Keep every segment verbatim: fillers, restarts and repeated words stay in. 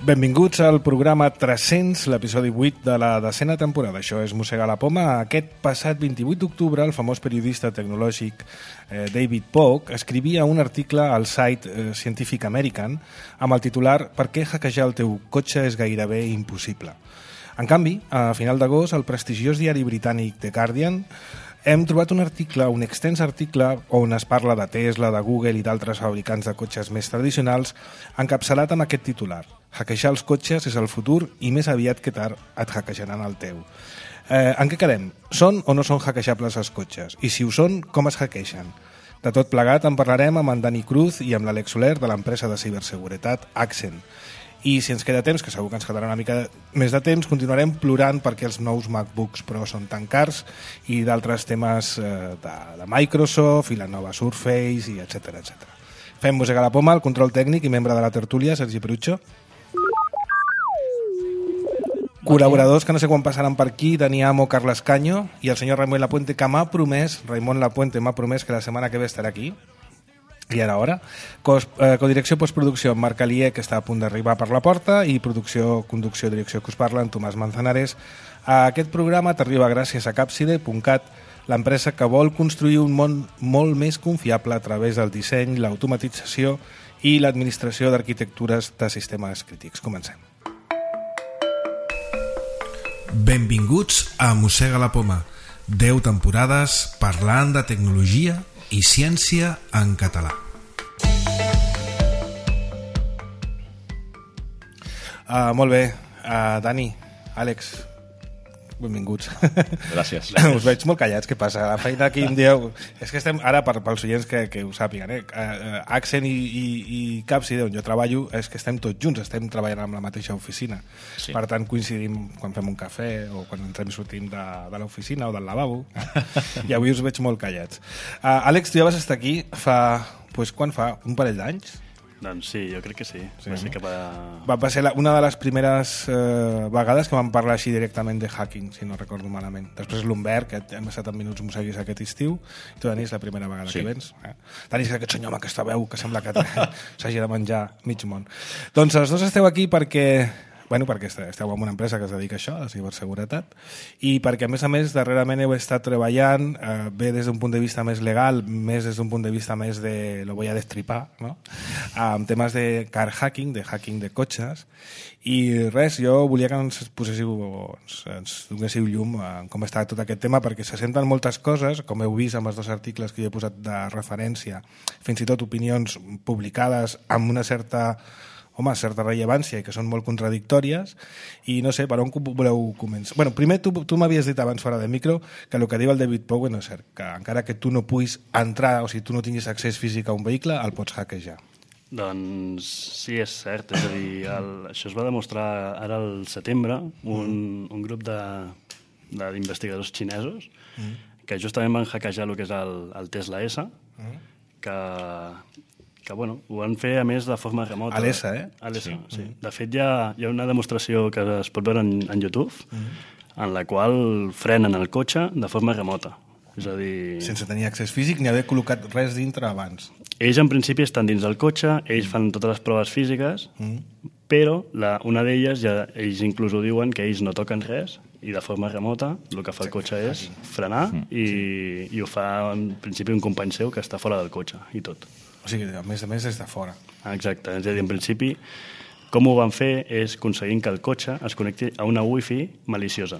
Benvinguts al programa tres-cents, l'episodi vuit de la desena temporada. Això és Mossegar la Poma. Aquest passat vint-i-vuit d'octubre, el famós periodista tecnològic eh, David Pogue escrivia un article al site eh, Scientific American amb el titular «Per què hackejar el teu cotxe és gairebé impossible?». En canvi, a final d'agost, el prestigiós diari britànic The Guardian hem trobat un article, un extens article on es parla de Tesla, de Google i d'altres fabricants de cotxes més tradicionals, encapçalat amb aquest titular. Hackejar els cotxes és el futur i més aviat que tard et hackejaran el teu. Eh, en què quedem? Són o no són hackejables els cotxes? I si ho són, com es hackegen? De tot plegat en parlarem amb en Dani Cruz i amb l'Àlex Soler de l'empresa de ciberseguretat Accent. I si ens queda temps, que segur que ens quedarà una mica més de temps, continuarem plorant perquè els nous MacBooks Pro són tan cars i d'altres temes eh, de, de Microsoft i la nova Surface i etcètera etcètera. Fem Mossegar la Poma, el control tècnic i membre de la tertúlia, Sergi Perucho. Col·laboradors que no sé quan passaran per aquí, Dani Amo, Carles Caño i el senyor Raimon Lapuente, que m'ha promès, Raimon Lapuente m'ha promès que la setmana que ve estarà aquí. I ara hora. Cos, eh, codirecció postproducció amb Marc Alier, que està a punt d'arribar per la porta, i producció, conducció, direcció que us parla en Tomàs Manzanares. Aquest programa t'arriba gràcies a Capside punt cat, l'empresa que vol construir un món molt més confiable a través del disseny, l'automatització i l'administració d'arquitectures de sistemes crítics. Comencem. Benvinguts a Mossega la Poma. deu temporades parlant de tecnologia i ciència en català. Uh, molt bé, uh, Dani, Àlex, benvinguts. Gràcies. Us veig molt callats, què passa? La feina aquí em dieu... És que estem, ara, per, pels oients que, que ho sàpiguen, eh? Uh, Accent i, i, i Capside, on jo treballo, és que estem tots junts, estem treballant en la mateixa oficina. Sí. Per tant, coincidim quan fem un cafè o quan entrem i sortim de, de l'oficina o del lavabo. I avui us veig molt callats. Uh, Àlex, tu ja vas estar aquí fa... Pues, quan fa? Un parell d'anys? Doncs sí, jo crec que sí. sí. Va ser cap a... Va, va ser la, una de les primeres eh, vegades que vam parlar així directament de hacking, si no recordo malament. Després l'Humbert, que hem estat en Minuts Mosseguis aquest estiu, i tu, Dani, és la primera vegada sí. que vens. Eh? Dani, és aquest senyor amb aquesta veu que sembla que s'hagi de menjar mig món. Doncs els dos esteu aquí perquè... Bueno, perquè esteu en una empresa que es dedica a això, a la ciberseguretat, i perquè, a més a més, darrerament heu estat treballant eh, bé des d'un punt de vista més legal, més des d'un punt de vista més de, lo voy a destripar, no? Amb temes de car hacking, de hacking de cotxes, i res, jo volia que ens poséssiu, ens, ens donéssiu llum en com està tot aquest tema, perquè se senten moltes coses, com heu vist amb els dos articles que jo he posat de referència, fins i tot opinions publicades amb una certa... home, certa rellevància i que són molt contradictòries i no sé, per on voleu començar? Bueno, primer tu, tu m'havies dit abans fora de micro que el que diu el David Pogue no és cert, que encara que tu no puguis entrar o si tu no tinguis accés físic a un vehicle, el pots hackejar. Doncs sí, és cert, és a dir, el, això es va demostrar ara al setembre, un, mm. un grup d'investigadors xinesos mm. que justament van hackejar el que és el, el Tesla S, mm. que... que bueno, ho van fer a més de forma remota. A l'E S A, eh? A l'E S A, sí. sí. De fet, hi ha, hi ha una demostració que es pot veure en, en YouTube mm. en la qual frenen el cotxe de forma remota. És a dir... Sense tenir accés físic ni haver col·locat res dintre abans. Ells, en principi, estan dins del cotxe, ells fan totes les proves físiques, mm. però la, una d'elles, ja, ells inclús ho diuen, que ells no toquen res, i de forma remota el que fa el cotxe és frenar mm. i, sí. i ho fa, en principi, un company seu que està fora del cotxe, i tot. O sigui, a més a més, des de fora. Exacte. És a dir, en principi, com ho van fer és aconseguint que el cotxe es connecti a una wifi maliciosa.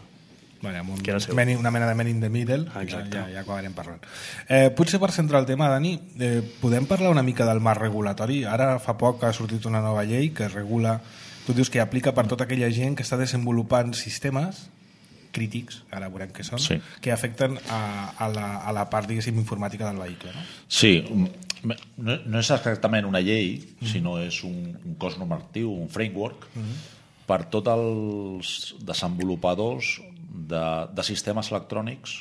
Vale, amb un many, una mena de man in the middle. Exacte. Ja, ja, ja acabarem parlant. Eh, potser per centrar el tema, Dani, eh, podem parlar una mica del marc regulatori? Ara fa poc ha sortit una nova llei que regula... Tu dius que aplica per tota aquella gent que està desenvolupant sistemes crítics, ara veurem què són, sí. que afecten a, a, la, a la part, diguéssim, informàtica del vehicle. No? Sí, no, no és exactament una llei, mm. sinó és un, un cos normatiu, un framework, mm. per tots els desenvolupadors de, de sistemes electrònics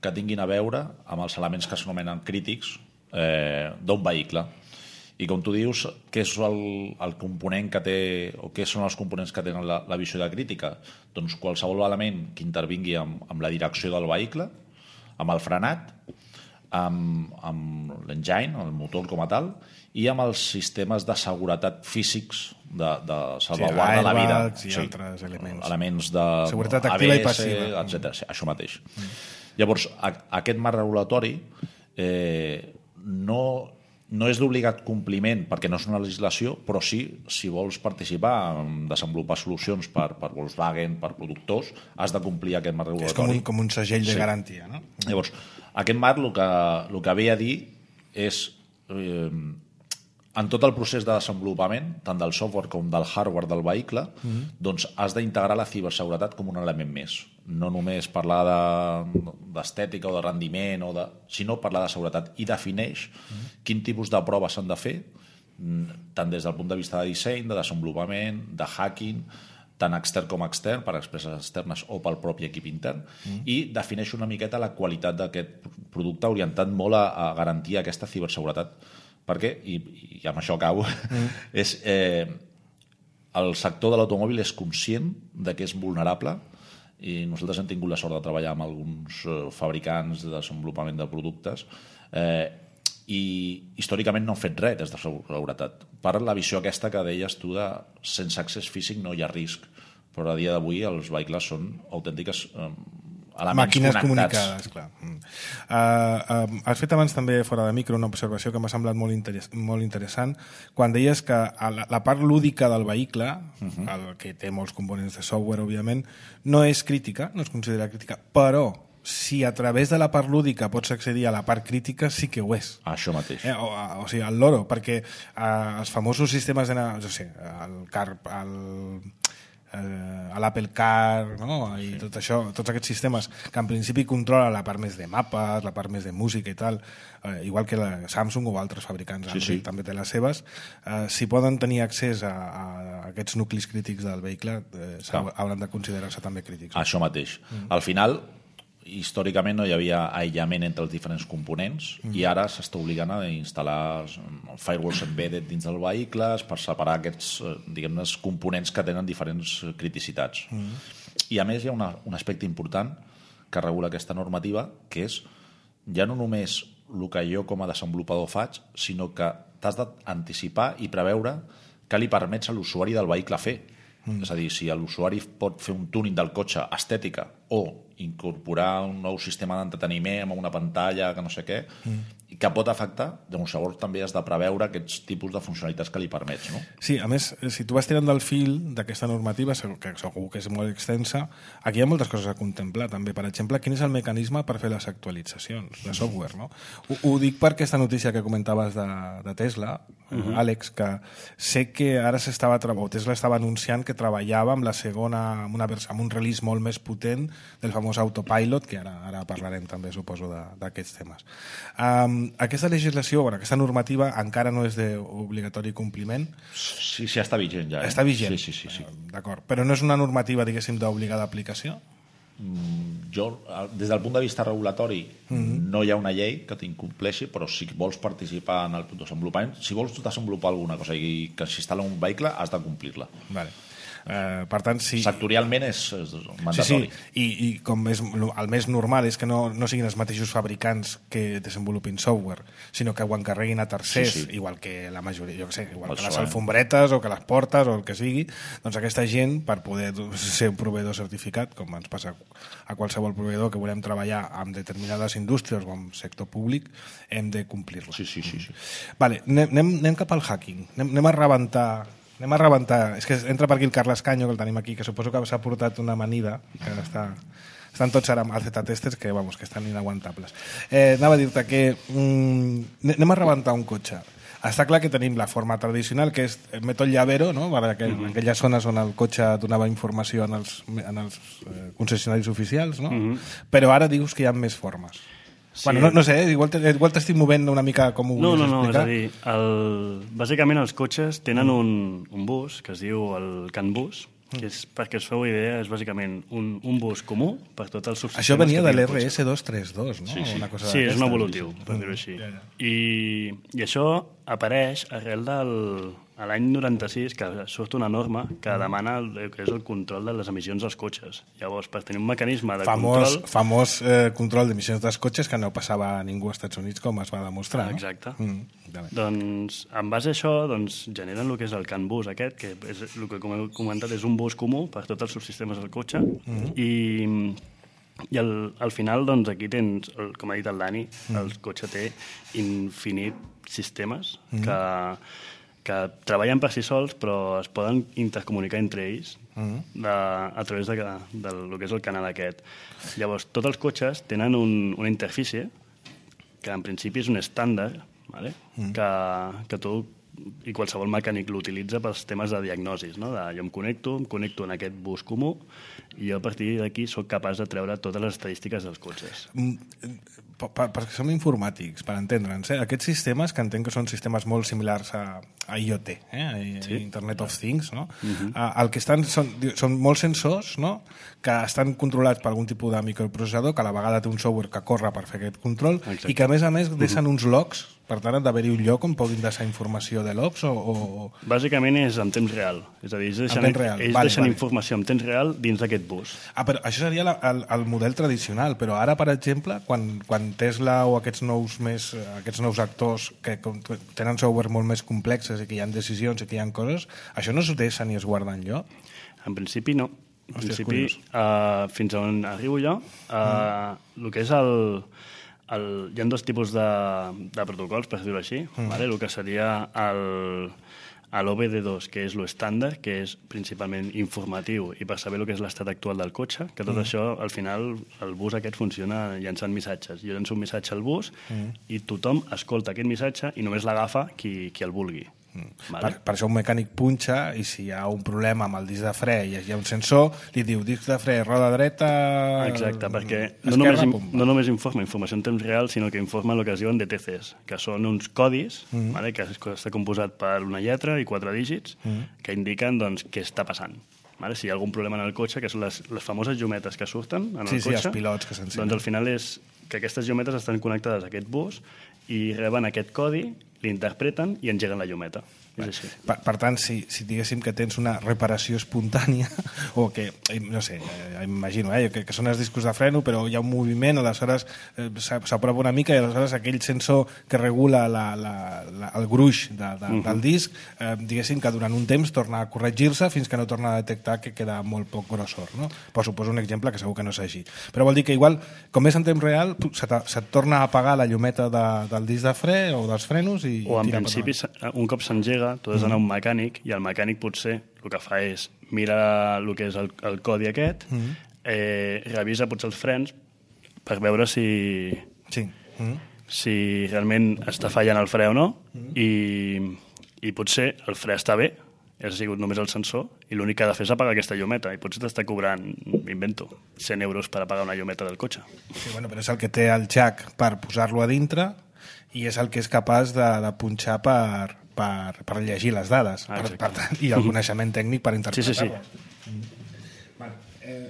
que tinguin a veure amb els elements que s'anomenen crítics eh, d'un vehicle. I com tu dius, què és el, el component que té, o què són els components que tenen la, la visió de crítica? Doncs qualsevol element que intervingui amb, amb la direcció del vehicle, amb el frenat, amb, amb l'engine, el motor com a tal, i amb els sistemes de seguretat físics de, de salvaguarda sí, de la vida. I sí, altres elements. Elements de seguretat activa A B S, i passiva. etcètera. Sí, això mateix. Mm. Llavors, a, aquest marc regulatori eh, no, no és d'obligat compliment perquè no és una legislació, però sí, si vols participar en desenvolupar solucions per, per Volkswagen, per productors, has de complir aquest marc regulatori. És com un, com un segell de sí. garantia, no? Llavors, aquest marc el que, el que ve a dir és eh, en tot el procés de desenvolupament, tant del software com del hardware del vehicle, mm-hmm. doncs has d'integrar la ciberseguretat com un element més. No només parlar d'estètica de, o de rendiment, o de, sinó parlar de seguretat. I defineix mm-hmm. quin tipus de proves s'han de fer, tant des del punt de vista de disseny, de desenvolupament, de hacking, tant extern com extern, per empreses externes o pel propi equip intern, mm. i defineix una miqueta la qualitat d'aquest producte orientat molt a, a garantir aquesta ciberseguretat. Perquè, i, i amb això acabo, mm. és, eh, el sector de l'automòbil és conscient de que és vulnerable i nosaltres hem tingut la sort de treballar amb alguns eh, fabricants de desenvolupament de productes eh, i històricament no han fet res des de seguretat. Per la visió aquesta que deies tu de sense accés físic no hi ha risc, però a dia d'avui els vehicles són autèntiques eh, elements màquines connectats. comunicades, clar. Mm. Uh, uh, has fet abans també fora de micro una observació que m'ha semblat molt, interess molt interessant quan deies que la, la part lúdica del vehicle, uh-huh. el que té molts components de software, òbviament, no és crítica, no es considera crítica, però si a través de la part lúdica pots accedir a la part crítica, sí que ho és. Això mateix. Eh, o, o sigui, el loro, perquè uh, els famosos sistemes de... No sé, el car... El, eh, a l'Apple Car, no? I sí. tot això, tots aquests sistemes que en principi controla la part més de mapes, la part més de música i tal, eh, igual que la Samsung o altres fabricants, sí, Android sí. també té les seves, eh, si poden tenir accés a, a aquests nuclis crítics del vehicle, eh, hauran de considerar-se també crítics. Això mateix. Mm. Al final, històricament no hi havia aïllament entre els diferents components mm. i ara s'està obligant a instal·lar firewalls embedded dins dels vehicles per separar aquests diguem-ne components que tenen diferents criticitats. Mm. I a més hi ha una, un aspecte important que regula aquesta normativa, que és ja no només el que jo com a desenvolupador faig, sinó que t'has d'anticipar i preveure què li permets a l'usuari del vehicle fer. Mm. És a dir, si l'usuari pot fer un tuning del cotxe estètica o incorporar un nou sistema d'entreteniment amb una pantalla que no sé què, mm. que pot afectar, doncs llavors també has de preveure aquests tipus de funcionalitats que li permets, no? Sí, a més, si tu vas tirant del fil d'aquesta normativa, que segur que és molt extensa, aquí hi ha moltes coses a contemplar també. Per exemple, quin és el mecanisme per fer les actualitzacions de software, no? Ho, ho dic per aquesta notícia que comentaves de, de Tesla, uh-huh. Àlex, que sé que ara s'estava o Tesla estava anunciant que treballava amb la segona, amb, una vers amb un release molt més potent del famós autopilot, que ara, ara parlarem també, suposo, d'aquests temes. Um, aquesta legislació, bueno, aquesta normativa encara no és d'obligatori compliment. Sí, sí, està vigent ja. Eh? Està vigent. Sí, sí, sí, sí. D'acord. Però no és una normativa, diguéssim, d'obligada aplicació? Mm, jo, des del punt de vista regulatori, mm-hmm. no hi ha una llei que t'incompleixi, però si vols participar en el desenvolupament, si vols desenvolupar alguna cosa i que s'instal·la un vehicle, has de complir-la. Vale. Uh, per tant, si... sectorialment és, és mandatori. Sí, sí. I, i com és, el més normal és que no, no siguin els mateixos fabricants que desenvolupin software, sinó que ho encarreguin a tercers, sí, sí. igual que la majoria, jo què sé, igual el que les alfombretes o que les portes o el que sigui, doncs aquesta gent, per poder ser un proveïdor certificat, com ens passa a qualsevol proveïdor que volem treballar amb determinades indústries o amb sector públic, hem de complir-lo. Sí, sí, sí, sí. Vale, anem, anem cap al hacking. Anem, anem a rebentar... Anem a rebentar. És que entra per aquí el Carles Canyo, que el tenim aquí, que suposo que s'ha portat una amanida, que està... Estan tots ara als Z-testers que, vamos, que estan inaguantables. Eh, anava a dir-te que mm, anem a rebentar un cotxe. Està clar que tenim la forma tradicional, que és metode llavero, no? Per aquell, mm-hmm. aquelles zones on el cotxe donava informació en els, en els eh, concessionaris oficials, no? Mm-hmm. Però ara dius que hi ha més formes. Sí. Bueno, no, no sé, igual t'estic movent una mica com ho no, volies no, no, explicar. No, és a dir, el, bàsicament els cotxes tenen un, un bus que es diu el CAN bus, que és, perquè us feu idea, és bàsicament un, un bus comú per tots els subsistemes. Això venia de l'R S dos trenta dos, no? Sí, sí, una cosa sí és un evolutiu, per dir-ho així. Ja, ja. I, I això apareix arrel del, a l'any noranta-sis que surt una norma que demana el que és el control de les emissions dels cotxes. Llavors, per tenir un mecanisme de famós, control... Famós eh, control d'emissions dels cotxes que no passava a ningú als Estats Units, com es va demostrar. Ah, exacte. No? Mm, doncs, en base a això, doncs, generen el que és el CAN bus aquest, que és el que, com he comentat, és un bus comú per tots els subsistemes del cotxe, mm-hmm. i, i al, al final, doncs, aquí tens, el, com ha dit el Dani, mm. el cotxe té infinit sistemes mm. que, que treballen per si sols, però es poden intercomunicar entre ells mm. de, a través de, de, de lo que és el canal aquest. Llavors, tots els cotxes tenen un, una interfície que en principi és un estàndard, vale? mm. que, que tu i qualsevol mecànic l'utilitza pels temes de diagnosis, no? De, jo em connecto, em connecto en aquest bus comú i jo a partir d'aquí sóc capaç de treure totes les estadístiques dels cotxes. Perquè som informàtics, per entendre'ns, eh? Aquests sistemes, que entenc que són sistemes molt similars a, a IoT, eh? a sí. Internet of Things, no? Uh-huh. El que estan són, són molts sensors, no? Que estan controlats per algun tipus de microprocessador, que a la vegada té un software que corre per fer aquest control. Exacte. I que a més a més deixen uh-huh. uns logs. Per tant, ha d'haver-hi un lloc on puguin deixar informació de logs o, o... Bàsicament és en temps real. És a dir, ells deixen, real. Ells vale, deixen vale. informació en temps real dins d'aquest bus. Ah, però això seria la, el, el model tradicional, però ara, per exemple, quan, quan Tesla o aquests nous, més, aquests nous actors que tenen software molt més complexes i que hi ha decisions i que hi ha coses, això no s'ho deixa ni es guarda enlloc? En principi no. En Hòstia, principi, uh, fins on arribo jo, uh, mm. el que és el... El, hi ha dos tipus de, de protocols, per dir-ho així. Mm. Vale? El que seria l'O B D dos, que és l'estàndard, que és principalment informatiu i per saber el que és l'estat actual del cotxe, que tot mm. això, al final, el bus aquest funciona llançant missatges. Jo llenço un missatge al bus mm. i tothom escolta aquest missatge i només l'agafa qui, qui el vulgui. Vale. Per, per això un mecànic punxa i si hi ha un problema amb el disc de fre i hi ha un sensor, li diu disc de fre, roda dreta... Exacte, perquè no només, no només informa informació en temps real, sinó que informa el que es diuen D T Cs, que són uns codis mm. vale, que està composat per una lletra i quatre dígits mm. que indiquen doncs, què està passant. Vale? Si hi ha algun problema en el cotxe, que són les, les famoses llumetes que surten en el sí, cotxe, sí, els pilots que s'encenen. Doncs al final és que aquestes llumetes estan connectades a aquest bus i reben aquest codi, l'interpreten i engeguen la llumeta. És així. Per, per tant, si, si diguéssim que tens una reparació espontània o que, no sé, eh, imagino, eh, que, que són els discos de freno però hi ha un moviment, aleshores eh, s'aprova una mica i aleshores aquell sensor que regula la, la, la, el gruix de, de, uh-huh. del disc, eh, diguéssim que durant un temps torna a corregir-se fins que no torna a detectar que queda molt poc grossor, no? Però suposo un exemple que segur que no és així. Però vol dir que igual, com és en temps real, se't, se't torna a apagar la llumeta de, del disc de fre o dels frenos i... O en principi, un cop s'engega, tu has d'anar a un mecànic i el mecànic potser el que fa és mira el que és el, el codi aquest, mm. eh, revisa potser els frens per veure si, sí. mm. si realment està fallant el fre o no mm. i, i potser el fre està bé, ha sigut només el sensor i l'únic que ha de fer és apagar aquesta llumeta i potser t'està cobrant, invento, cent euros per apagar una llumeta del cotxe. Sí, bueno, però és el que té el jack per posar-lo a dintre i és el que és capaç de, de punxar per, per, per llegir les dades ah, per, per, i el coneixement tècnic per interpretar-les. Sí, sí, sí. Mm. Vale. Eh,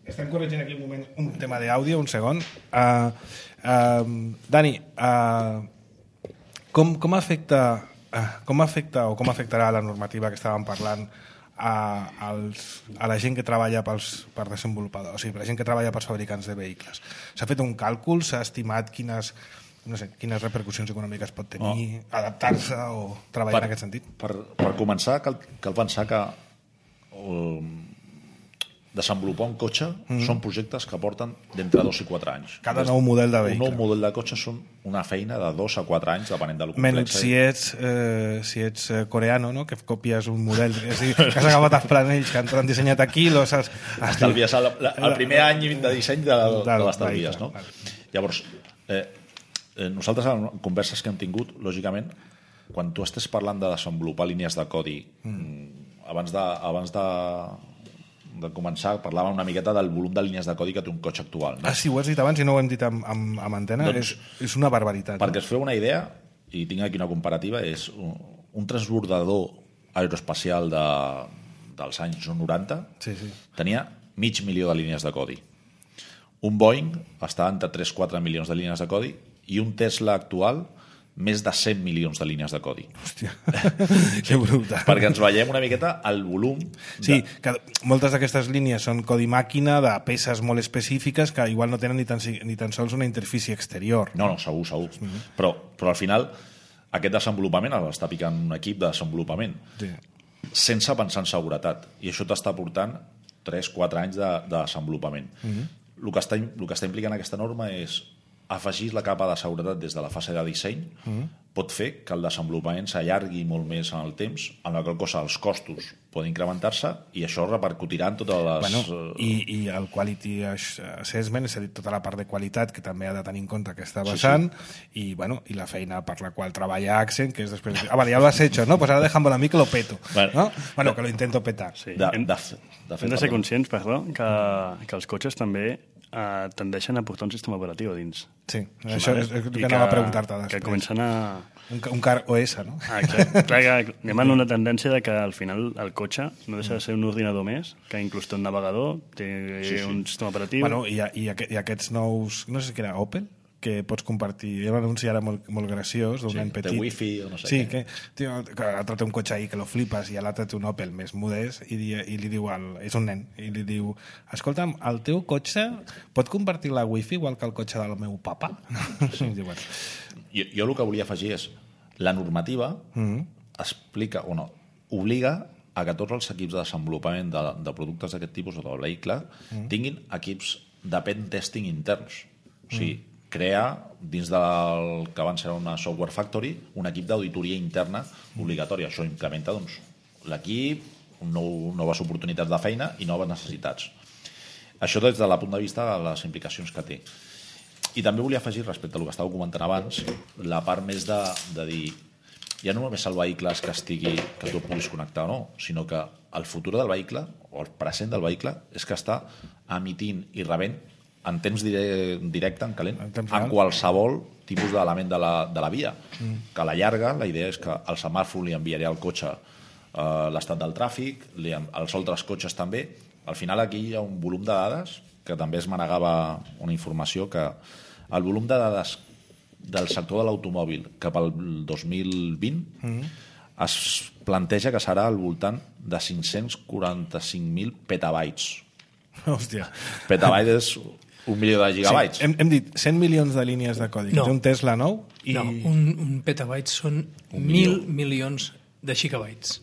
estem corregint aquí un moment un tema d'àudio, un segon. Uh, uh, Dani, uh, com, com afecta uh, com afecta o com afectarà la normativa que estàvem parlant a, als, a la gent que treballa pels, per desenvolupadors, o sigui, per la gent que treballa pels fabricants de vehicles? S'ha fet un càlcul? S'ha estimat quines no sé, quines repercussions econòmiques pot tenir, oh. adaptar-se o treballar per, en aquest sentit? Per, per començar, cal, cal pensar que um, desenvolupar un cotxe mm. són projectes que porten d'entre dos i quatre anys. Cada nou model de vehicle. Un nou model de cotxe són una feina de dos a quatre anys, depenent de lo complex. Menys si ets, eh, si ets coreano, no? Que copies un model, és dir, que has agafat els planells que han dissenyat aquí, los has... Estalvies el, el primer any de disseny de, de l'estalvies, no? Vale. Llavors, eh, nosaltres en converses que hem tingut, lògicament, quan tu estàs parlant de desenvolupar línies de codi, mm. abans de, abans de, de començar parlàvem una miqueta del volum de línies de codi que té un cotxe actual. No? Ah, sí, ho has dit abans i no ho hem dit amb, amb, amb antena, doncs, és, és una barbaritat. Perquè no? es feu una idea, i tinc aquí una comparativa, és un, un transbordador aeroespacial de, dels anys noranta sí, sí. tenia mig milió de línies de codi. Un Boeing està entre tres a quatre milions de línies de codi i un Tesla actual més de cent milions de línies de codi. Hòstia, que brutal. Perquè ens veiem una miqueta el volum... Sí, que moltes d'aquestes línies són codi màquina de peces molt específiques que igual no tenen ni tan, ni tan sols una interfície exterior. No, no, segur, segur. Mm-hmm. Però, però al final aquest desenvolupament l'està picant un equip de desenvolupament sí. sense pensar en seguretat. I això t'està portant tres quatre anys de, de desenvolupament. Mm-hmm. El que està, el que està implicant aquesta norma és afegir la capa de seguretat des de la fase de disseny mm. pot fer que el desenvolupament s'allargui molt més en el temps, en la qual cosa els costos poden incrementar-se i això repercutirà en totes les... Bueno, i, i el quality assessment, és a dir, tota la part de qualitat que també ha de tenir en compte que està vessant sí, sí. I, bueno, i la feina per la qual treballa Accent, que és després... Ah, vale, ya lo has hecho, ¿no? Pues ahora déjame a mí que lo peto. Bueno, ¿no? Bueno, que lo intento petar. Sí. De, hem, de, de fet, hem de ser conscients, perdó, que, que els cotxes també Uh, tendeixen a portar un sistema operatiu a dins. Sí, això és el que anava a preguntar-te després. Que comencen a... Un, un car O S, no? Ah, exacte. Clar que anem en una tendència de que al final el cotxe no deixa de ser un ordinador més, que inclús té un navegador, té sí, sí. un sistema operatiu... Bueno, i, i, i aquests nous... No sé si era Opel, que pots compartir. Hi ha un anunci ara molt, molt graciós d'un sí, nen petit. De wifi o no sé sí, què. Que, tio, que l'altre té un cotxe ahí que lo flipes i l'altre té un Opel més modest i, di, i li diu, al, és un nen, i li diu, escolta'm, el teu cotxe pot compartir la wifi igual que el cotxe del meu papa? Sí. Diu, bueno. jo, jo el que volia afegir és la normativa mm-hmm. explica, o no, obliga a que tots els equips de desenvolupament de, de productes d'aquest tipus o del vehicle mm-hmm. tinguin equips de pen testing interns. O sigui, mm-hmm. crea, dins del que abans era una software factory, un equip d'auditoria interna obligatòria. Això incrementa doncs, l'equip, nou, noves oportunitats de feina i noves necessitats. Això des de la punt de vista de les implicacions que té. I també volia afegir, respecte al que estava comentant abans, la part més de, de dir ja no només el vehicle que estigui que tu puguis connectar o no, sinó que el futur del vehicle, o el present del vehicle, és que està emitint i rebent en temps directe, en calent, en, en qualsevol tipus d'element de, la, de la via. Mm. Que a la llarga, la idea és que el semàfor li enviaria al cotxe eh, l'estat del tràfic, li, els altres cotxes també. Al final aquí hi ha un volum de dades, que també es manegava una informació, que el volum de dades del sector de l'automòbil cap al dos mil vint mm. es planteja que serà al voltant de cinc-cents quaranta-cinc mil petabytes. Hòstia. Petabytes és un milió de gigabytes. Sí, hem, hem dit cent milions de línies de codi. No. Un Tesla nou i... No, un, un petabyte són un mil milions de gigabytes.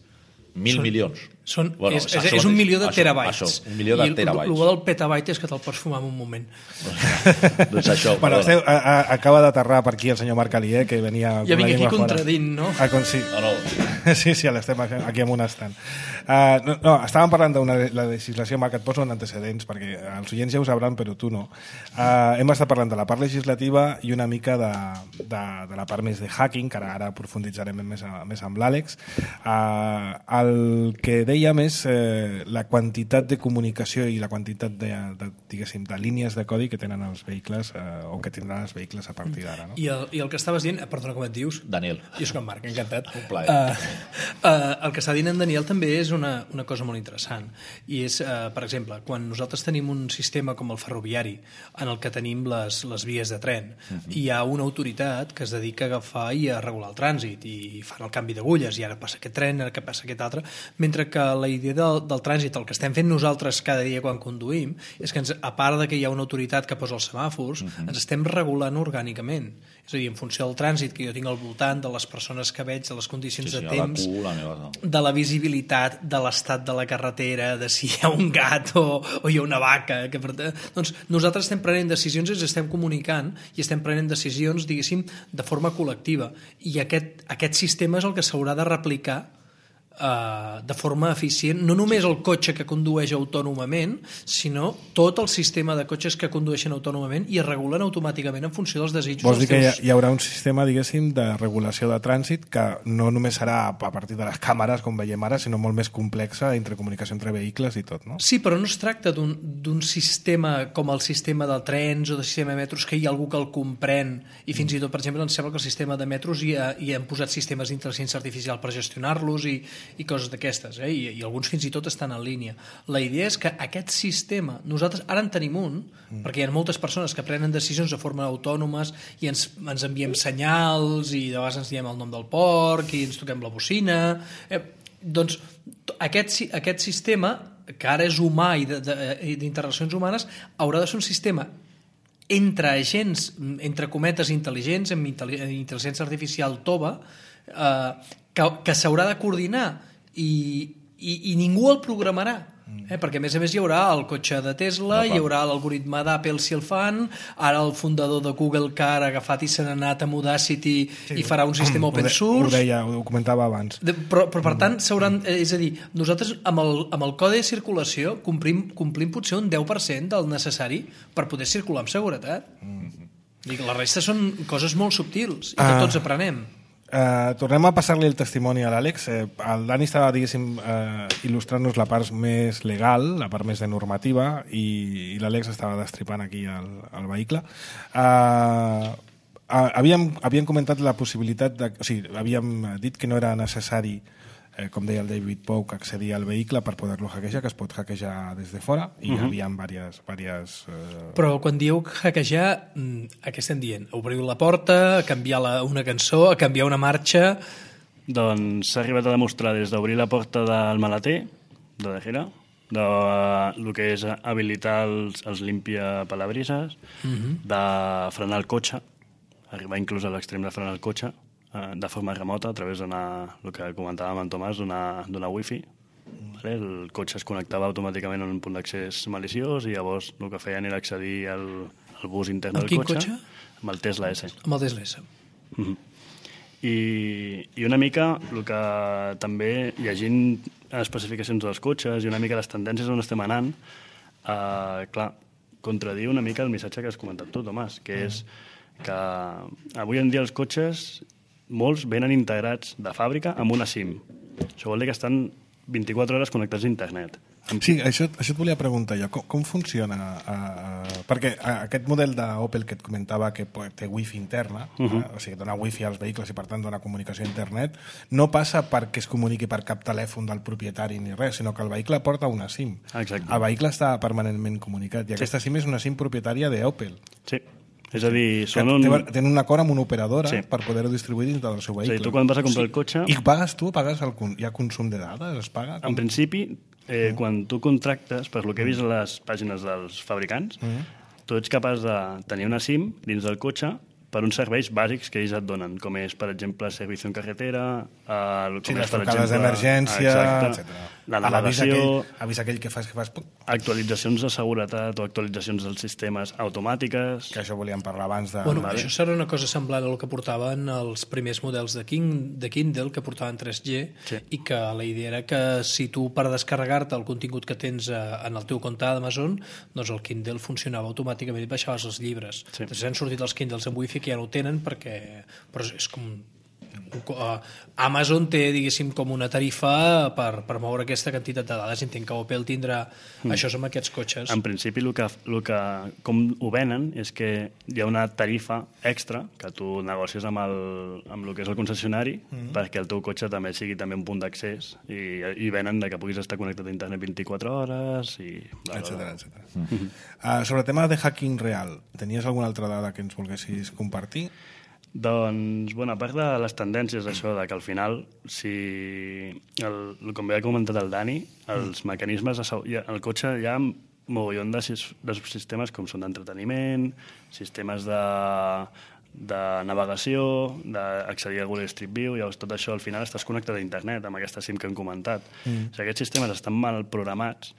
Mil són, milions? Són, bueno, és, és, és un milió de això, terabytes. Això, un milió de I terabytes. I el, el del petabyte és que te'l pots fumar en un moment. Doncs això, bueno, esteu, a, a, acaba d'aterrar per aquí el senyor Marc Alier, que venia... Ja vinc aquí contradint, no? Ah, con, sí. No, no. Sí, sí, l'estem aquí amb un estant. Uh, no, no, estàvem parlant de la legislació, Marc, et poso en antecedents, perquè els oients ja ho sabran, però tu no. Uh, hem estat parlant de la part legislativa i una mica de, de, de la part més de hacking, que ara, ara profunditzarem més, més amb l'Àlex. Uh, el que dèiem és eh, la quantitat de comunicació i la quantitat de, de, diguéssim, de línies de codi que tenen els vehicles eh, o que tindran els vehicles a partir d'ara. No? I, el, I el que estaves dient, perdona, com et dius? Daniel. Jo soc en Marc, encantat. Un plaer. Uh, uh, el que està dient en Daniel també és una, una cosa molt interessant. I és, uh, per exemple, quan nosaltres tenim un sistema com el ferroviari, en el que tenim les, les vies de tren, uh-huh. hi ha una autoritat que es dedica a agafar i a regular el trànsit, i fan el canvi d'agulles, i ara passa aquest tren, ara que passa aquest altre, mentre que la idea del, del trànsit, el que estem fent nosaltres cada dia quan conduïm, és que ens, a part de que hi ha una autoritat que posa els semàfors, uh-huh. ens estem regulant orgànicament. És a dir, en funció del trànsit que jo tinc al voltant, de les persones que veig, de les condicions sí, sí, de temps, la cua, la meva... de la visibilitat, de l'estat de la carretera, de si hi ha un gat o, o hi ha una vaca. Que, doncs nosaltres estem prenent decisions i ens estem comunicant i estem prenent decisions, diguéssim, de forma col·lectiva. I aquest, aquest sistema és el que s'haurà de replicar Uh, de forma eficient, no només el cotxe que condueix autònomament, sinó tot el sistema de cotxes que condueixen autònomament i es regulen automàticament en funció dels desitjos. Vols dir teus... que hi, hi haurà un sistema, diguéssim, de regulació de trànsit que no només serà a partir de les càmeres, com veiem ara, sinó molt més complexa entre comunicació entre vehicles i tot, no? Sí, però no es tracta d'un sistema com el sistema de trens o de sistema de metros, que hi ha algú que el comprèn i fins i tot, per exemple, em sembla que el sistema de metros hi, ha, hi han posat sistemes d'intel·ligència artificial per gestionar-los i i coses d'aquestes, eh? I, i alguns fins i tot estan en línia. La idea és que aquest sistema, nosaltres ara en tenim un, mm. perquè hi ha moltes persones que prenen decisions de forma autònomes i ens, ens enviem senyals i de vegades ens diem el nom del porc i ens toquem la bocina. Eh, doncs aquest, aquest sistema, que ara és humà i d'interrelacions humanes, haurà de ser un sistema entre agents, entre cometes intel·ligents, amb intel·ligència artificial tova, eh, que, que s'haurà de coordinar i, i, i ningú el programarà. Eh? Perquè a més a més hi haurà el cotxe de Tesla, no, hi haurà l'algoritme d'Apple si el fan, ara el fundador de Google que ha agafat i se n'ha anat amb Audacity sí, i farà un sistema open source. Ho deia, ho comentava abans. De, però, però per tant s'hauran, és a dir, nosaltres amb el, amb el codi de circulació complim, complim potser un deu per cent del necessari per poder circular amb seguretat. Mm. Dic, la resta són coses molt subtils i que ah. tots aprenem. Uh, tornem a passar-li el testimoni a l'Àlex. Uh, el Dani estava, diguéssim, uh, il·lustrant-nos la part més legal, la part més de normativa, i, i l'Àlex estava destripant aquí el, el vehicle. Uh, uh, havíem, havíem comentat la possibilitat de, o sigui, havíem dit que no era necessari, eh, com deia el David Pogue, accedir al vehicle per poder-lo hackejar, que es pot hackejar des de fora, i uh -huh. hi havia diverses... diverses eh... Però quan dieu hackejar, a què estem dient? Obriu la porta, a canviar la, una cançó, a canviar una marxa... Doncs s'ha arribat a demostrar des d'obrir la porta del maleter, de darrere, de el que és habilitar els, els limpia-palabrises, uh -huh. de frenar el cotxe, arribar inclús a l'extrem de frenar el cotxe, de forma remota, a través d'una, el que comentàvem amb Tomàs, d'una wifi. Vale? El cotxe es connectava automàticament a un punt d'accés maliciós i llavors el que feien era accedir al, al bus intern del cotxe. cotxe? Amb el Tesla S. Amb el Tesla S. Mm-hmm. I, I una mica el que també, llegint especificacions dels cotxes i una mica les tendències on estem anant, eh, clar, contradiu una mica el missatge que has comentat tu, Tomàs, que és que avui en dia els cotxes molts venen integrats de fàbrica amb una SIM. Això vol dir que estan vint-i-quatre hores connectats a internet. Sí, això, això et volia preguntar jo. Com, com funciona? Uh, uh, perquè uh, aquest model d'Opel que et comentava que té wifi interna, uh -huh. uh, o sigui, dona wifi als vehicles i per tant dona comunicació a internet, no passa perquè es comuniqui per cap telèfon del propietari ni res, sinó que el vehicle porta una SIM. Exacte. El vehicle està permanentment comunicat i aquesta SIM és una SIM propietària d'Opel. Sí. És a dir, són un... tenen un acord amb una operadora sí. per poder-ho distribuir dintre del seu vehicle. Sí, tu quan vas a comprar sí. el cotxe... I pagues tu? Pagues el... Hi ha consum de dades? Es paga? En principi, eh, mm. quan tu contractes, per lo que he vist a les pàgines dels fabricants, mm. tu ets capaç de tenir una SIM dins del cotxe per uns serveis bàsics que ells et donen, com és, per exemple, servici en carretera, eh, com sí, és, les per trucades d'emergència, etcètera. La navegació, avisa aquell que fas que fas... actualitzacions de seguretat o actualitzacions dels sistemes automàtiques... Que això volíem parlar abans de... Bueno, això serà una cosa semblant a el que portaven els primers models de, King, de Kindle, que portaven tres G, sí. i que la idea era que si tu, per descarregar-te el contingut que tens en el teu compte d'Amazon, doncs el Kindle funcionava automàticament i baixaves els llibres. Sí. Després han sortit els Kindles amb wifi que ja no ho tenen perquè... Però és com... Uh, Amazon té, diguéssim, com una tarifa per, per moure aquesta quantitat de dades. Entenc que Opel tindrà mm. això amb aquests cotxes. En principi, el que, el que, com ho venen és que hi ha una tarifa extra que tu negocies amb el, amb el que és el concessionari mm. perquè el teu cotxe també sigui també un punt d'accés i, i venen de que puguis estar connectat a internet vint-i-quatre hores i... etcètera, etcètera. Mm. Uh, sobre el tema de hacking real, tenies alguna altra dada que ens volguessis compartir? Doncs, bueno, a part de les tendències d'això, de que al final, si, el, com bé ha comentat el Dani, els mm. mecanismes, de, el cotxe hi ha mogollon de, de subsistemes com són d'entreteniment, sistemes de, de navegació, d'accedir a Google Street View, llavors tot això al final estàs connectat a internet amb aquesta SIM que hem comentat. Mm. Si aquests sistemes estan mal programats,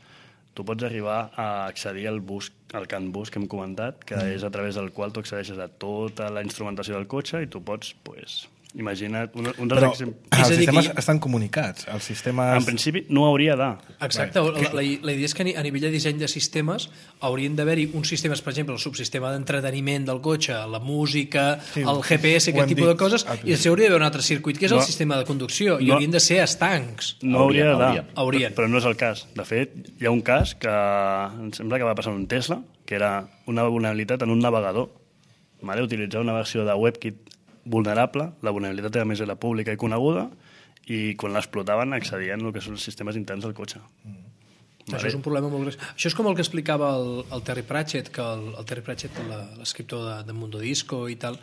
tu pots arribar a accedir al bus, al CAN bus que hem comentat, que mm. és a través del qual tu accedeixes a tota la instrumentació del cotxe i tu pots, pues, imagina't... Un, un Però els sistemes que... estan comunicats. Els sistemes... En principi no hauria de... Exacte. La, la, la idea és que a nivell de disseny de sistemes haurien d'haver-hi uns sistemes, per exemple, el subsistema d'entreteniment del cotxe, la música, sí, el G P S, aquest tipus de coses, i després hauria d'haver un altre circuit, que és no, el sistema de conducció, i no, haurien de ser estancs. No hauria de... Haurien. Però no és el cas. De fet, hi ha un cas que em sembla que va passar en un Tesla, que era una vulnerabilitat en un navegador. Vale? Utilitzar una versió de WebKit vulnerable, la vulnerabilitat a més era pública i coneguda, i quan l'explotaven accedien al que són els sistemes interns del cotxe. Mm. Vale. Això és un problema molt greu. Això és com el que explicava el, el Terry Pratchett, que el, el Terry Pratchett, l'escriptor de, de Mundo Disco i tal,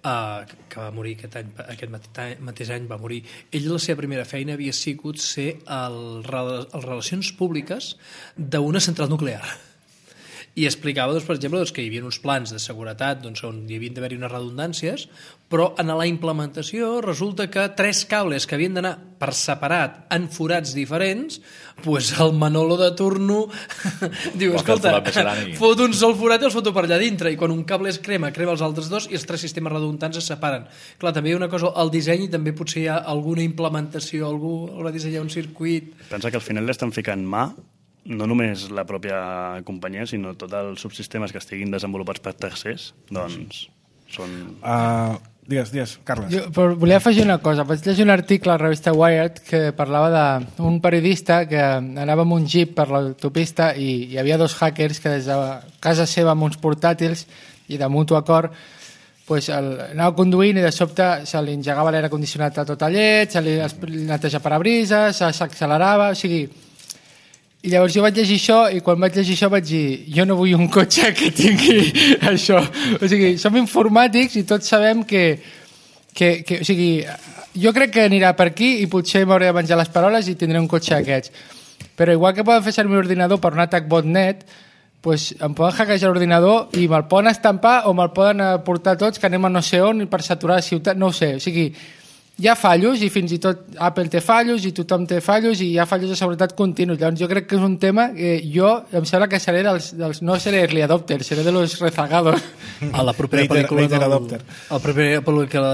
uh, que va morir aquest, any, aquest mateix, mateix any, va morir. Ell, la seva primera feina havia sigut ser el, el relacions públiques d'una central nuclear. I explicava, doncs, per exemple, doncs, que hi havia uns plans de seguretat doncs, on hi havien d'haver-hi unes redundàncies, però en la implementació resulta que tres cables que havien d'anar per separat en forats diferents, doncs el Manolo de turno diu, escolta, fot un sol forat i els foto per allà dintre, i quan un cable es crema, crema els altres dos i els tres sistemes redundants es separen. Clar, també hi ha una cosa, el disseny, i també potser hi ha alguna implementació, algú haurà dissenyat un circuit... Pensa que al final l'estan ficant mà no només la pròpia companyia, sinó tots els subsistemes que estiguin desenvolupats per tercers, doncs són... Uh, digues, digues, Carles. Jo però volia afegir una cosa. Vaig llegir un article a la revista Wired que parlava d'un periodista que anava amb un jeep per l'autopista i hi havia dos hackers que des de casa seva amb uns portàtils i de mutu acord pues el, anava conduint i de sobte se li engegava l'aire condicionat a tota llet, se li neteja parabrises, s'accelerava, o sigui... I llavors jo vaig llegir això i quan vaig llegir això vaig dir jo no vull un cotxe que tingui això. O sigui, som informàtics i tots sabem que, que, que o sigui, jo crec que anirà per aquí i potser m'hauré de menjar les paroles i tindré un cotxe d'aquests. Però igual que poden fer servir l'ordinador per un atac botnet, pues em poden hackejar l'ordinador i me'l poden estampar o me'l poden portar tots que anem a no sé on per saturar la ciutat, no ho sé. O sigui, hi ha fallos i fins i tot Apple té fallos i tothom té fallos i hi ha fallos de seguretat continus. Llavors jo crec que és un tema que jo em sembla que seré dels, dels no seré early adopter, seré de los rezagados. A la propera Later, pel·lícula later del, adopter. a la propera pel·lícula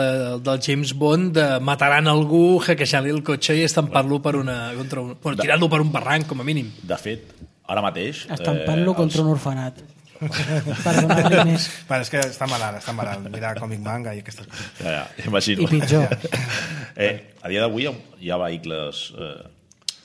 del James Bond de mataran algú, hackejant-li el cotxe i estampar-lo per una, contra un, bueno, tirant-lo per un barranc com a mínim. De fet, ara mateix... Estampant-lo eh, contra els... un orfenat. Per donar-li més. Bueno, és que està malalt, està malalt. Mira còmic manga i aquestes coses. Ja, ja, imagino. I pitjor. Eh, a dia d'avui hi ha vehicles eh,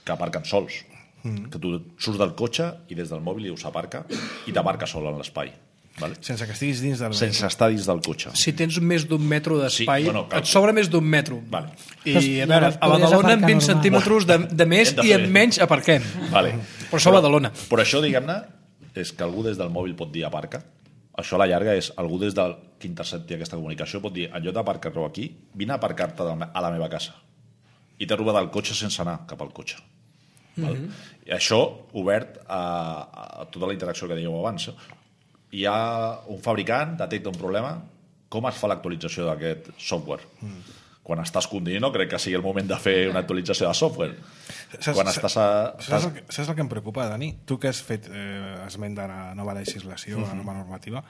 que aparquen sols. Mm. Que tu surts del cotxe i des del mòbil us aparca i t'aparca sol en l'espai. Vale? Sense que estiguis dins del... Sense estar dins del cotxe. Si tens més d'un metro d'espai, Sí, bueno, cal- et sobra més d'un metro. Vale. I Però, a veure, llavors, a podries Badalona amb aparcar vint normal. centímetres de, de més Hem de i fer. amb menys aparquem. Vale. Però això a Badalona. Però això, diguem-ne, és que algú des del mòbil pot dir aparca. Això a la llarga és algú des del que intercepti aquesta comunicació pot dir, en lloc d'aparcar-lo aquí, vine a aparcar-te a la meva casa. I t'he robat el cotxe sense anar cap al cotxe. Mm-hmm. Val? I això obert a, a tota la interacció que dèieu abans. Hi ha un fabricant, detecta un problema, com es fa l'actualització d'aquest software? Mm. Quan estàs conduint no crec que sigui el moment de fer una actualització de software. Saps, Quan estàs a... Saps, el que, saps el que em preocupa, Dani? Tu que has fet eh, esment de la nova legislació, uh-huh. la nova normativa,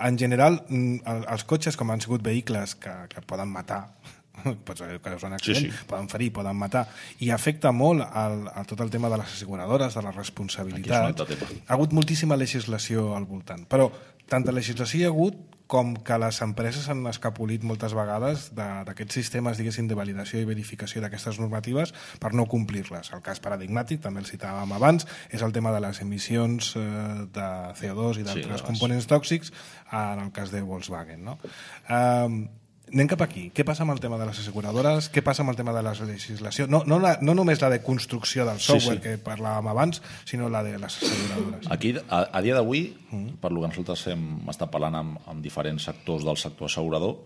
en general, mm, els cotxes, com han sigut vehicles que, que poden matar, pots que és un accident, sí, sí. poden ferir, poden matar, i afecta molt al, a tot el tema de les asseguradores, de la responsabilitat. Ha hagut moltíssima legislació al voltant, però tanta legislació hi ha hagut com que les empreses han escapolit moltes vegades d'aquests sistemes, diguéssim, de validació i verificació d'aquestes normatives per no complir-les. El cas paradigmàtic, també el citàvem abans, és el tema de les emissions eh, de C O dos i d'altres sí, components tòxics en el cas de Volkswagen. No? Eh, Anem cap aquí. Què passa amb el tema de les asseguradores? Què passa amb el tema de la legislació? No, no, la, no només la de construcció del software sí, sí. que parlàvem abans, sinó la de les asseguradores. Aquí, a, a dia d'avui, mm. per lo que nosaltres hem estat parlant amb, amb diferents sectors del sector assegurador,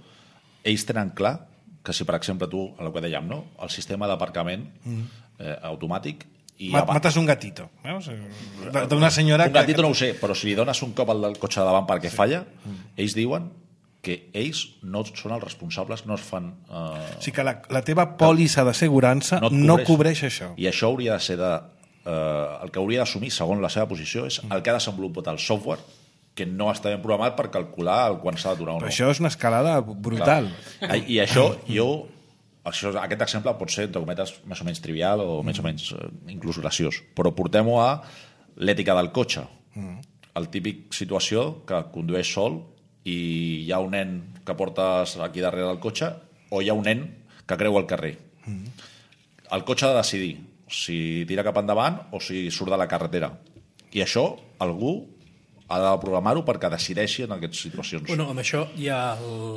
ells tenen clar que si, per exemple, tu, el que dèiem, no? el sistema d'aparcament mm. eh, automàtic... I Mat, mates un gatito. Veus? D'una senyora... Un gatito que... no ho sé, però si li dones un cop al del cotxe de davant perquè sí. falla, mm. ells diuen que ells no són els responsables, no es fan... Eh... O sigui que la, la teva pòlissa d'assegurança no, no cobreix això. I això hauria de ser de... Eh, el que hauria d'assumir, segons la seva posició, és el que ha desenvolupat el software que no està ben programat per calcular el quan s'ha d'aturar o no. Però això és una escalada brutal. Clar. I això, jo... Això, aquest exemple pot ser, entre cometes, més o menys trivial o més o menys eh, inclús graciós, però portem-ho a l'ètica del cotxe. Mm. El típic situació que condueix sol i hi ha un nen que portes aquí darrere del cotxe o hi ha un nen que creu el carrer. Mm. El cotxe ha de decidir si tira cap endavant o si surt de la carretera. I això algú ha de programar-ho perquè decideixi en aquestes situacions. Bueno, amb això hi ha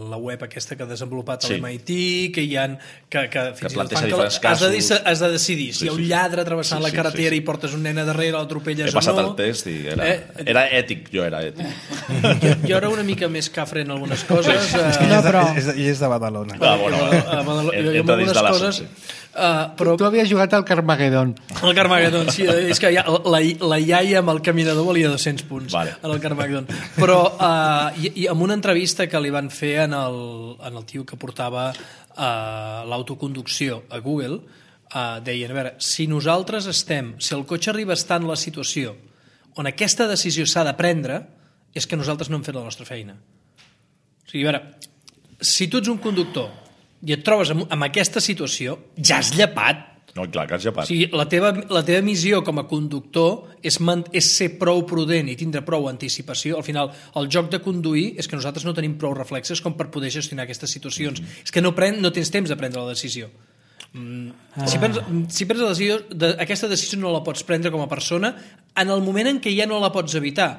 la web aquesta que ha desenvolupat Sí. l'M I T, que hi ha... Que, que fins i tot planteja fan que diferents has de, casos. has de decidir si Sí, hi ha un sí. lladre travessant Sí, la sí, carretera sí, sí. i portes un nen a darrere, l'atropelles He o passat no. el test i era, Eh, era ètic, jo era ètic. Jo, jo era una mica més cafre en algunes coses. I Eh, és, No, de, però- és, de, i és de Badalona. Ah, bueno, a Badalona, en- jo, jo amb entra dins algunes de la coses... sí. Uh, però Tu havies jugat al Carmageddon. el Carmageddon, sí, és que ja, la, la iaia amb el caminador valia dos-cents punts Vale. en el Carmageddon. Però uh, i, i amb una entrevista que li van fer en el, en el tio que portava uh, l'autoconducció a Google, uh, deien, a veure, si nosaltres estem, si el cotxe arriba a estar en la situació on aquesta decisió s'ha de prendre, és que nosaltres no hem fet la nostra feina. O sigui, a veure, si tu ets un conductor i et trobes en, en aquesta situació, ja has llepat. No, clar, que has llepat. O sigui, la teva, la teva missió com a conductor és, man, és ser prou prudent i tindre prou anticipació. Al final, el joc de conduir és que nosaltres no tenim prou reflexes com per poder gestionar aquestes situacions. Mm. És que no, pren, no tens temps de prendre la decisió. Mm. Ah. Si prens, si prens la decisió, de, aquesta decisió no la pots prendre com a persona en el moment en què ja no la pots evitar.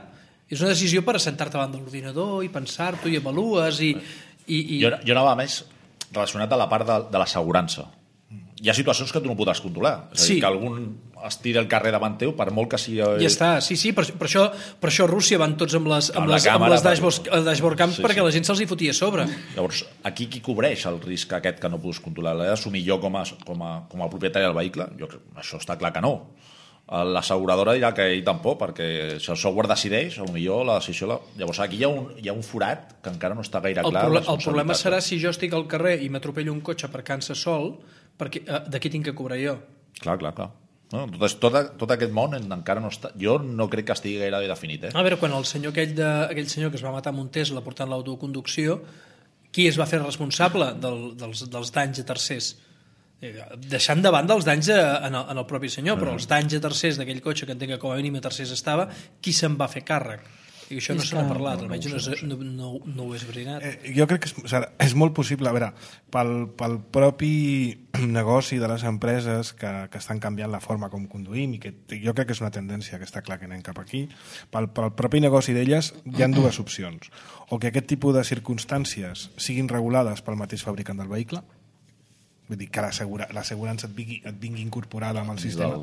És una decisió per assentar-te davant de l'ordinador i pensar-t'ho i avalues i... i, i... Jo, jo anava més relacionat a la part de, de l'assegurança. Hi ha situacions que tu no podràs controlar. És a dir, Sí. que algun es tira el carrer davant teu, per molt que sigui... Ja està, sí, sí, per, per, això, per això a Rússia van tots amb les, amb Amb la les, amb càmera, les dashboard, per- dashboard cams Sí, perquè sí. la gent se'ls hi fotia a sobre. Llavors, aquí qui cobreix el risc aquest que no pots controlar? L'he d'assumir jo com a, com, a, com a propietari del vehicle? Jo, crec- això està clar que no. L'asseguradora dirà que ell tampoc, perquè si el software decideix, potser la decisió... La... Llavors, aquí hi ha, un, hi ha un forat que encara no està gaire El, clar. proble la el problema serà responsabilitat. si jo estic al carrer i m'atropello un cotxe aparcant-se sol, perquè eh, de qui tinc que cobrar jo? Clar, clar, clar. No, tot, tot, tot aquest món encara no està... Jo no crec que estigui gaire bé definit, eh? A veure, quan el senyor aquell, de, aquell senyor que es va matar amb un Tesla portant l'autoconducció, qui es va fer responsable del, dels, dels danys a tercers? Deixant de banda els danys a, en, el, en el propi senyor, però els danys a tercers d'aquell cotxe que entenc que com a mínim a tercers estava, qui se'n va fer càrrec? I això no És se n'ha que- parlat, almenys no, no, no, no ho he esbrinat. Eh, jo crec que és, o sigui, és molt possible, a veure, pel, pel propi negoci de les empreses que, que estan canviant la forma com conduïm i que jo crec que és una tendència que està clar que anem cap aquí, pel, pel propi negoci d'elles hi ha dues opcions. O que aquest tipus de circumstàncies siguin regulades pel mateix fabricant del vehicle, vull dir, que l'assegurança et, vingui, et vingui incorporada amb el sistema,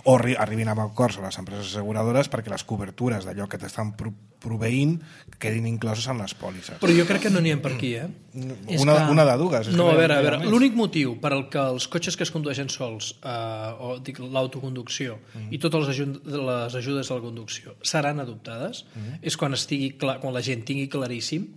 o arri arribin a acords a les empreses asseguradores perquè les cobertures d'allò que t'estan pro proveint quedin incloses en les pòlisses. Però jo crec que no n'hi ha per aquí, eh? És Una, que- una de dues. És No, que a veure, a hi ha veure, més. l'únic motiu per al que els cotxes que es condueixen sols, eh, o dic l'autoconducció, Mhm. i totes les, aju les ajudes a la conducció seran adoptades, Mhm. és quan, estigui clar, quan la gent tingui claríssim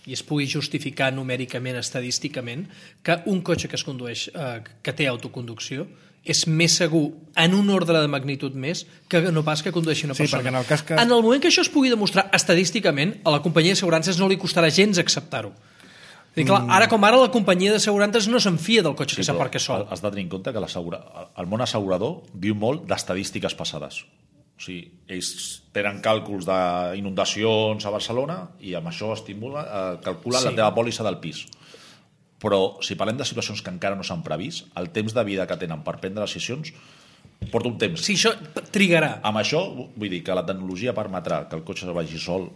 i es pugui justificar numèricament, estadísticament, que un cotxe que es condueix, eh, que té autoconducció, és més segur en un ordre de magnitud més que no pas que condueixi una Sí, persona. perquè en el cas que- En el moment que això es pugui demostrar estadísticament, a la companyia d'assegurances no li costarà gens acceptar-ho. I clar, ara com ara la companyia d'assegurances no se'n fia del cotxe que però s'aparca sol. Has de tenir en compte que el món assegurador viu molt d'estadístiques passades. O sigui, ells tenen càlculs d'inundacions a Barcelona i amb això estimula, eh, calculen Sí. la teva pòlissa del pis. Però si parlem de situacions que encara no s'han previst, el temps de vida que tenen per prendre decisions porta un temps. Sí, això trigarà. Amb això, vull dir que la tecnologia permetrà que el cotxe vagi sol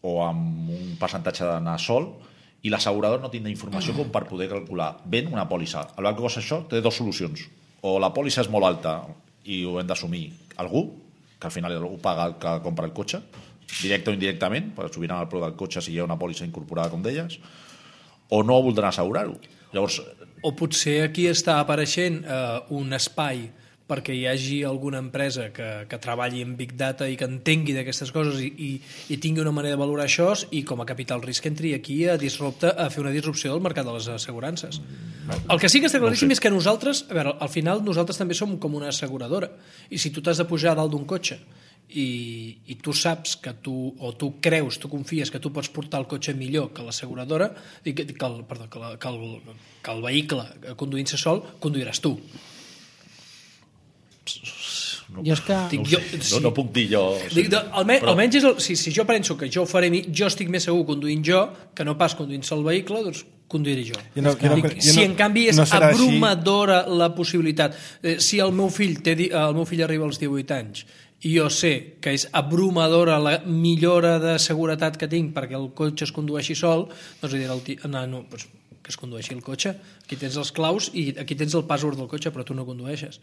o amb un percentatge d'anar sol i l'assegurador no tindrà informació com per poder calcular ben una pòlissa. El banc que costa això té dues solucions. O la pòlissa és molt alta i ho hem d'assumir algú, que al final algú paga el que compra el cotxe, directe o indirectament, per subir el preu del cotxe si hi ha una pòlissa incorporada com d'elles, o no voldran assegurar-ho. Llavors, O potser aquí està apareixent eh, un espai perquè hi hagi alguna empresa que, que treballi en Big Data i que entengui d'aquestes coses i, i, i tingui una manera de valorar això i com a capital risc entri aquí a, disrupte, a fer una disrupció del mercat de les assegurances. El que sí que està claríssim No ho sé. és que nosaltres, a veure, al final nosaltres també som com una asseguradora i si tu t'has de pujar a dalt d'un cotxe i, i tu saps que tu, o tu creus, tu confies que tu pots portar el cotxe millor que l'asseguradora, que, que, el, perdó, que, la, que, el, que el vehicle conduint-se sol, conduiràs tu. no, Jo és que... Dic, no, ho jo- sé. sí. no, no puc dir jo... Dic, de, almenys, Però- almenys és el, si, si jo penso que jo ho faré, mi- jo estic més segur conduint jo que no pas conduint-se el vehicle, doncs conduiré jo. Jo no- jo no Dic, cre- jo si no- en canvi és no serà així. abrumadora la possibilitat, eh, si el meu fill té, di- el meu fill arriba als divuit anys i jo sé que és abrumadora la millora de seguretat que tinc perquè el cotxe es condueixi sol, doncs diré al nano, doncs, que es condueixi el cotxe, aquí tens els claus i aquí tens el password del cotxe, però tu no condueixes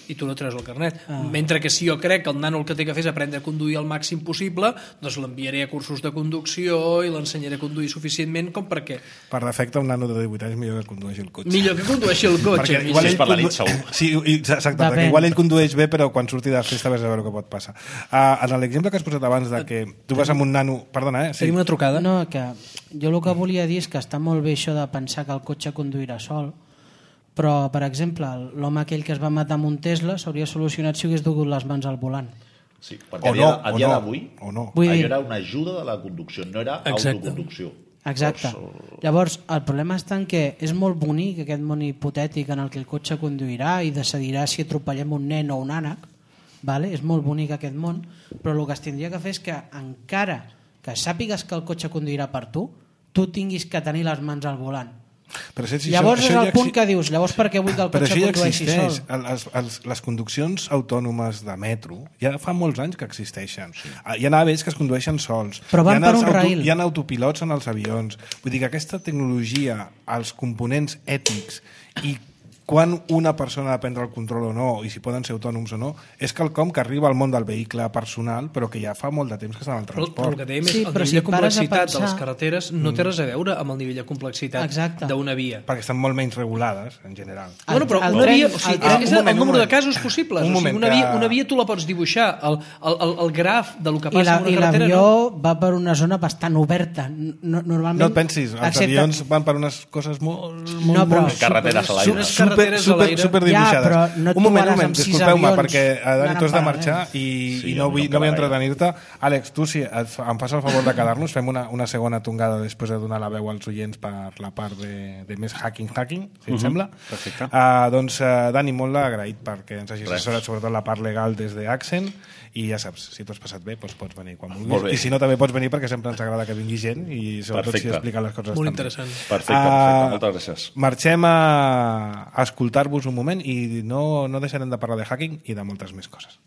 i tu no treus el carnet. Ah. Mentre que si jo crec que el nano el que té que fer és aprendre a conduir al màxim possible, doncs l'enviaré a cursos de conducció i l'ensenyaré a conduir suficientment com perquè... Per defecte, un nano de divuit anys millor que condueixi el cotxe. Millor que condueixi el cotxe. Perquè igual ell, per la nit, segur. Sí, exacte, perquè igual ell condueix bé, però quan surti de festa ves a veure què pot passar. Uh, en l'exemple que has posat abans de que tu vas amb un nano... Perdona, eh? Sí. Tenim una trucada? No, que jo el que volia dir és que està molt bé això de pensar que el cotxe conduirà sol, però, per exemple, l'home aquell que es va matar amb un Tesla s'hauria solucionat si hagués dugut les mans al volant. Sí, perquè o a dia, no, a dia o no, d'avui o no. Vull dir... era una ajuda de la conducció, no era Exacte. autoconducció. Exacte. Llavors, Llavors, el problema està en que és molt bonic aquest món hipotètic en el que el cotxe conduirà i decidirà si atropellem un nen o un ànec, vale? És molt bonic aquest món, però el que es tindria que fer és que encara que sàpigues que el cotxe conduirà per tu, tu tinguis que tenir les mans al volant. Però si llavors això, és això el ja punt exi... que dius, llavors per què vull que el però cotxe això ja condueixi existeix. sol? Les, les, les conduccions autònomes de metro ja fa molts anys que existeixen. Sí. Hi ha naves que es condueixen sols. Però van hi ha per els un rail. Hi ha autopilots en els avions. Vull dir que aquesta tecnologia, els components ètics i quan una persona ha de prendre el control o no, i si poden ser autònoms o no, és quelcom que arriba al món del vehicle personal, però que ja fa molt de temps que està en el Però, transport. però el que dèiem és Sí, el però nivell si de pares a complexitat pensar- de les carreteres no té res a veure amb el nivell de complexitat Exacte. d'una via. Perquè estan molt menys regulades, en general. El- Bueno, però el una tren- via, o sigui, el tren- és un moment, el un número de moment. casos possibles. Un O sigui, moment una, que- via, una via tu la pots dibuixar, el, el, el, el graf de lo que I passa la- en una i carretera. l'avió No? va per una zona bastant oberta. No, normalment, No et pensis, els excepte- avions van per unes coses molt... molt No, però- molt Carreteres a l'aire. Unes super, carreteres a super, l'aire. super dibuixades. Ja, però no et un moment, un trobaràs moment, amb sis disculpeu-me, avions perquè eh, Dani, anant tu has de en marxar paral·lel. i, Sí, i no a mi vull, no no vull em queda entretenir-te. Àlex, tu, si et, fa- em fas el favor de quedar-nos, fem una, una segona tongada després de donar la veu als oients per la part de, de més hacking-hacking, si et sembla. Perfecte. Uh, doncs, uh, Dani, molt agraït perquè ens hagis Res. assessorat sobretot la part legal des d'Accent i ja saps, si t'ho has passat bé, doncs pots venir quan Molt vulguis. bé. I si no, també pots venir perquè sempre ens agrada que vingui gent i sobretot Perfecte. si explica les coses Molt estan bé. interessant. Perfecte, Ah, perfecte. Moltes gràcies. Marxem a, a escoltar-vos un moment i no, no deixarem de parlar de hacking i de moltes més coses.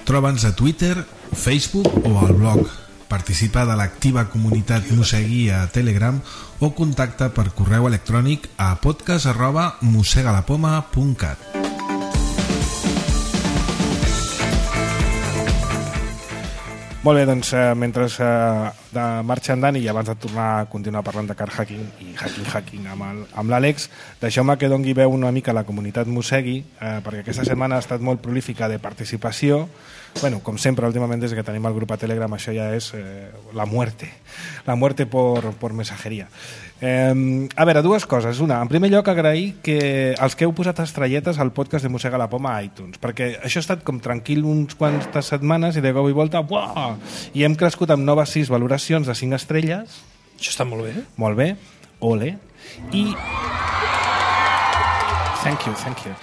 Troba'ns a Twitter, Facebook o al blog. Participa de l'activa comunitat Mosegui a Telegram o contacta per correu electrònic a podcast arroba mosegalapoma punt cat. Molt bé, doncs eh, mentre eh, de marxa en Dani i abans de tornar a continuar parlant de car hacking i hacking hacking amb el- amb l'Àlex, deixeu-me que dongui veu una mica a la comunitat Mosegui, eh, perquè aquesta setmana ha estat molt prolífica de participació. Bueno, com sempre, últimament des que tenim el grup a Telegram, això ja és eh, la muerte, la muerte por, por mensajeria. Eh, a veure, dues coses. Una, en primer lloc, agrair que els que heu posat estrelletes al podcast de Mossega la Poma a iTunes, perquè això ha estat com tranquil uns quantes setmanes i de cop i volta, buah! I hem crescut amb noves sis valoracions de cinc estrelles. Això està molt bé. Molt bé, ole. I... Thank you, thank you.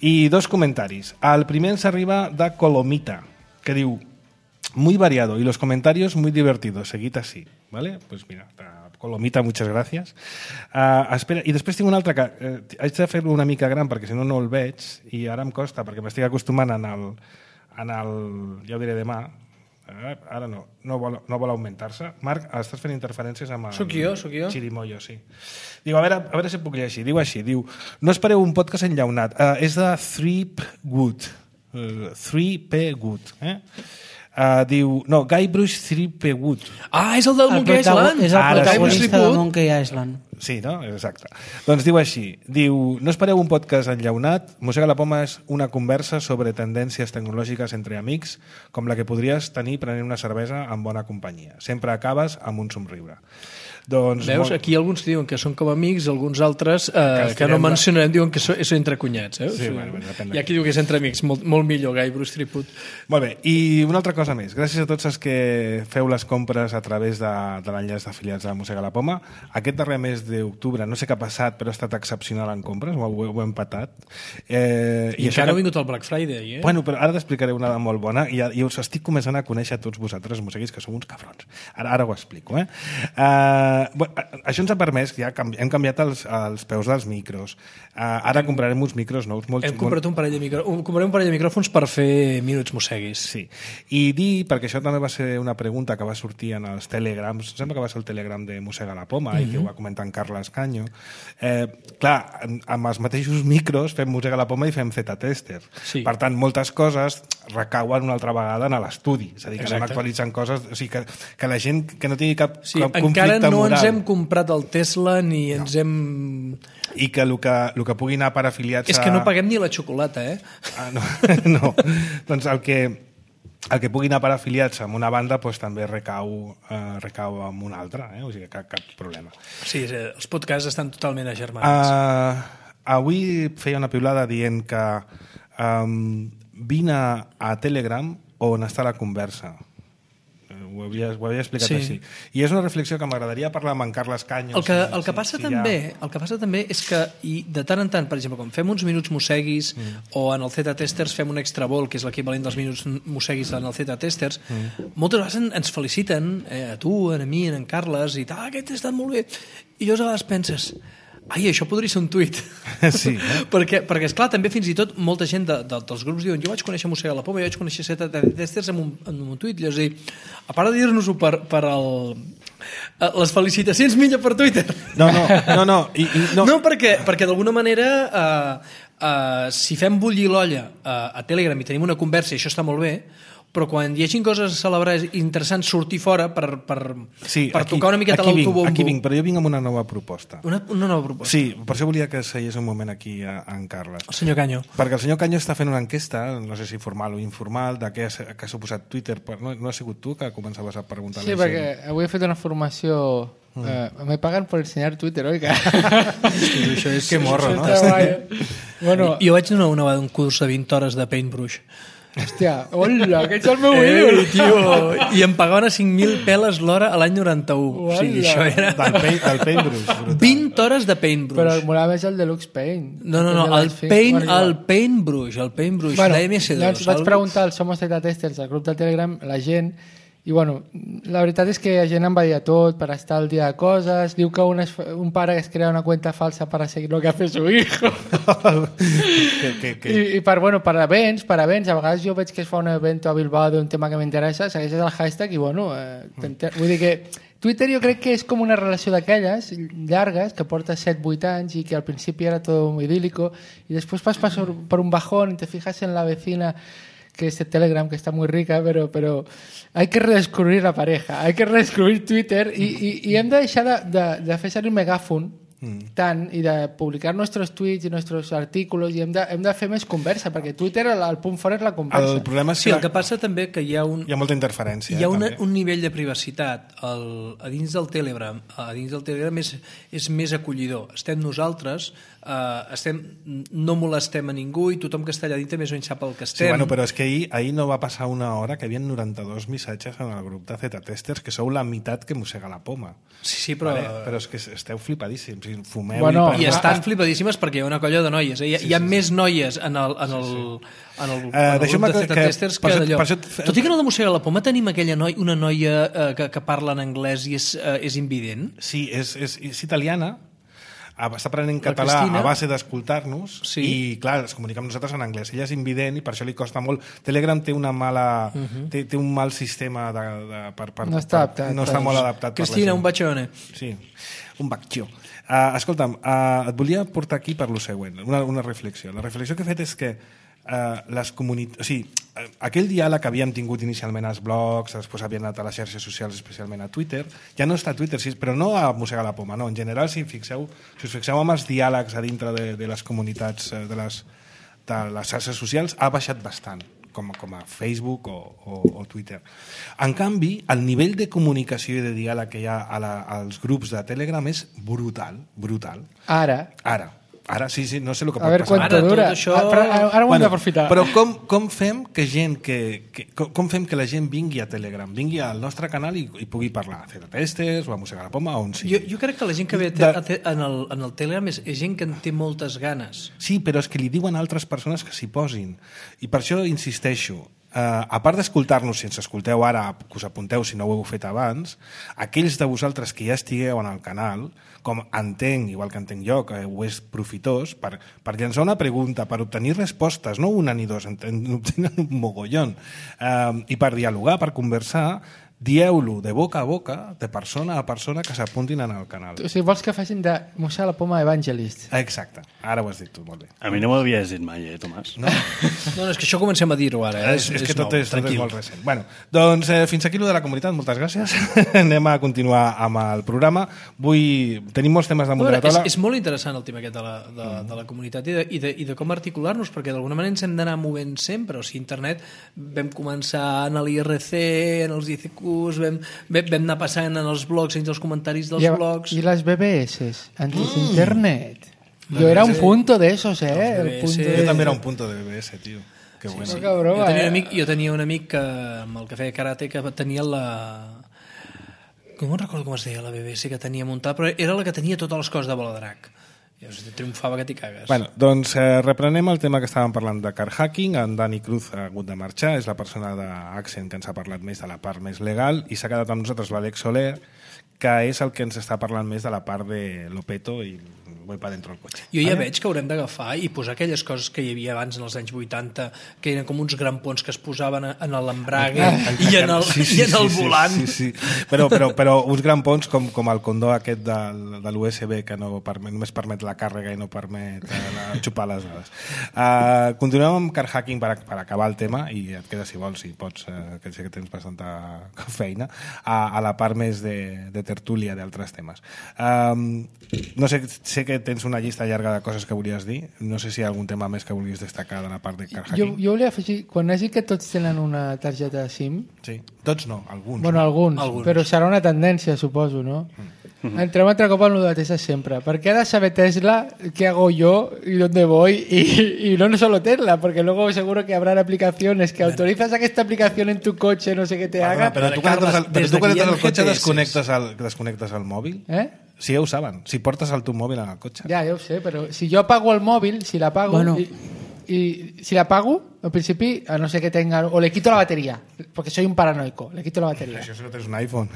I dos comentaris. El primer ens arriba de Colomita, que diu: muy variado y los comentarios muy divertidos, seguid así, ¿vale? Pues mira, Colomita, muchas gracias. Uh, espera, i després tinc un altre que eh, haig de fer-lo una mica gran perquè si no no el veig i ara em costa perquè m'estic acostumant en el, en el ja ho diré demà. Uh, ara no, no vol, no vol augmentar-se. Marc, estàs fent interferències amb el Soc jo, soc jo. Chirimoyo, sí. Diu, a veure, a veure si puc llegir. Diu així, diu, no espereu un podcast enllaunat. Uh, és de three P Good. Uh, three P Good. Eh? Uh, diu, no, Guybrush three P Good. Ah, és el del El Monkey protago- Island? és el Ara sí. protagonista de Guybrush Monkey Island. Sí, no? Exacte. Doncs diu així, diu, no espereu un podcast enllaunat, Mossega la Poma és una conversa sobre tendències tecnològiques entre amics, com la que podries tenir prenent una cervesa en bona companyia. Sempre acabes amb un somriure. Doncs Veus, molt... aquí alguns diuen que són com amics, alguns altres eh, Que que no estirem la- mencionarem diuen que són, és entre cunyats. Eh? Sí, bueno, bueno, depèn de I aquí diu que és entre amics, molt, molt millor, Guy Bruce Triput. Molt bé, i una altra cosa més. Gràcies a tots els que feu les compres a través de, de l'enllaç d'afiliats de Mossega la Poma. Aquest darrer mes d'octubre, no sé què ha passat, però ha estat excepcional en compres, ho, ho, ho he empatat. Eh, I, I això encara que- ha vingut el Black Friday, eh? Bueno, però ara t'explicaré una de molt bona i, i us estic començant a conèixer a tots vosaltres, mosseguis, que sou uns cabrons. Ara, ara ho explico, eh? Uh, Uh, bueno, això ens ha permès, ja canvi, hem canviat els, els peus dels micros. Uh, ara comprarem uns micros nous. Molt, hem comprat un parell de, micro... comprarem un parell de micròfons per fer minuts mosseguis. Sí. I dir, perquè això també va ser una pregunta que va sortir en els telegrams, sembla que va ser el telegram de Mossega la Poma, mm-hmm. i que ho va comentar en Carles Canyo. Eh, clar, amb els mateixos micros fem Mossega la Poma i fem Z-Tester. Sí. Per tant, moltes coses recauen una altra vegada en l'estudi. És a dir, que Exacte. anem actualitzant coses, o sigui, que, que la gent que no tingui cap, Sí, cap encara conflicte no moral. ens hem comprat el Tesla ni no. ens hem... I que el que, el que pugui anar per afiliats És que no paguem ni la xocolata, eh? Ah, no, no. Doncs el que, el que pugui anar per afiliats amb una banda doncs, també recau, eh, recau amb una altra, eh? O sigui, cap, cap problema. Sí, els podcasts estan totalment agermanats. Uh, avui feia una piulada dient que um, vine a Telegram on està la conversa. Ho havia, ho havia explicat Sí. així. I és una reflexió que m'agradaria parlar amb en Carles Canyo. El que, si- el que si- passa si també, ha... el que passa també és que i de tant en tant, per exemple, quan fem uns minuts mosseguis mm. o en el Z-Testers fem un extra vol, que és l'equivalent dels minuts mosseguis en el Z-Testers, mm. moltes vegades en, ens feliciten, eh, a tu, a mi, a en Carles, i tal, ah, aquest ha estat molt bé. I llavors a vegades penses, ai, això podria ser un tuit. Sí, eh? perquè, perquè, esclar, també fins i tot molta gent de, de, dels grups diuen jo vaig conèixer Mossega la Poma, jo vaig conèixer Z-Testers en un, en un tuit. Llavors, dir, a part de dir-nos-ho per, per el, les felicitacions millor per Twitter. No, no, no, no. I, i, no. no perquè, perquè d'alguna manera eh, eh, si fem bullir l'olla eh, a Telegram i tenim una conversa i això està molt bé, però quan hi hagi coses a celebrar interessants sortir fora per, per, sí, per aquí, tocar una miqueta aquí vinc, l'autobombo. Aquí vinc, però jo vinc amb una nova proposta. Una, una nova proposta. Sí, per això volia que seies un moment aquí a, a en Carles. El senyor Canyo. Perquè el senyor Canyo està fent una enquesta, no sé si formal o informal, de què ha, què ha suposat Twitter. No, no ha sigut tu que començaves a preguntar Sí, a la perquè gent? avui he fet una formació... Mm. Eh, me pagan por enseñar Twitter, oiga. Això és que morro, no? Bueno, Jo vaig donar una vegada un curs de vint hores de Paintbrush. hòstia, hola, que ets el meu Ei, ídol. tio, i em pagaven a cinc mil peles l'hora a l'any noranta-u. O sigui, Uala. això era... Del, paint, del Paintbrush. Brutal. vint hores de Paintbrush. Però molava més el Deluxe Paint. No, no, no, el, paint, el Paintbrush, el Paintbrush bueno, de M S dos. llavors vaig preguntar al Somos Z-Testers, al grup del Telegram, la gent, i bueno, la veritat és que la gent em va dir a tot per estar al dia de coses, diu que un, es, un pare es crea una cuenta falsa para seguir lo que hace su hijo. que, que, que... I, i per, bueno, per events, per events, a vegades jo veig que es fa un event a Bilbao d'un tema que m'interessa, segueixes el hashtag i bueno, eh, vull dir que Twitter jo crec que és com una relació d'aquelles llargues que porta set vuit anys i que al principi era tot muy idílico i després vas per, per un bajón i te fijas en la vecina que es el Telegram, que está muy rica, pero, pero hay que redescubrir la pareja, hay que redescubrir Twitter y, y, y hem de deixar de, de, de fer servir megàfon mm. tant i de publicar nostres tuits i nostres artículos i hem de, hem de fer més conversa, perquè Twitter el, el punt fort és la conversa. El problema és Sí, que, el que passa també que hi ha un... hi ha molta interferència. Hi ha una, eh, un nivell de privacitat el, a dins del Telegram. A dins del Telegram és, és més acollidor. Estem nosaltres, eh, estem, no molestem a ningú i tothom que està allà dintre més o menys sap el que Sí, estem. bueno, però és que ahir, ahir no va passar una hora que hi havia noranta-dos missatges en el grup de Z-Testers, que sou la meitat que Mossega la Poma. Sí, sí, però... Vale? Però és que esteu flipadíssims, i fumeu Bueno, i... I parleu. estan flipadíssimes perquè hi ha una colla de noies. Eh? Hi ha, Sí, hi ha sí, més noies en el, en el, en el, Eh, en el deixeu-me grup de que- Z-Testers per que, això- d'allò. per això- Tot i que en el de Mossega la Poma tenim aquella noi, una noia eh, que, que parla en anglès i és, eh, és invident. Sí, és, és, és italiana, a- està aprenent La català Cristina. a base d'escoltar-nos Sí. i, clar, es comunica amb nosaltres en anglès. Ella és invident i per això li costa molt. Telegram té una mala... Uh -huh. té, té un mal sistema de, de, per, per, No està per, adaptat, no està doncs. molt adaptat Cristina, un per la bacione. gent. Sí, un baccio. Uh, escolta'm, uh, et volia portar aquí per lo següent, una, una reflexió. La reflexió que he fet és que uh, les comunitats... O sigui, uh, aquell diàleg que havíem tingut inicialment als blogs, després havien anat a les xarxes socials, especialment a Twitter, ja no està a Twitter, sí, però no a Mossega la Poma, no. En general, si, fixeu, si us fixeu amb els diàlegs a dintre de, de les comunitats, eh, de les, de les xarxes socials, ha baixat bastant, com, com a Facebook o, o, o Twitter. En canvi, el nivell de comunicació i de diàleg que hi ha a la, als grups de Telegram és brutal, brutal. Ara, Ara, ara sí, sí, no sé el que a pot veure passar. quanto Ara, tot dura. això- Ah, però ara, ara ho hem d'aprofitar. Però com, com fem que gent que, que com, com fem que la gent vingui a Telegram, vingui al nostre canal i, i pugui parlar a Z-Testers o a Mossega la Poma o on sigui? Jo, jo crec que la gent que ve a te, De- a te, en, el, en el Telegram és, és gent que en té moltes ganes. Sí, però és que li diuen altres persones que s'hi posin. I per això insisteixo, a part d'escoltar-nos, si ens escolteu ara, que us apunteu si no ho heu fet abans, aquells de vosaltres que ja estigueu en el canal, com entenc, igual que entenc jo, que ho és profitós, per, per llançar una pregunta, per obtenir respostes, no una ni dos, en obtenen un mogollon, eh, i per dialogar, per conversar, dieu-lo de boca a boca, de persona a persona que s'apuntin en el canal. O sigui, vols que facin de Mossar la Poma Evangelist? Exacte, ara ho has dit tu, molt bé. A mi no m'ho havies dit mai, eh, Tomàs? No? No, no, és que això comencem a dir-ho ara. Eh? És, és, és que tot és, tot és molt recent. Bueno, doncs eh, fins aquí lo de la comunitat, moltes gràcies. Anem a continuar amb el programa. Vull... Tenim molts temes damunt de la taula. És, és molt interessant el tema aquest de la, de, de la comunitat i de, i de, i de com articular-nos, perquè d'alguna manera ens hem d'anar movent sempre. O sigui, internet vam començar en l'I R C, en els I C Qs, vam, vam, vam anar passant en els blogs, en els comentaris dels I, blogs... I les B B S, antes mm. internet. Jo era un punto de esos, eh? El punto sí, de... Jo també era un punto de B B S, tio. Que bueno. Sí, sí. Jo, tenia un amic, jo tenia un amic que, amb el que feia karate que tenia la... Com no recordo com es deia la B B S que tenia muntada, però era la que tenia totes les coses de Bola de Drac. I triomfava que t'hi cagues. Bueno, doncs eh, reprenem el tema que estàvem parlant de car hacking. En Dani Cruz ha hagut de marxar, és la persona d'Accent que ens ha parlat més de la part més legal, i s'ha quedat amb nosaltres l'Àlex Soler, que és el que ens està parlant més de la part de Lopeto i voy para dentro del cotxe. Jo ja vale? veig que haurem d'agafar i posar aquelles coses que hi havia abans en els anys vuitanta, que eren com uns grampons que es posaven en l'embrague ah, i en el, sí, sí, i en el sí, volant. Sí, sí, sí. Però, però, però uns grampons com, com el condó aquest de, de l'U S B que no permet, només permet la càrrega i no permet uh, xupar les dades. Uh, continuem amb car hacking per, per acabar el tema, i et queda si vols, si pots, uh, que sé que tens bastanta feina, a, a la part més de, de tertúlia d'altres temes. Um, no sé, sé que tens una llista llarga de coses que volies dir. No sé si hi ha algun tema més que volies destacar de la part de car hacking. Jo, jo volia afegir, quan hagi que tots tenen una targeta SIM... Sí, tots no, alguns. Bueno, alguns, alguns. Però serà una tendència, suposo, no? Mm. Entrem altre cop en lo de Tesla sempre. Perquè ha de saber Tesla qué hago yo y dónde voy, y, y no solo Tesla, porque luego seguro que habrá aplicaciones que autorizas a que esta aplicación en tu coche no sé qué te haga. Però tu quan entres al, però tu quan entres al cotxe desconnectes el, desconnectes el mòbil? Eh? Sí, ja ho saben. Si portes el teu mòbil en el cotxe. Ja, ja ho sé, però si jo apago el mòbil, si l'apago... Bueno. Y, y si l'apago, al principi, a no ser que tenga... O le quito la batería, porque soy un paranoico. Le quito la batería. Això si no tens un iPhone.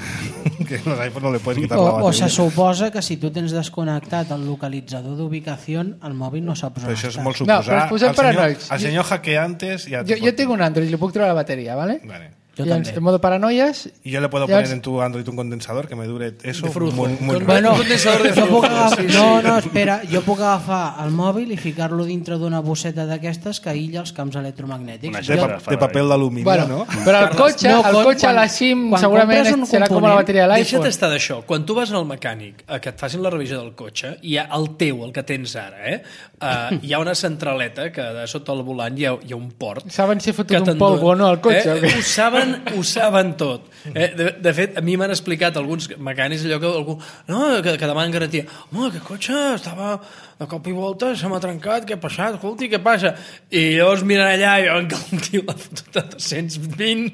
Que los iPhones no le puedes quitar o, la batería. O se suposa que si tu tens desconnectat el localitzador d'ubicació, el mòbil no saps on però això és està. molt suposar. No, però ens posem el senyor, paranoics. el senyor hackeantes... Ja jo, jo tinc un Android, li puc treure la bateria, ¿vale? Vale. Yo y en, también. en modo paranoias... Y yo le puedo ya poner os... en tu Android un condensador que me dure eso de frujo. muy, muy Con, bueno. un condensador de jo puc frujo. agafar, Sí, sí. no, no, espera, jo puc agafar el mòbil i ficar-lo dintre d'una bosseta d'aquestes que aïlla els camps electromagnètics. Una De, pa de paper d'alumini, bueno, no? però el cotxe, no, el quan- cotxe a la SIM quan segurament compres un serà com la component, bateria de Deixa't l'iPhone. estar d'això. Quan tu vas al mecànic a que et facin la revisió del cotxe, hi ha el teu, el que tens ara, eh? Uh, hi ha una centraleta que de sota el volant hi ha, hi ha un port. Saben si he fotut que un t'endona. polvo o no al cotxe. Eh? Ho saben, ho saben tot. Eh? De, de fet, a mi m'han explicat alguns mecànics allò que algú, no, que, que demanen garantia. Home, aquest cotxe estava de cop i volta, se m'ha trencat, què ha passat? Escolti, què passa? I llavors miren allà i veuen que el tio l'ha fotut a dos-cents vint,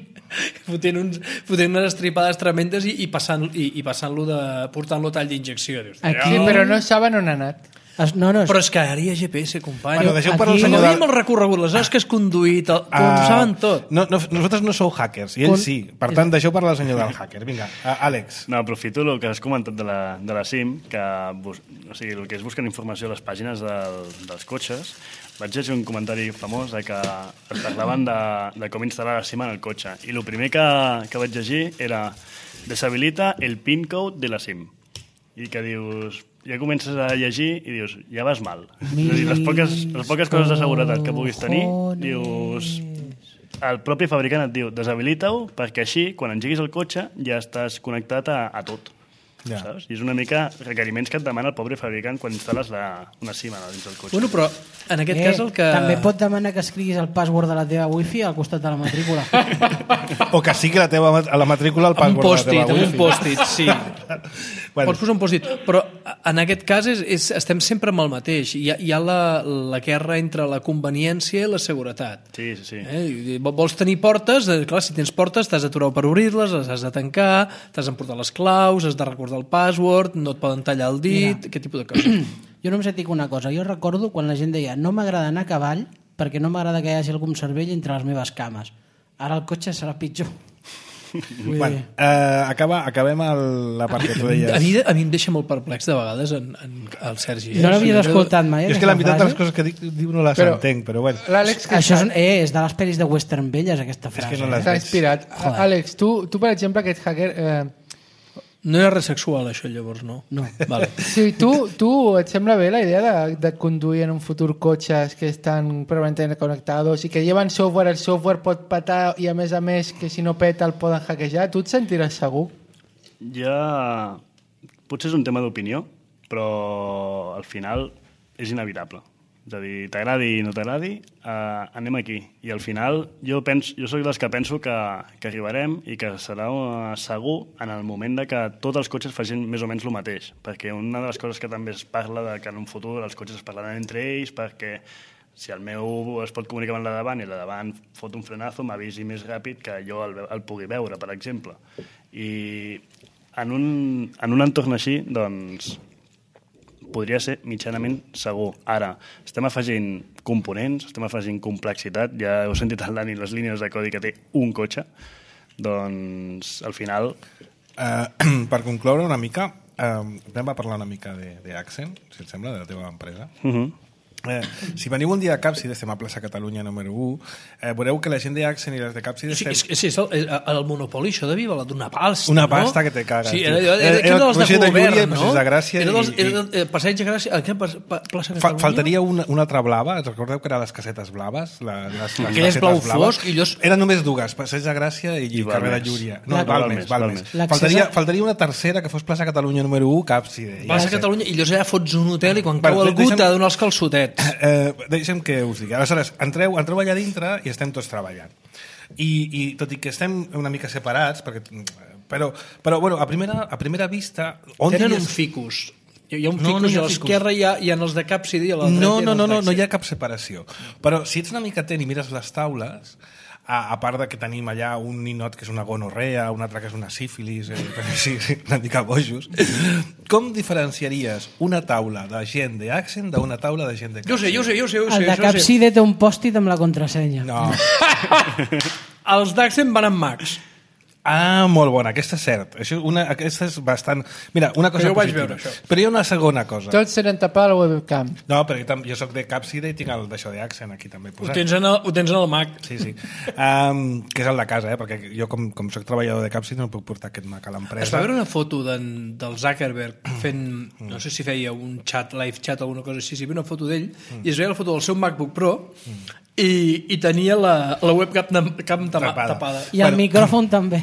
fotent, uns, fotent unes estripades tremendes i, i passant-lo i, i passant de, portant-lo a tall d'injecció. Dius, Aquí- Sí, però no saben on ha anat. Es, no, no, però és que ara hi ha G P S, company. Bueno, deixeu parlar Aquí- el Com senyor havíem del... el recorregut, les hores que has conduït, el, uh, ho saben tot. No, no, nosaltres no sou hackers, i ell Con- sí. Per tant, deixeu parlar el senyor del hacker. Vinga, uh, Àlex. No, aprofito el que has comentat de la, de la SIM, que bus, o sigui, el que és buscar informació a les pàgines del, dels cotxes. Vaig llegir un comentari famós de que es parlaven de, de com instal·lar la SIM en el cotxe. I el primer que, que vaig llegir era deshabilita el PIN code de la SIM. I que dius... Ja comences a llegir i dius, ja vas mal. És a dir, les poques, les poques coses de seguretat que puguis tenir, dius... El propi fabricant et diu, deshabilita-ho, perquè així, quan engeguis el cotxe, ja estàs connectat a, a tot. Ja. Saps? I és una mica requeriments que et demana el pobre fabricant quan instal·les la, una SIM dins del cotxe. Bueno, però en aquest eh, cas el que... també pot demanar que escriguis el password de la teva wifi al costat de la matrícula. O que sigui la teva, a la matrícula el Amb un password de la post-it, teva amb un wifi. post-it, sí. Bueno. Pots posar un post-it. Però en aquest cas és, és, estem sempre amb el mateix. Hi ha, hi ha la, la guerra entre la conveniència i la seguretat. Sí, sí, sí. Eh? I vols tenir portes, eh, clar, si tens portes t'has d'aturar per obrir-les, les has de tancar, t'has d'emportar les claus, has de recordar el password, no et poden tallar el dit, Mira. aquest tipus de coses. Jo només et dic una cosa, jo recordo quan la gent deia no m'agrada anar a cavall perquè no m'agrada que hi hagi algun cervell entre les meves cames. Ara el cotxe serà pitjor. Bueno, eh, acaba, acabem el, la part que tu deies. A mi, a mi em deixa molt perplex de vegades en, en el Sergi. No l'havia escoltat mai, És que la meitat de les coses que dic, diu no les Però- entenc, però bueno. L'Àlex, que Això és, està- eh, és de les pel·lis de Western Velles, aquesta frase. que no les- s'ha inspirat. Joder. Àlex, tu, tu, per exemple, aquest hacker... Eh, No era res sexual, això, llavors, no? No. Vale. sí, tu, tu et sembla bé la idea de, de conduir en un futur cotxes que estan permanentment connectados i que lleven software, el software pot petar i a més a més que si no peta el poden hackejar? Tu et sentiràs segur? Ja... Potser és un tema d'opinió, però al final és inevitable. És a dir, t'agradi i no t'agradi, eh, anem aquí. I al final jo, penso, jo soc dels que penso que, que arribarem i que serà uh, segur en el moment de que tots els cotxes facin més o menys el mateix. Perquè una de les coses que també es parla de que en un futur els cotxes es parlaran entre ells perquè si el meu es pot comunicar amb el de davant i el de davant fot un frenazo, m'avisi més ràpid que jo el, el pugui veure, per exemple. I en un, en un entorn així, doncs, podria ser mitjanament segur. Ara, estem afegint components, estem afegint complexitat, ja heu sentit el Dani les línies de codi que té un cotxe, doncs, al final... Uh, per concloure una mica, uh, anem a parlar una mica d'Accent, si et sembla, de la teva empresa. Uh -huh. Eh, si veniu un dia a Capcide, estem a plaça Catalunya número u, eh, veureu que la gent d'Accent i les de Capcide... Sí, estem... és, és, és el, el monopoli, això devia valer d'una pasta, Una no? pasta que te cagues. Sí, tio. era, era, era, Era era, el dels de Passeig de govern, Llúria, no? Passeig de Gràcia Era dels, i- era, eh, Passeig de Gràcia, a què, pa, plaça Fa, Catalunya? faltaria una, una altra blava, et recordeu que eren les casetes blaves? La, les, les Aquelles casetes blau blaves? fosc i allò és- Eren només dues, Passeig de Gràcia i, I carrer de Balmes. Llúria. No, La- Balmes, Balmes, Balmes. Balmes. L'accés Faltaria, a- faltaria una tercera que fos plaça Catalunya número u, Capcide. Plaça Catalunya, i llavors allà fots un hotel i quan Bueno, cau algú deixa'm- t'ha de donar els calçotets. Eh, deixem que us digui. Aleshores, entreu, entreu allà dintre i estem tots treballant. I, i tot i que estem una mica separats, perquè, però, però bueno, a primera, a primera vista... On Tenen diries- un ficus. Hi ha un No, ficus no hi ha i a l'esquerra hi, ha, hi ha els de Capcide i a la dreta No, hi ha no, els no, no, no d'Accent. hi ha cap separació. Però si ets una mica atent i mires les taules, a, a part de que tenim allà un ninot que és una gonorrea, un altre que és una sífilis, eh, sí, sí, una mica bojos, com diferenciaries una taula de gent d'Accent d'una taula de gent de Jo ho sé, jo ho sé, jo ho sé. Jo ho sé El de jo ho sé. Capcide té un pòstit amb la contrasenya. No. Els d'Accent van amb Max. Ah, molt bona, aquesta és cert. Això, una, aquesta és bastant... Mira, una cosa Jo ho vaig positiva. veure, això. Però hi ha una segona cosa. Tots tenen tapada la webcam. No, perquè tam- jo sóc de Capcide i tinc el d'això d'Accent aquí també Ho posat. tens en el, ho tens en el Mac. Sí, sí. Um, que és el de casa, eh? Perquè jo, com, com soc treballador de Capcide, no puc portar aquest Mac a l'empresa. Es va veure una foto d'en- del Zuckerberg fent, no sé si feia un chat, live chat o alguna cosa així, si hi havia una foto d'ell i es veia la foto del seu MacBook Pro i, i tenia la, la webcam de, cam tama, Tapada. tapada. I el Bueno. micròfon també.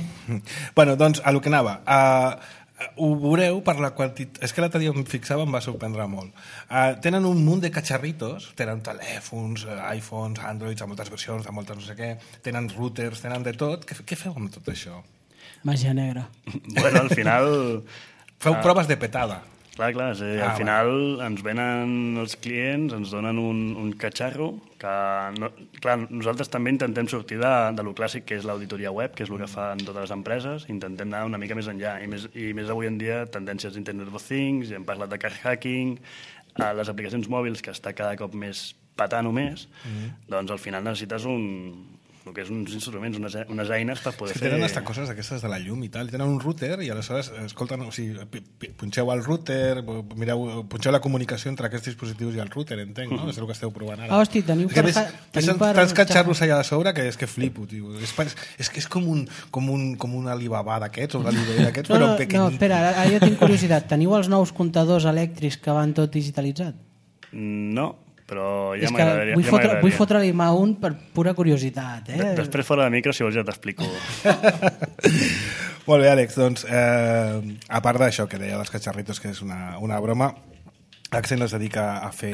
Bueno, doncs, a lo que anava. Uh, ho veureu per la quantitat... És que l'altre dia em fixava, em va sorprendre molt. Uh, tenen un munt de catxarritos, tenen telèfons, uh, iPhones, Androids, de moltes versions, de moltes no sé què, tenen routers, tenen de tot. Què, què feu amb tot això? Màgia negra. Bueno, al final... Feu proves de petada. Clar, clar, és a dir, Ah, al final ens venen els clients, ens donen un, un catxarro que, no, clar, nosaltres també intentem sortir de, de lo clàssic que és l'auditoria web, que és el que fan totes les empreses, intentem anar una mica més enllà, i més, i més avui en dia tendències d'Internet of Things, i hem parlat de car hacking, a les aplicacions mòbils, que està cada cop més patant o més, mm-hmm. doncs al final necessites un, el que és uns instruments, unes, unes eines per poder És que fer... tenen hasta coses d'aquestes de la llum i tal. Tenen un router i aleshores, escolten, o sigui, pi- pi- punxeu el router, mireu, punxeu la comunicació entre aquests dispositius i el router, entenc, no? És el que esteu provant ara. Ah, hosti, teniu És que per ves, fa- ves teniu per tants catxarros xarra. allà a sobre que és que flipo, tio. És, pa- és que és com un, com un, com un Alibaba d'aquests, o un Alibaba d'aquests, No, però no, pequeñit. no, espera, ara, ara jo tinc curiositat. Teniu els nous comptadors elèctrics que van tot digitalitzat? No, però ja és que m'agradaria. vull, ja fotre, m'agradaria. vull fotre-li mà un per pura curiositat. Eh? De- Després fora de micro, si vols, ja t'explico. Molt bé, Àlex, doncs, eh, a part d'això que deia dels catxarritos, que és una, una broma, Accent es dedica a fer,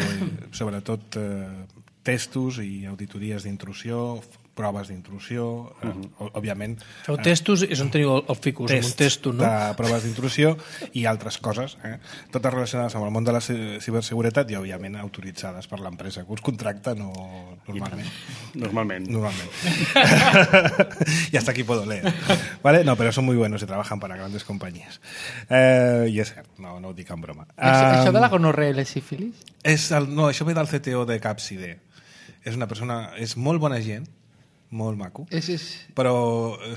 sobretot, eh, testos i auditories d'intrusió, proves d'intrusió, eh, uh-huh. òbviament... Feu testos, és on teniu el, el ficus, amb un testo, no? de proves d'intrusió i altres coses, eh? totes relacionades amb el món de la ci- ciberseguretat i, òbviament, autoritzades per l'empresa que us contracta no, normalment. Normalment. Normalment. Y hasta aquí puedo leer. ¿Vale? No, pero son muy buenos y trabajan para grandes compañías. Eh, I és cert, no, no ho dic en broma. Això, Um, això de la gonorrea i la sífilis? és el, no, això ve del C T O de Capcide. És una persona... És molt bona gent, molt maco. És, és... Però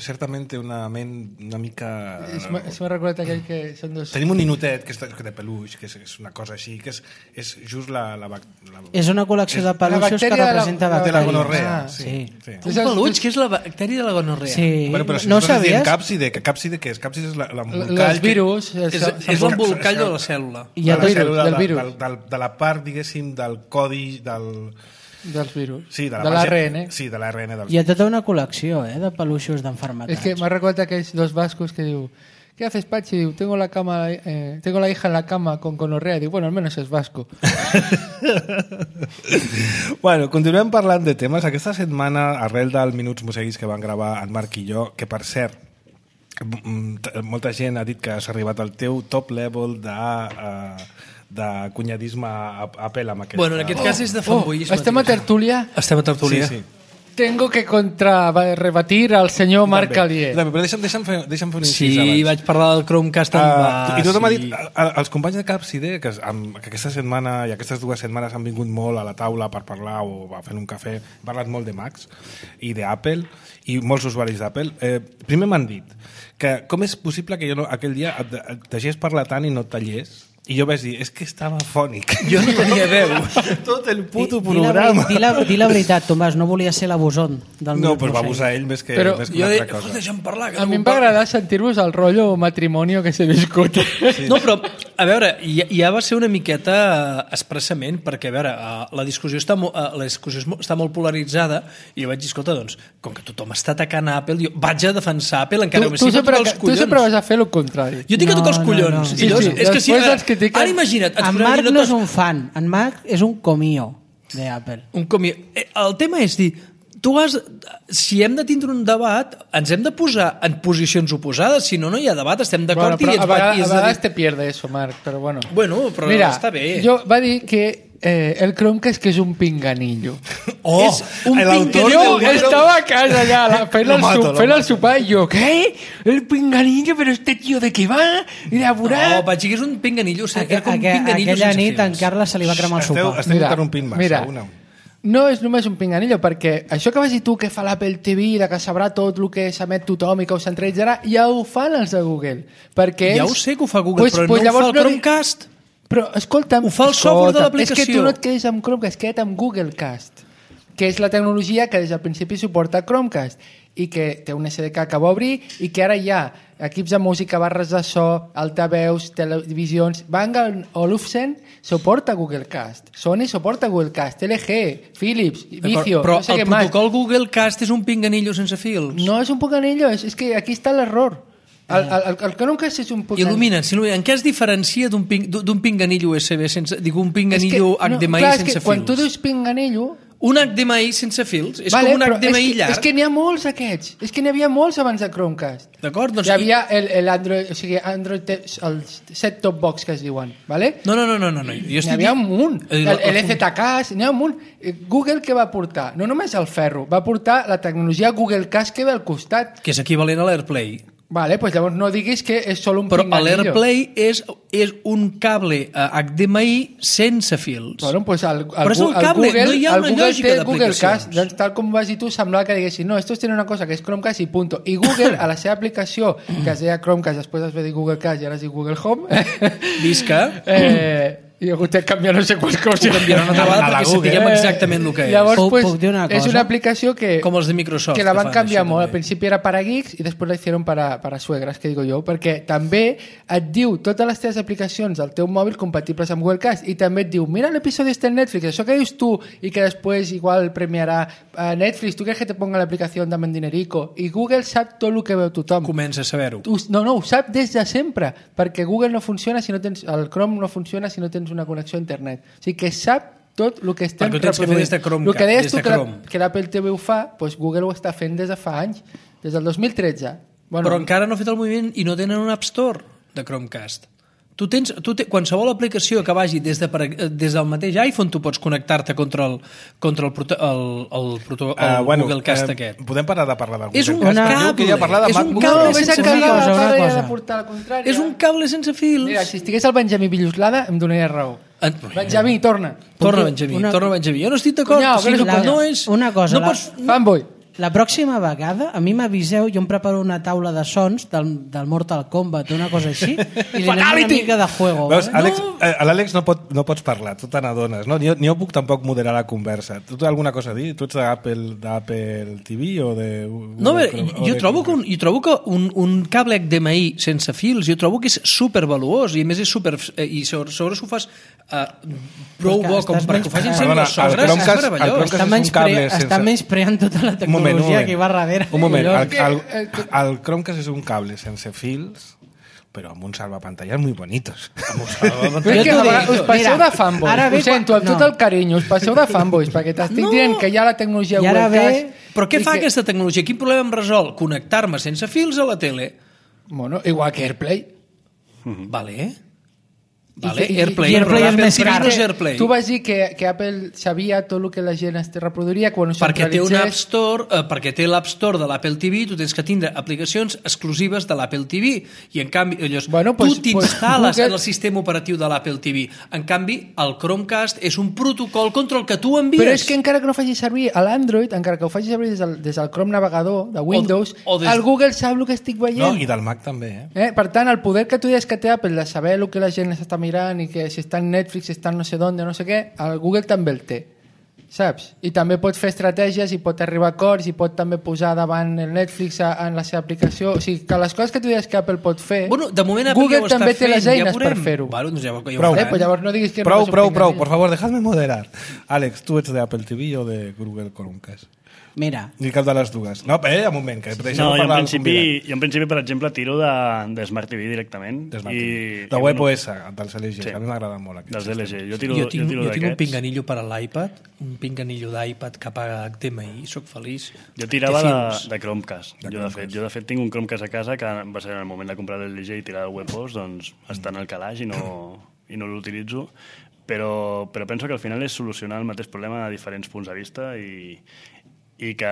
certament té una ment una mica... És, és m'ha recordat aquell que són dos... Tenim un ninotet que és de peluix, que és, és una cosa així, que és, és just la... la, la... És una col·lecció de peluixos que representa de la bacteris. gonorrea. Ah, sí. sí. Un peluix que és la bactèria de la gonorrea. Sí. Bueno, però si no nosaltres diem sabies? càpside, que càpside què és? Càpside és l'embolcall... Els virus... És, és l'embolcall de la cèl·lula. I de el la virus, cèl·lula, del de, virus. del, del, de la part, diguéssim, del codi del... dels virus. Sí, de de l'A R N. Sí, de l'A R N. Del... Hi ha tota una col·lecció eh, de peluixos d'enfermetats. És que m'ha recordat aquells dos vascos que diu ¿qué haces, Pachi? Diu, tengo la cama, eh, tengo la hija en la cama con gonorrea. Diu, bueno, al menos es vasco. Bueno, continuem parlant de temes. Aquesta setmana, arrel del Minuts Museguis que van gravar en Marc i jo, que per cert, molta gent ha dit que has arribat al teu top level de... Uh, de cunyadisme a Apple amb aquest... Bueno, en aquest cas és de fanboyisme. Oh, estem a tertúlia? Estem a tertúlia. Sí, sí. Tengo que contra rebatir al senyor Marc Calier. També, però deixa'm, deixa'm, fer, deixa'm fer un incís sí, abans. Sí, vaig parlar del Chromecast amb... Uh, I tothom sí. ha dit, a, als companys de Capside, que, amb, que aquesta setmana i aquestes dues setmanes han vingut molt a la taula per parlar o a fer un cafè, han parlat molt de Macs i d'Apple i molts usuaris d'Apple. Eh, primer m'han dit que com és possible que jo no, aquell dia et, et deixés parlar tant i no et tallés. I jo vaig dir, és que estava fònic. Jo no tenia veu. Tot el puto Di, di la, programa. di, la, di la veritat, Tomàs, no volia ser l'abusón del No, Minut però va Museu. abusar ell més que, Però més que Jo una he altra cosa. deixa'm parlar. Que A no mi em puc va parlar. agradar sentir-vos el rotllo matrimonio que s'ha viscut. Sí. No, però, a veure, ja, ja va ser una miqueta eh, expressament, perquè, a veure, eh, la discussió està, mo, eh, la discussió és mo- està molt polaritzada, i jo vaig dir, escolta, doncs, com que tothom està atacant a Apple, jo vaig a defensar Apple, encara Tu, que tu, sigui sempre, tocar els tu collons. sempre vas a fer el contrari. Jo tinc que No, tocar els no, collons. no. I Sí, llavors, sí, és que si, després ara, ens critiquen. ara imagina't, ens En posem Marc aquí no és notes- un fan, en Marc és un comío d'Apple. un comi... Eh, El tema és dir, tu has, si hem de tindre un debat, ens hem de posar en posicions oposades, si no, no hi ha debat, estem d'acord Bueno, però i ens a vegades, va... i a és de vegades dir- te pierde eso, Marc, però bueno. Bueno, però Mira, està bé. jo va dir que eh, el Chromecast que és un pinganillo. Oh, És un l'autor pinganillo. Yo estaba a casa ya, la, fent, Lo el, mato, su, lo fent el mato. sopar y yo, ¿qué? El pinganillo, pero este tío de qué va? Y de apurar. No, Patxi, que és un pinganillo, o sigui, Aqu era com un aqu pinganillo aquella sense nit fils. en Carles se li va cremar el Esteu, sopar. esteu interrompint massa. mira, Una. no és només un pinganillo, perquè això que vas dir tu que fa l'Apple T V, de que sabrà tot el que s'emet tothom i que ho centralitzarà, ja ho fan els de Google. Perquè Ja ells, ho sé que ho fa Google, però no ho fa llavors el di- Chromecast. Però, escolta'm... Ho fa el software de escolta'm, l'aplicació. És que tu no et quedes amb Chromecast, queda't amb Google Cast, que és la tecnologia que des del principi suporta Chromecast i que té un S D K que va obrir i que ara hi ha equips de música, barres de so, altaveus, televisions... Bang Olufsen suporta Google Cast, Sony suporta Google Cast, L G, Philips, Vizio, Però no sé el què més. protocol Google Cast és un pinganillo sense fils. No és un pinganillo, és, és que aquí està l'error. El, el, el, el Chromecast és un pinganillo. Il·lumina, il·lumina. En què es diferencia d'un ping, d'un pinganillo U S B sense... Dic, un pinganillo És que, H D M I clar, és sense que fils? quan tu dius pinganillo... Un H D M I sense fils és Vale, com un però H D M I és que, llarg. És que n'hi ha molts aquests. És que n'hi havia molts abans de Chromecast. D'acord? Doncs... Hi havia el, el Android, o sigui, Android, te- el set-top box que es diuen, vale? No, no, no, no, no. no. Jo N'hi estic havia un dient- munt. Eh, El, la- el E Z K, n'hi ha un munt. Eh, Google què va portar? No només el ferro, va portar la tecnologia Google Cast que ve al costat. Que és equivalent a l'AirPlay. Vale, pues llavors no diguis que és solo un Però pinganillo. l'AirPlay és, és un cable eh, H D M I sense fils. Bueno, pues el, el, Però és un el cable, Google, no hi ha el una Google lògica té Google d'aplicacions. Cast, doncs, tal com vas dir tu, semblava que diguessin no, estos tienen una cosa que és Chromecast i punto. I Google, a la seva aplicació, que es deia Chromecast, després es va dir Google Cast i ara es diu Google Home, Visca. eh, i ha hagut de canviar no sé quants coses. Ho canviarà una altra vegada perquè sapiguem exactament el que és. Llavors, Puc- pues, puc dir una és cosa? una aplicació que, Com els de Microsoft, que la que van fan canviar això, molt. Al també. principi era para geeks i després la hicieron para, para suegras, que digo jo, perquè també et diu totes les teves aplicacions del teu mòbil compatibles amb Google Cast i també et diu, mira l'episodi este en Netflix, això que dius tu i que després igual premiarà a Netflix, tu quieres que te ponga l'aplicació Dame Dinerico, i Google sap tot el que veu tothom. Comença a saber-ho. Ho- No, no, ho sap des de sempre, perquè Google no funciona si no tens, el Chrome no funciona si no tens una connexió a internet. O sigui que sap tot el que estem Perquè ho tens que fer des de Chromecast, El que deies des tu de que, la, Chrome. que l'Apple T V ho fa, doncs Google ho està fent des de fa anys, des del dos mil tretze. Bueno, Però encara no ha fet el moviment i no tenen un App Store de Chromecast. Tu tens, tu te, qualsevol aplicació que vagi des, de, per- des del mateix iPhone tu pots connectar-te contra el, contra el, proto- el, el, proto- el Uh, bueno, Google Cast eh, aquest. podem parar de parlar del Google És un Cast? Una- Diu que ja parlar de és un MacBook cable no, Pro. vés a sense casa, fils. Una para cosa. de portar la contrària. És un cable sense fils. Mira, si estigués el Benjamí Villuslada em donaria raó. En... Benjamí, torna. Torna, Benjamí, Una- torna, Benjamí. Jo no estic d'acord. Cunyau, O sigui, que eres un no, cunyau. és... Una cosa, No la- pots... Fanboy. la pròxima vegada a mi m'aviseu, jo em preparo una taula de sons del, del Mortal Kombat o una cosa així i li anem una mica de juego. Veus, Vale? Àlex, no. A l'Àlex no, pot, no pots parlar, tu te n'adones, no? Ni, jo- ni jo puc tampoc moderar la conversa. Tu tens alguna cosa a dir? Tu ets d'Apple d'Apple T V o de... No, o de- bé, o jo de- trobo que, un, jo trobo que un, un cable H D M I sense fils, jo trobo que és supervaluós i a més és super... eh, i sobre, sobre s'ho fas uh, prou Perquè bo com estàs perquè ho facin menys- servir Perdona, les sogres, el és Chromecast- el meravellós. Chromecast- Està, és un menys cable pre, sense- està menyspreant tota la Un moment, un tecnologia moment. que hi va darrere. Un moment, el, Collons. el, el Chromecast és un cable sense fils, però amb uns salvapantalles muy bonitos. Però és Jo que t'ho a vegades dic. us passeu Mira, de fanboys, ara ve ho sento, quan- amb tot no. el carinyo, us passeu de fanboys, perquè t'estic No. dient que hi ha la tecnologia I ara webcast... ve- Però què i fa que- aquesta tecnologia? Quin problema em resol? Connectar-me sense fils a la tele. Bueno, igual que AirPlay. Vale. I Vale, que- i- Airplay. i Airplay però és l'Apple més T V car. no és Airplay. Tu vas dir que, que Apple sabia tot el que la gent es reproduiria quan ho Perquè té un App centralitzés. Store, eh, perquè té l'App Store de l'Apple T V, tu tens que tindre aplicacions exclusives de l'Apple T V i en canvi, llavors, Bueno, tu pues- t'instal·les pues Google- en el sistema operatiu de l'Apple T V. En canvi, el Chromecast és un protocol contra el que tu envies. Però és que encara que no faci servir a l'Android, encara que ho faci servir des del, des del Chrome navegador de Windows, o des- el Google sap el que estic veient. No, i del Mac també, eh? Eh? Per tant, el poder que tu deies que té Apple de saber el que la gent està mirant i que si està en Netflix, si està en no sé d'on, no sé què, el Google també el té, saps? I també pot fer estratègies i pot arribar a acords i pot també posar davant el Netflix a, en la seva aplicació. O sigui, que les coses que tu deies que Apple pot fer, Bueno, de moment Apple Google ja ho està també té fent, les ja eines veurem. per fer-ho. Bueno, doncs ja, ho- ja ho Prou. Eh, faran. pues llavors no diguis que Prou, no prou, prou, pinganillo. por favor, dejadme moderar. Àlex, tu ets d'Apple T V o de Google Chromecast? Mira, Ni cap de les dues. No, eh, un moment, que deixem No, jo en, parlar al principi, convidat. jo en principi, per exemple, tiro de, de Smart T V directament. De Smart I, T V. i De bueno, WebOS, dels L G, Sí. que a mi m'agrada molt. aquest dels L sistema. G. Jo tiro, Jo tinc, jo tiro jo tinc un d'aquests. pinganillo per a l'iPad, un pinganillo d'iPad que paga H D M I i soc feliç. Jo tirava Té de, fils. de Chromecast. De jo, de fet, jo, de fet, tinc un Chromecast a casa que va ser en el moment de comprar l'L G i tirar el WebOS, doncs està en el calaix i no, i no l'utilitzo. Però, però penso que al final és solucionar el mateix problema de diferents punts de vista i, i, que,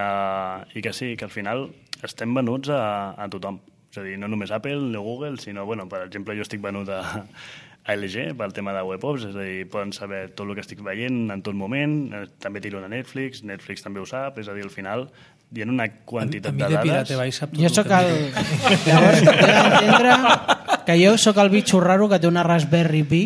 i que sí, que al final estem venuts a, a tothom. És a dir, no només Apple o Google, sinó, bueno, per exemple, jo estic venut a, a L G pel tema de WebOps, és a dir, poden saber tot el que estic veient en tot moment, eh, també tiro a Netflix, Netflix també ho sap, és a dir, al final hi ha una A, quantitat a mi de de dades... Pirate Bay sap tot jo el sóc que el... miro. Llavors, he d'entendre que jo sóc el bitxo raro que té una Raspberry Pi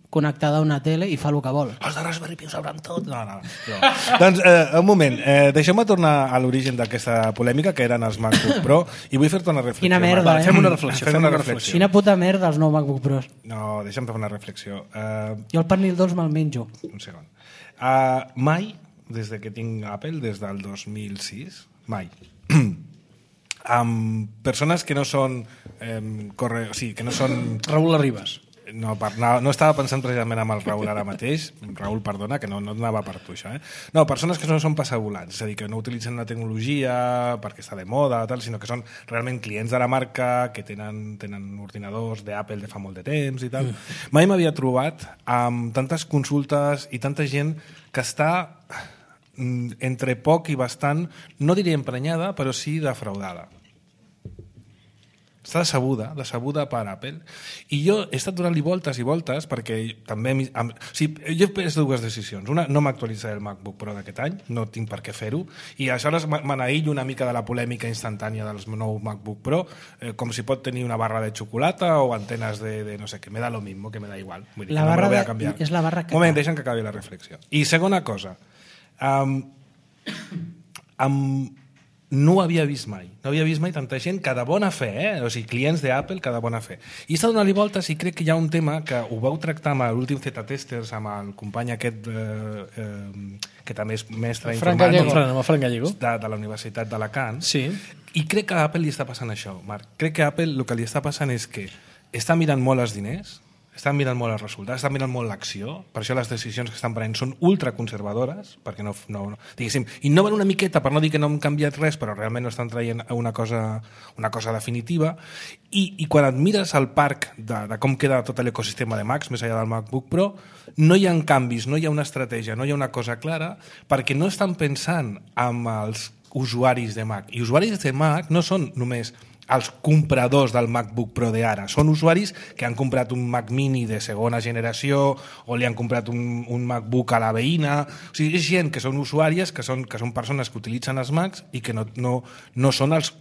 connectada a una tele i fa el que vol. Els de Raspberry Pi ho sabran tot. No, no, no. Doncs, eh, un moment, eh, deixeu-me tornar a l'origen d'aquesta polèmica, que eren els MacBook Pro, i vull fer-te una reflexió. Quina merda, Marc. eh? Fem una reflexió, Fem fem una una reflexió. Quina puta merda els nou MacBook Pros. No, deixa'm fer una reflexió. Eh, Jo el pernil dolç me'l menjo. un segon. Uh, mai, des de que tinc Apple, des del dos mil sis, mai, amb persones que no són eh, corre... o sigui, que no són Raül Arribas. no, per, no, no estava pensant precisament amb el Raül ara mateix. Raül, perdona, que no, no anava per tu, això. Eh? No, persones que no són passavolants, és a dir, que no utilitzen la tecnologia perquè està de moda, tal, sinó que són realment clients de la marca, que tenen, tenen ordinadors d'Apple de fa molt de temps i tal. Mm. Mai m'havia trobat amb tantes consultes i tanta gent que està mm, entre poc i bastant, no diria emprenyada, però sí defraudada. Està decebuda, decebuda per Apple. I jo he estat donant-li voltes i voltes perquè també... Amb, o sigui, jo he pres dues decisions. Una, no m'actualitzaré el MacBook Pro d'aquest any, no tinc per què fer-ho, i aleshores m'anaïllo una mica de la polèmica instantània dels nous MacBook Pro, eh, com si pot tenir una barra de xocolata o antenes de, de no sé què, me da lo mismo, que me da igual. Vull dir, La que no me barra lo voy a de- canviar. és la barra Un moment, caca. deixa'm que acabi la reflexió. I segona cosa, um, amb no ho havia vist mai. No havia vist mai tanta gent que de bona fe, eh? O sigui, clients d'Apple que de bona fe. I he estat donant-li voltes i crec que hi ha un tema que ho vau tractar amb l'últim Z-Testers, amb el company aquest eh, eh, que també és mestre Frank informàtic Gallego. Fran, amb el Fran Gallego. de, de la Universitat d'Alacant. Sí. I crec que a Apple li està passant això, Marc. Crec que a Apple el que li està passant és que està mirant molt els diners, estan mirant molt els resultats, estan mirant molt l'acció, per això les decisions que estan prenent són ultraconservadores, perquè no, no, no, diguéssim, innoven una miqueta, per no dir que no han canviat res, però realment no estan traient una cosa, una cosa definitiva, i, i quan et mires al parc de, de com queda tot l'ecosistema de Macs, més enllà del MacBook Pro, no hi ha canvis, no hi ha una estratègia, no hi ha una cosa clara, perquè no estan pensant amb els usuaris de Mac. I usuaris de Mac no són només els compradors del MacBook Pro d'ara. Són usuaris que han comprat un Mac Mini de segona generació o li han comprat un, un MacBook a la veïna. O sigui, és gent que són usuàries, que són, que són persones que utilitzen els Macs i que no, no, no són els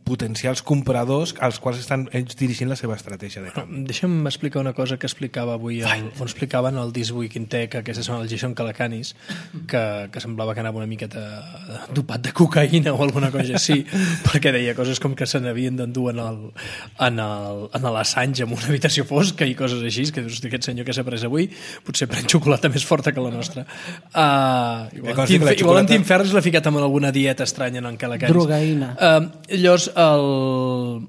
potencials compradors als quals estan ells dirigint la seva estratègia de canvi. Deixa'm explicar una cosa que explicava avui, el, on explicaven el This Week in Tech, aquesta setmana el Jason Calacanis, que, que semblava que anava una miqueta dopat de cocaïna o alguna cosa així, perquè deia coses com que se n'havien d'endur en el, en el, en l'Assange en una habitació fosca i coses així, que dius, aquest senyor que s'ha pres avui potser pren xocolata més forta que la nostra. Uh, igual, Tim, igual xocolata... en Tim Ferriss l'ha ficat amb alguna dieta estranya en Calacanis. Drogaïna. Uh, llavors el,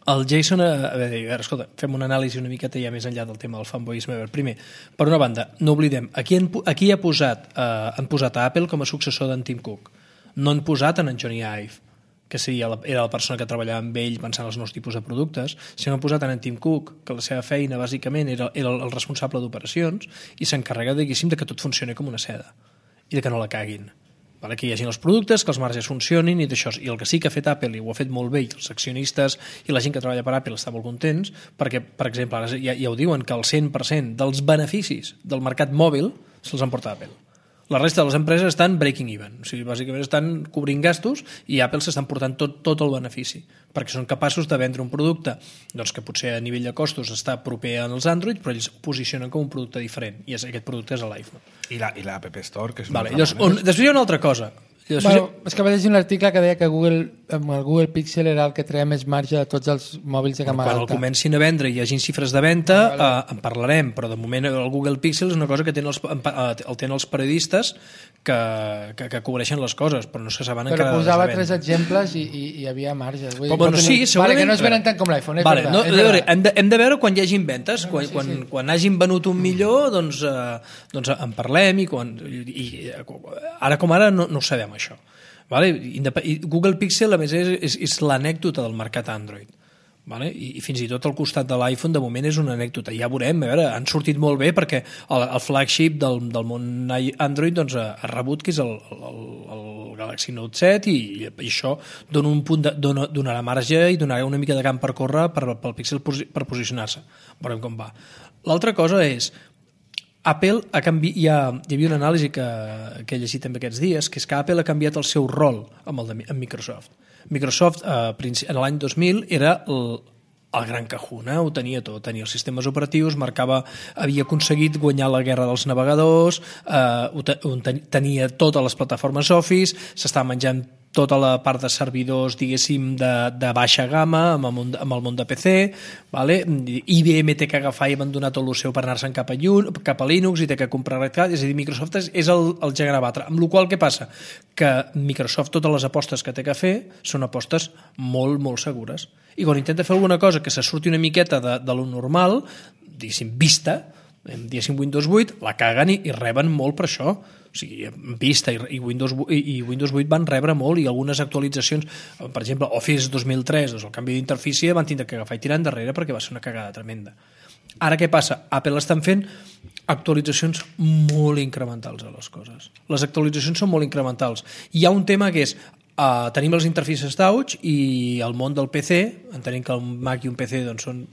el Jason a veure, a veure, escolta, fem una anàlisi una miqueta ja més enllà del tema del fanboyisme. Primer, per una banda, no oblidem aquí, han, aquí ha posat, eh, han posat a Apple com a successor d'en Tim Cook, no han posat en en Johnny Ive, que seria la, era la persona que treballava amb ell pensant els nous tipus de productes, sinó han posat en en Tim Cook, que la seva feina bàsicament era, era el responsable d'operacions i s'encarrega, diguéssim, de que tot funcioni com una seda i de que no la caguin. Vale, que hi hagi els productes, que els marges funcionin i d'això. I el que sí que ha fet Apple, i ho ha fet molt bé, i els accionistes i la gent que treballa per Apple està molt contents, perquè, per exemple, ara ja, ja ho diuen, que el cent per cent dels beneficis del mercat mòbil se'ls emporta Apple. La resta de les empreses estan breaking even, o sigui, bàsicament estan cobrint gastos i Apple s'estan portant tot, tot el benefici, perquè són capaços de vendre un producte doncs, que potser a nivell de costos està proper als Android, però ells ho posicionen com un producte diferent, i aquest producte és l'iPhone. I la, i la App Store, que és vale, llavors, on, després hi ha una altra cosa. Bueno, és que va llegir un article que deia que Google, amb el Google Pixel era el que treia més marge de tots els mòbils de gamma alta. Quan el comencin a vendre i hi hagin xifres de venda, ah, vale. eh, en parlarem, però de moment el Google Pixel és una cosa que tenen els, el tenen els periodistes que, que, que cobreixen les coses, però no se saben però encara... Però posava tres exemples i, i, i hi havia marge. Vull dir, bueno, sí, vale, que no es venen tant com l'iPhone, és vale, veritat. No, és veritat. Hem, de, hem de veure quan hi hagin ventes, quan, no, sí, quan, sí. quan hagin venut un millor, doncs, eh, doncs en parlem i, quan, i, i ara com ara no, no ho sabem, això. Vale? Google Pixel a més és, és, és l'anècdota del mercat Android, vale? I, i fins i tot al costat de l'iPhone de moment és una anècdota, ja veurem, a veure, han sortit molt bé perquè el, el flagship del, del món Android doncs, ha, ha rebut que és el, el, el Galaxy Note set i, i això dona un punt de, dona, donarà marge i donarà una mica de camp per córrer per, pel Pixel per posicionar-se, veurem com va. L'altra cosa és Apple ha canviat, hi, ha, hi havia una anàlisi que, que he llegit també aquests dies, que és que Apple ha canviat el seu rol amb, el de, amb Microsoft. Microsoft eh, en l'any dos mil era el, el gran cajuna, ho tenia tot, tenia els sistemes operatius, marcava, havia aconseguit guanyar la guerra dels navegadors, eh, tenia totes les plataformes Office, s'estava menjant tota la part de servidors, diguéssim, de, de baixa gamma amb el món, amb el món de P C, vale? I B M té que agafar i abandonar tot el seu per anar-se'n cap, cap a Linux i té que comprar Red Hat, és a dir, Microsoft és, és el, el gegant a batre. Amb la qual què passa? Que Microsoft, totes les apostes que té que fer són apostes molt, molt segures. I quan intenta fer alguna cosa que se surti una miqueta de, de lo normal, diguéssim, vista, diguéssim Windows vuit, la caguen i, i reben molt per això. O sigui, Vista i, i, Windows, i, i Windows vuit van rebre molt i algunes actualitzacions, per exemple, Office dos mil tres, doncs el canvi d'interfície van tindre que agafar i tirar endarrere perquè va ser una cagada tremenda. Ara què passa? Apple estan fent actualitzacions molt incrementals a les coses. Les actualitzacions són molt incrementals. Hi ha un tema que és Uh, tenim les interfícies touch i el món del P C, entenem que un Mac i un P C doncs, són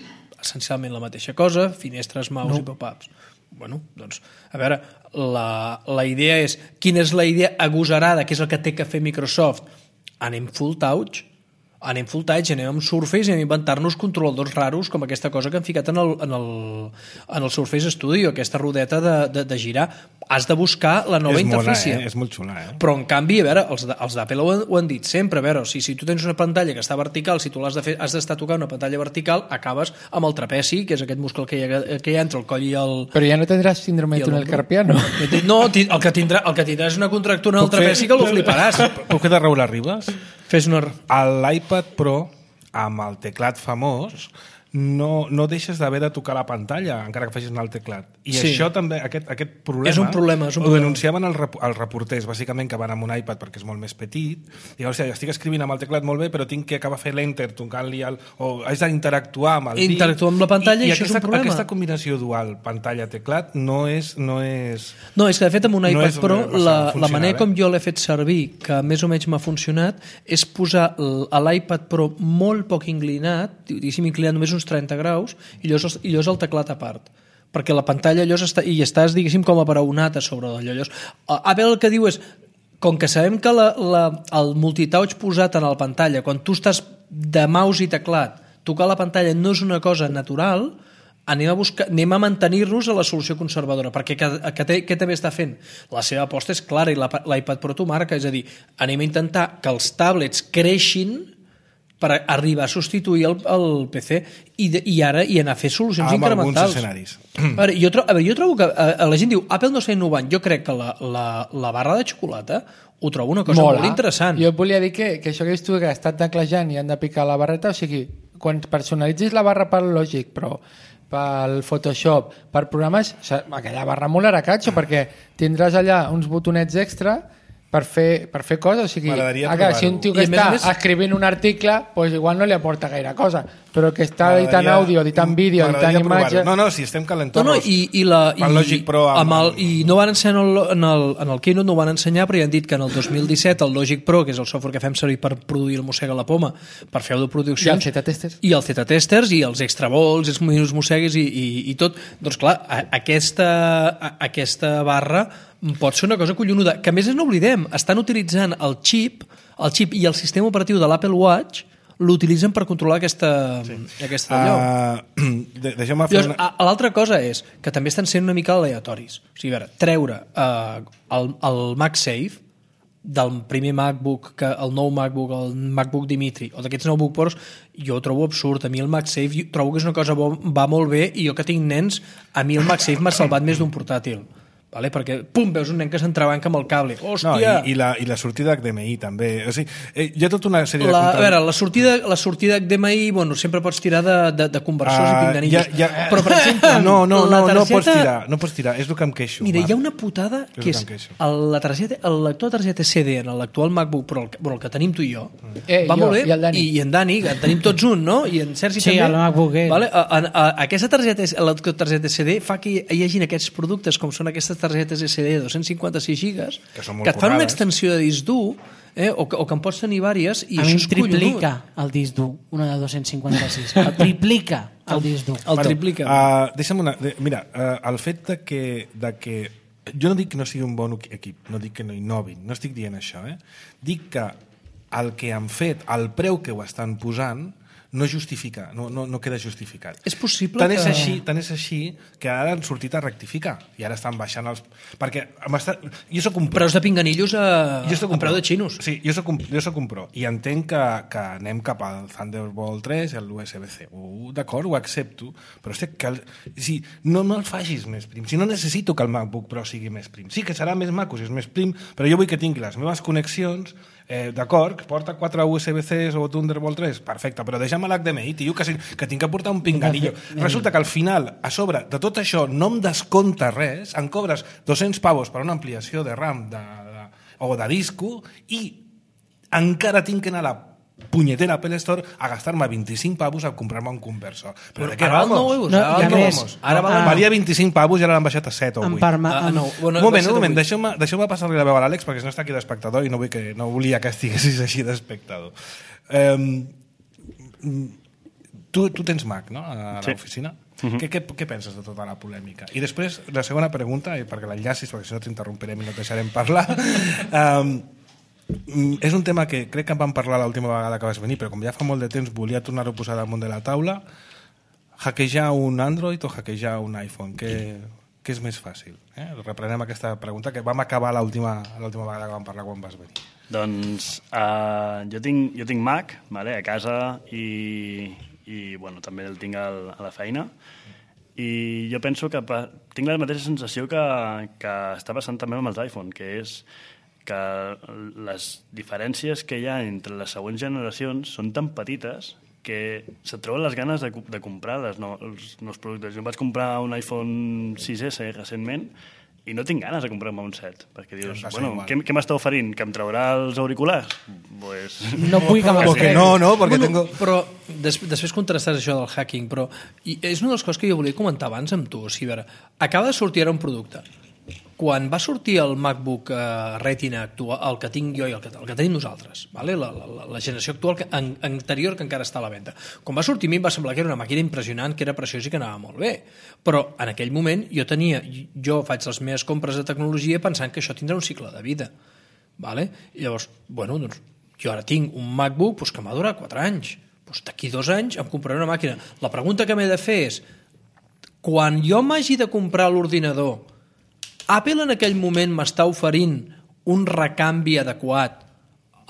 essencialment la mateixa cosa, finestres, mouse no. i pop-ups. Bueno, doncs, a veure, la, la idea és, quina és la idea agosarada, que és el que té que fer Microsoft? Anem full touch, anem full touch, anem amb Surface i anem a inventar-nos controladors raros com aquesta cosa que han ficat en el, en el, en el Surface Studio, aquesta rodeta de, de, de girar. Has de buscar la nova és interfície. Mona, eh? És molt xula, eh? Però, en canvi, a veure, els, els d'Apple ho, ho han dit sempre, a veure, si, si tu tens una pantalla que està vertical, si tu l'has de fer, has d'estar tocant una pantalla vertical, acabes amb el trapeci, que és aquest múscul que hi ha, que hi ha entre el coll i el... Però ja no tindràs síndrome de túnel carpiano. No, el que tindrà, el que tindràs és una contractura en el trapeci que lo fliparàs. Puc fer de Raül Arribas? Fes una... L'iPad Pro, amb el teclat famós, no, no deixes d'haver de tocar la pantalla encara que facis anar el teclat. I Sí. això també, aquest, aquest problema, És un problema, és un ho problema. denunciaven els, rep els reporters, bàsicament, que van amb un iPad perquè és molt més petit, i llavors, estic escrivint amb el teclat molt bé, però tinc que acabar fent l'enter, tocant-li el... o haig d'interactuar amb el dit. Interactuar amb la pantalla i, i això aquesta, és un problema. Aquesta combinació dual, pantalla-teclat, no és... No, és, No, és que de fet amb un no iPad és Pro massa la, la funcional, manera eh? com jo l'he fet servir, que més o menys m'ha funcionat, és posar l- a l'iPad Pro molt poc inclinat, diguéssim inclinat només uns trenta graus, i llavors, i llavors el teclat a part. Perquè la pantalla llavors està, i estàs, diguéssim, com aparaonat a sobre d'allò. Llavors, Apple el que diu és, com que sabem que la, la, el multitouch posat en la pantalla, quan tu estàs de mouse i teclat, tocar la pantalla no és una cosa natural, anem a, buscar, anem a mantenir-nos a la solució conservadora, perquè què, què, què també està fent? La seva aposta és clara i la- l'iPad Pro t'ho marca, és a dir, anem a intentar que els tablets creixin per arribar a substituir el, el P C i, de, i ara i anar a fer solucions amb alguns incrementals. escenaris. A veure, jo, tro, a veure, jo trobo que a, a la gent diu Apple no està innovant, jo crec que la, la, la barra de xocolata ho trobo una cosa Mola. molt interessant. Jo et volia dir que, que això que has tu que ha estat teclejant i han de picar la barreta, o sigui, quan personalitzis la barra pel Logic Pro, pel Photoshop, per programes, o sigui, aquella barra molarà catxo, perquè tindràs allà uns botonets extra per fer, per fer coses, o sigui, M'agradaria ara, si un tio que I a més està a més- escrivint un article, pues igual no li aporta gaire cosa, però que està editant M'agradaria- àudio, editant vídeo, editant m'agradaria provar-ho. imatge... No, no, si estem No, calentant no, i, i, la, i, el Logic Pro amb, amb el, i no van ensenyar en el, en, el, en el Keynote no ho van ensenyar, però ja han dit que en el dos mil disset el Logic Pro, que és el software que fem servir per produir el Mossega la Poma, per fer autoproduccions, I el Z-testers. i el Z-testers i els extra balls, els minus mossegues i, i, i tot, doncs clar, a, aquesta, a, aquesta barra pot ser una cosa collonuda, que a més no oblidem, estan utilitzant el xip, el xip i el sistema operatiu de l'Apple Watch l'utilitzen per controlar aquesta, sí. aquesta allò. Uh, de, Deixeu-me fer Llavors, una... a- l'altra cosa és que també estan sent una mica aleatoris. O sigui, a veure, treure uh, el, el MagSafe del primer MacBook, que el nou MacBook, el MacBook Dimitri, o d'aquests nou MacBook Pros, jo ho trobo absurd. A mi el MagSafe jo trobo que és una cosa bo, va molt bé, i jo que tinc nens, a mi el MagSafe m'ha salvat més d'un portàtil. Vale? Perquè, pum, veus un nen que s'entrebanca amb el cable. No, Hòstia! i, i, la, i la sortida H D M I també. O sigui, eh, hi ha tota una sèrie de... La, a contra- veure, la sortida, la sortida H D M I, bueno, sempre pots tirar de, de, de conversors Ah, i pinganillos. ja- ja- Però, per exemple, No, no, la no, no targeta... pots tirar, no pots tirar, és el que em queixo. Mira, Marc. hi ha una putada És que el és que em queixo. el, la targeta, el lector de targeta C D en l'actual MacBook Pro, el, que- bueno, el que tenim tu i jo, Eh, va jo molt bé, i el Dani. i, i en Dani, que en tenim tots un, no? I en Sergi Sí, també. el MacBook Air. Vale? A, a, a, aquesta targeta, el lector de targeta C D fa que hi hagin aquests productes com són aquestes targetes S D de dos cents cinquanta-sis gigas, Que són molt que et fan una currades. extensió de disc dur, eh? o, que, o que en pots tenir vàries, i A això mi em és collonut. triplica el disc dur, una de dos cents cinquanta-sis. El triplica el disc dur. El triplica. Uh, deixa'm una... De, mira, uh, el fet de que, de que... Jo no dic que no sigui un bon equip, no dic que no innovin, no estic dient això, eh? Dic que el que han fet, el preu que ho estan posant, no justifica, no, no, no queda justificat. És possible tant que- És així, tant és així que ara han sortit a rectificar i ara estan baixant els... Perquè m'està... jo soc un pro. Preus de pinganillos a, Jo soc a un preu pro. de xinos. Sí, jo soc un, jo soc un pro. I entenc que, que anem cap al Thunderbolt tres i a l'U S B C. Uh, D'acord, ho accepto, però hosti, que el, si, no, no el facis més prim. Si no necessito que el MacBook Pro sigui més prim. Sí que serà més maco si és més prim, però jo vull que tingui les meves connexions, eh, d'acord, que porta quatre U S B Cs o Thunderbolt tres, perfecte, però deixa'm l'H D M I, tio, que, si, que tinc que portar un pinganillo. Resulta que al final, a sobre de tot això, no em descompta res, em cobres dos-cents pavos per una ampliació de RAM de, de, o de disco i encara tinc que anar a la punyetera Apple Store a gastar-me vint-i-cinc pavos a comprar-me un conversor. Però Però de què ara val vamos? nou euros, No, ara i val a nou més, euros. Ara val ah, nou. Valia vint-i-cinc pavos i ara l'han baixat a set o Em vuit. perma- Ah, em- no, bueno, Un moment, va ser un moment, de vuit. deixeu-me deixeu passar-li la veu a l'Àlex perquè si no està aquí d'espectador i no, vull que, no volia que estiguessis així d'espectador. Um, tu, tu tens Mac, no?, a Sí. l'oficina. Uh-huh. què, què, què penses de tota la polèmica? I després, la segona pregunta, i perquè l'enllacis, perquè si no t'interromperem i no et deixarem parlar, um, és un tema que crec que en vam parlar l'última vegada que vas venir, però com ja fa molt de temps volia tornar-ho a posar damunt de la taula. Hackejar un Android o hackejar un iPhone? Què, què és més fàcil? Eh? Reprenem aquesta pregunta que vam acabar l'última l'última vegada que vam parlar quan vas venir. Doncs uh, jo, tinc, jo tinc Mac, vale, a casa, i, i bueno, també el tinc al, a la feina, i jo penso que pa, tinc la mateixa sensació que, que està passant també amb els iPhone, que és que les diferències que hi ha entre les següents generacions són tan petites que se't treuen les ganes de, de comprar les no, els nous productes. Jo em vaig comprar un iPhone sis esse recentment i no tinc ganes de comprar-me un set, perquè dius, bueno, què, què m'està oferint? Que em traurà els auriculars? Pues... No vull que me'ls Porque no, no, porque bueno, tengo... Però des, després contrastes això del hacking, però i és una de les coses que jo volia comentar abans amb tu. O sigui, a veure, acaba de sortir ara un producte. Quan va sortir el MacBook uh, Retina actual, el que tinc jo i el que, el que tenim nosaltres, vale? la, la, la generació actual que, en, anterior que encara està a la venda, quan va sortir a mi em va semblar que era una màquina impressionant, que era preciós i que anava molt bé, però en aquell moment jo tenia, jo faig les meves compres de tecnologia pensant que això tindrà un cicle de vida, vale? I llavors, bueno, doncs jo ara tinc un MacBook pues, que m'ha durat quatre anys, pues, d'aquí dos anys em compraré una màquina. La pregunta que m'he de fer és, quan jo m'hagi de comprar l'ordinador, Apple en aquell moment m'està oferint un recanvi adequat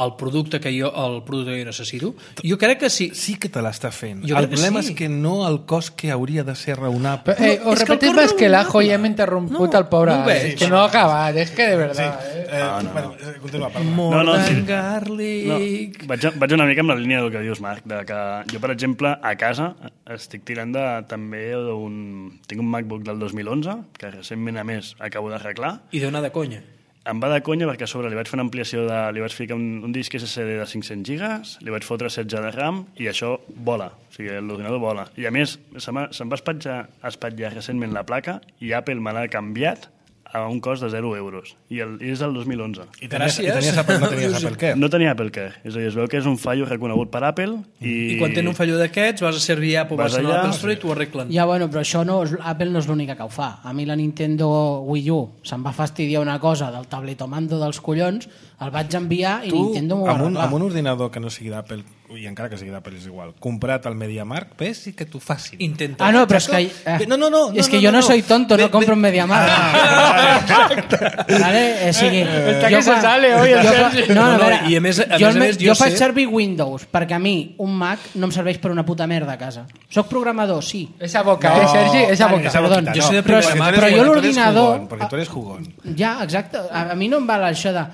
al producte que jo, el producte que jo necessito? Jo crec que sí. Sí que te l'està fent. Jo el crec que problema sí. és que no el cost que hauria de ser raonable. Eh, No, os és que el repetim cos més que l'ajo raonable. ja hem interromput No, el pobre no ho Alex, veig. que no ha acabat, és que de veritat. Sí. Eh? Eh, Ah, no, bueno, no. eh, continua, parla. More No, no, than sí. No, garlic. vaig, vaig una mica amb la línia del que dius, Marc, de que jo, per exemple, a casa estic tirant de, també d'un... Tinc un MacBook del dos mil onze, que recentment, a més, acabo d'arreglar. I d'una de conya. Em va de conya perquè a sobre li vaig fer una ampliació de... Li vaig ficar un, un disc esse esse de de cinc-cents gigas, li vaig fotre setze de RAM i això vola, o sigui, l'ordinador vola. I a més, se m'ha- se'm va espatllar, espatllar recentment la placa i Apple me l'ha canviat a un cost de zero euros. I, el, i és del dos mil onze. I tenies, Gràcies. i tenies Apple, no tenies Apple Care. No tenia Apple Care, és a dir, es veu que és un fallo reconegut per Apple i... I quan tenen un fallo d'aquests, vas a servir Apple, Vas vas, vas a allà, l'Apple Store i t'ho arreglen. Ja, bueno, però això no, és- Apple no és l'única que ho fa. A mi la Nintendo Wii U se'm va fastidiar una cosa del tabletomando dels collons, el vaig enviar i Tu, Nintendo m'ho va amb un, arreglar. amb un ordinador que no sigui d'Apple, i encara que sigui d'Apple és igual, comprat al MediaMarkt, ves i que t'ho facin. Intenta. Ah, no, però és que... Eh, No, no, no, és no, que no, jo no, no, soy no. tonto, Ve- no compro ve- en MediaMarkt. Vale? Eh, sigui, Está jo que se quan- sale hoy el jo Sergi. quan- No, no, No, no, a veure, i a més- a jo, més a el me- més jo jo faig sé- servir Windows, perquè a mi un Mac no em serveix per una puta merda a casa. Soc programador, sí. Esa boca, No, eh, Sergi? Esa vale, boca. Esa perdó, boquita, jo no. soy de Però, primera mà, però jo Porque tú eres l'ordinador... jugón, Porque tú eres jugón. Ya, exacto. A, a mí no em val això de...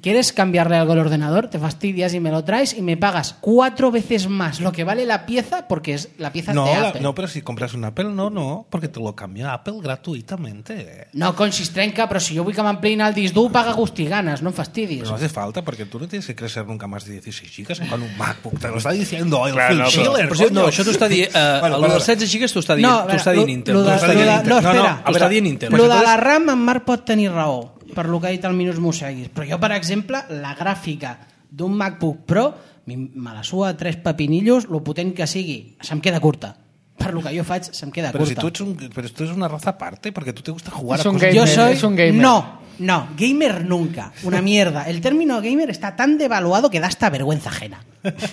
¿Quieres cambiarle algo al ordenador? Te fastidias y me lo traes y me pagas cuatro veces más lo que vale la pieza porque es la pieza No, de la- Apple. no, pero si compras un Apple, no, no, porque te lo cambia Apple gratuitamente. No, con si es trenca, però si jo vull que m'ampliïn el disc dur, paga gust i ganes, no em fastidis. Pero no hace falta, porque tú no tienes que crecer nunca más de dieciséis gigas con un MacBook. Te lo está diciendo el Clar, Phil no, però- Schiller, Per cert, no, coño. això t'ho està dient... Uh, Bueno, el perdona. dels setze gigas t'ho està dient, No, a t'ho veure, està dient lo- Intel. lo T'ho de- està lo dient de- Intel. no, No, no, espera. a T'ho està veure, dient Intel. Lo Pues de entonces- la RAM, en Marc pot tenir raó, per lo que ha dit el Minus Mosseguis. Però jo, per exemple, la gràfica d'un MacBook Pro, mi- me la sua tres pepinillos, lo potent que sigui, se'm queda curta. Per lo que jo faig, se'm queda Pero si curta. tú eres, un, pero tú eres una raza aparte, porque tú te gusta jugar Es a un cosas... gamer. Yo soy... es un gamer. No, no, gamer nunca. Una mierda. El término gamer está tan devaluado que da hasta vergüenza ajena.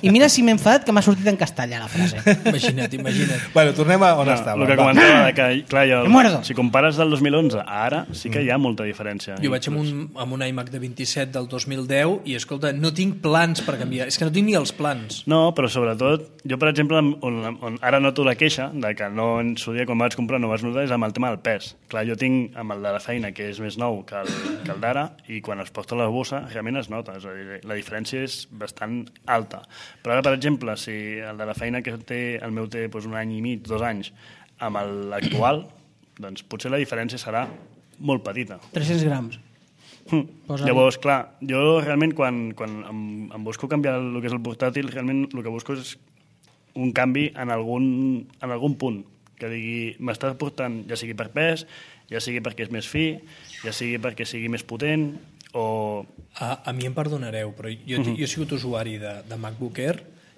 I mira si m'he enfadat que m'ha sortit en castellà la frase. Imagina't, imagina't. Bueno, tornem a on No, estava. el que va. comentava, de que, clar, jo, Me muerdo. si compares del dos mil onze a ara, sí que hi ha molta diferència. Jo vaig amb un, amb un iMac de vint-i-set del dos mil deu i, escolta, no tinc plans per canviar. És que no tinc ni els plans. No, però sobretot, jo, per exemple, on, on ara noto la queixa de que no en su dia, quan vaig comprar, no vas notar, és amb el tema del pes. Clar, jo tinc amb el de la feina, que és més nou que el, que el d'ara, i quan es posa la bossa, realment es nota. És a dir, la diferència és bastant alta. Però ara, per exemple, si el de la feina que té, el meu té doncs, un any i mig, dos anys, amb l'actual, doncs potser la diferència serà molt petita. tres-cents grams. Hm. Posa-li. Llavors, clar, jo realment quan, quan em, em busco canviar el que és el portàtil, realment el que busco és un canvi en algun, en algun punt, que digui, m'està portant, ja sigui per pes, ja sigui perquè és més fi, ja sigui perquè sigui més potent, o... A, a mi em perdonareu, però jo, uh -huh. jo he sigut usuari de, de MacBook Air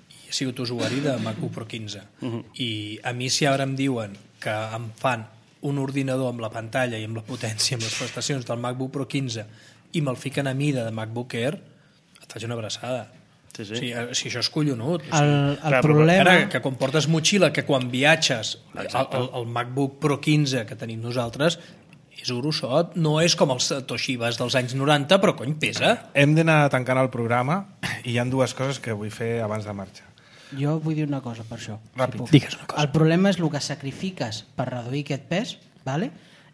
i he sigut usuari de MacBook Pro quinze. Uh -huh. I a mi si ara em diuen que em fan un ordinador amb la pantalla i amb la potència, amb les prestacions del MacBook Pro quinze i me'l fiquen a mida de MacBook Air, et faig una abraçada. Sí, sí. O sigui, si això és collonut. O sigui, El, el Clar, però problema... Ara, que quan portes motxilla, que quan viatges, el, Exacte. el, el MacBook Pro quinze que tenim nosaltres és grossot, no és com els Toshibas dels anys noranta, però cony, pesa. Hem d'anar tancant el programa i hi ha dues coses que vull fer abans de marxar. Jo vull dir una cosa per això. Ràpid. puc. Digues una cosa. El problema és el que sacrifiques per reduir aquest pes, vale?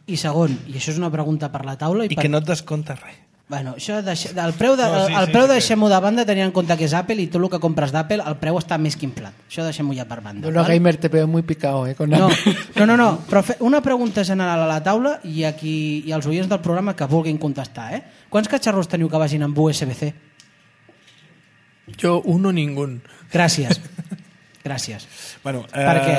I segon, i això és una pregunta per la taula... I, I per... que no et descompta res. Bueno, això deixa, el preu, de, No, sí, el sí, preu sí, deixem-ho de banda tenint en compte que és Apple i tot el que compres d'Apple el preu està més que inflat. Això deixem-ho ja per banda. Bueno, val? gamer te veo muy picado, eh? Con No, Apple. no, no, no, però fe, una pregunta general a la taula i aquí i als oients del programa que vulguin contestar, eh? Quants catxarros teniu que vagin amb U S B C? Jo, un o ningú. Gràcies. Gràcies. Bueno, eh... Perquè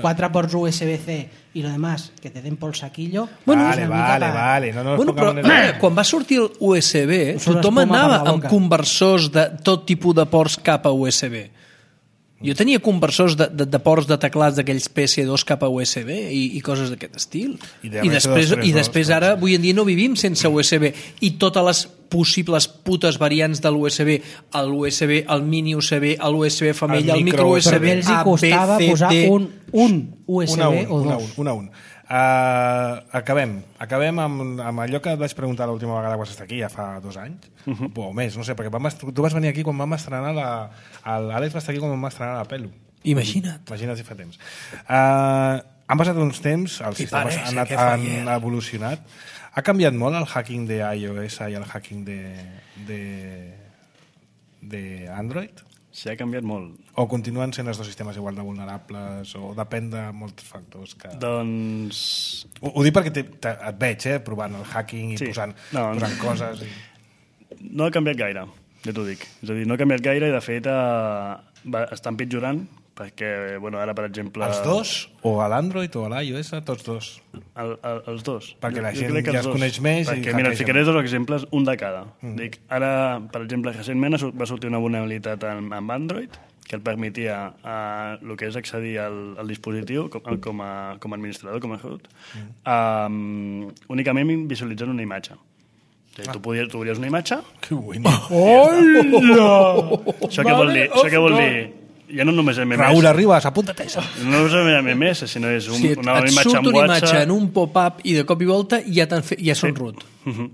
quatre ports U S B C i lo demás, que te den por saquillo... Bueno, és vale, una mica vale, pa- vale. No, no Bueno, però en el... eh, quan va sortir el U S B, Us surt tothom espuma per anava la amb boca. conversors de tot tipus de ports cap a U S B. Jo tenia conversors de, de, de ports de teclats d'aquells P S dos cap a U S B i, i coses d'aquest estil. I de I després, M S dos, i després ara, avui en dia no vivim sense U S B. I totes les possibles putes variants de l'U S B, el U S B, el mini U S B, el U S B femella, El el micro micro U S B, Però els hi A, B, costava C, posar D... un, un U S B una a un, o una a dos. un, una a un. Uh, acabem acabem amb, amb allò que et vaig preguntar l'última vegada que vas estar aquí, ja fa dos anys uh -huh. o més, no sé, perquè vam, est- tu vas venir aquí quan vam estrenar la, l'Àlex va estar aquí quan vam estrenar la Pelu. Imagina't. Imagina't si fa temps. Uh, han passat uns temps, els sistemes parece han, anat, que fa han hiel. evolucionat. Ha canviat molt el hacking de iOS i el hacking de, de, de Android? Sí, ha canviat molt. O continuen sent els dos sistemes igual de vulnerables? O depèn de molts factors que... Doncs... Ho, ho dic perquè te, te, et veig, eh, provant el hacking i Sí. posant, No, no. posant coses. I... No ha canviat gaire, ja t'ho dic. És a dir, no ha canviat gaire i, de fet, eh, va, està empitjorant perquè, bueno, ara, per exemple... Els dos? O a l'Android o a l'iOS? Tots dos? El, el, els dos. Perquè la Jo gent crec que ja els es dos. coneix més i Perquè, mira, et hackeja ficaré dos exemples, un de cada. Mm. Dic, ara, per exemple, recentment ha sort- va sortir una vulnerabilitat amb, amb Android que et permetia uh, el que és accedir al, al dispositiu com, com, a, com a administrador, com a root, mm. um, únicament visualitzant una imatge. O sigui, tu, podies, tu veuries una imatge. Que bueno. Això què vol dir? Això què vol dir? Ja no només M M S. Raúl Arribas, apúntate eso. No és M M S, sinó és un, Sí, et, una et imatge surt amb una imatge WhatsApp. en un pop-up i de cop i volta ja, t'han fet, ja són root. Mhm.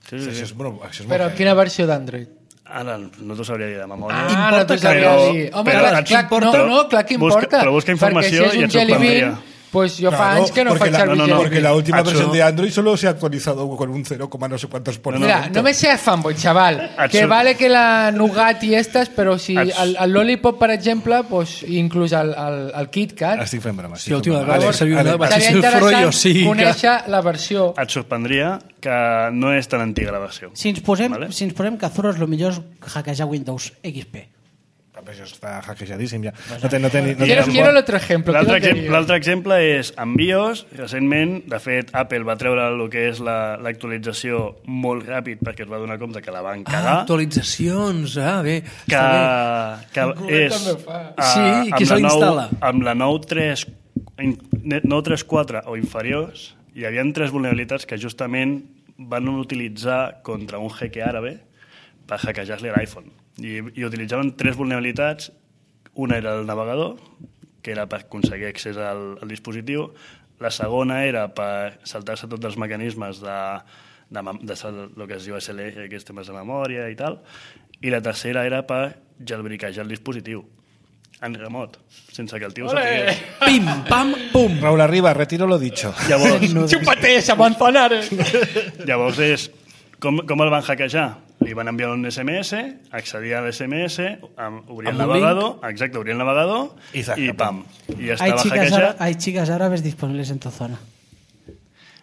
Sí, sí, Això sí. és, bueno, això és molt Però heavy. quina versió d'Android? Ara no t'ho sabria dir de memòria. Ah, Importa no t'ho que sabria no, dir. Home, però clar, et clar, importa? no, no, clar que Busca- importa. però busca informació perquè si i és et un Jelly Bean, sorprendria. pues jo fa Claro, anys que no porque faig la, servir no, no, Jelly porque Bean. la última Això- versión de Android solo se ha actualizado con un cero, no sé cuántos por Mira, ciento. no me seas fanboy, chaval. Et Que surt- vale que la Nougat i estas, però si Et- el, el Lollipop, per exemple, pues, inclús el, el, el KitKat, Estic fent broma. Sí, l'última vegada que serviu una Àlex, vaig seria ser el interessant Froyo, sí, que- conèixer la versió. Et sorprendria que no és tan antiga la versió. Si ens posem, Vale. si ens posem que Zuros, el millor és hackejar Windows X P. Això està hackejadíssim ja. No té, no té, ni- no té Quiero, ni quiero el suport. otro ejemplo. L'altre quiero exemple, l'altre exemple és en BIOS. Recentment, de fet, Apple va treure el que és la- l'actualització molt ràpid perquè es va donar compte que la van Ah, cagar. actualitzacions, ah, bé. que, Està que Rubén és també fa. eh, Sí, amb qui se la nou- l'instal·la? amb la nou tres nou tres quatre o inferiors hi havia tres vulnerabilitats que justament van utilitzar contra un jeque àrabe per hackejar-li l'iPhone i, i utilitzaven tres vulnerabilitats. Una era el navegador, que era per aconseguir accés al, al dispositiu. La segona era per saltar-se tots els mecanismes de, de, mem- de, de, de lo que es diu S L R, que és temes de memòria i tal. I la tercera era per jailbreakejar el dispositiu en remot, sense que el tio ho sapigués. Pim, pam, pum. Raúl Arribas, retiro lo dicho. Llavors, Chúpate esa manzanares. llavors és, com, com el van hackejar? Li van enviar un S M S, accedia a l'S M S, amb, obria el Amb un navegador, exacte, obria el navegador I zaca, i pam, i ja Hay estava chicas, hackejat. ara- hay chicas árabes disponibles en tu zona.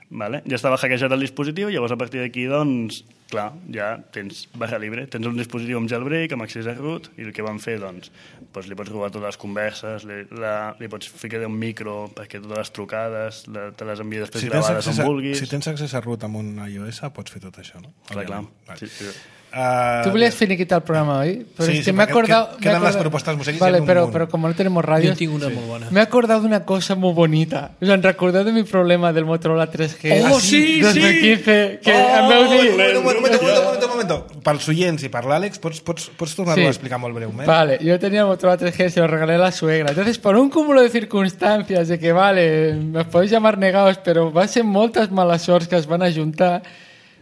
Vale? Ja estava hackejat el dispositiu, llavors a partir d'aquí, doncs, clar, ja tens barra libre, tens un dispositiu amb jailbreak, amb accés a root, i el que van fer, doncs, doncs li pots robar totes les converses, li, la, li pots ficar un micro perquè totes les trucades la, te les envia després Si tens, gravades accés on a, vulguis. si tens accés a root amb un iOS, pots fer tot això, no? Clar, clar. Vale. Sí, sí. Uh, Tú volies finiquitar el programa hoy, pero Sí, es sí, que me he porque acordado... qued- me he quedan las acordado- propuestas musicales Vale, en un pero, munt. pero como no tenemos radio... Jo tinc una molt bona. Me he acordado de una cosa muy bonita. O sea, recordé de mi problema del Motorola tres G. Oh, sí, dos mil quince, que em veu dir... Un moment, un moment, un moment, un moment. Pels oients i per l'Àlex, pots, pots, pots tornar-ho Sí. a explicar molt breument? Vale, yo tenía el Motorola tres G, se lo regalé a la suegra. Entonces, por un cúmulo de circunstancias de que, vale, me podéis llamar negados, pero va ser moltes males sorts que es van ajuntar,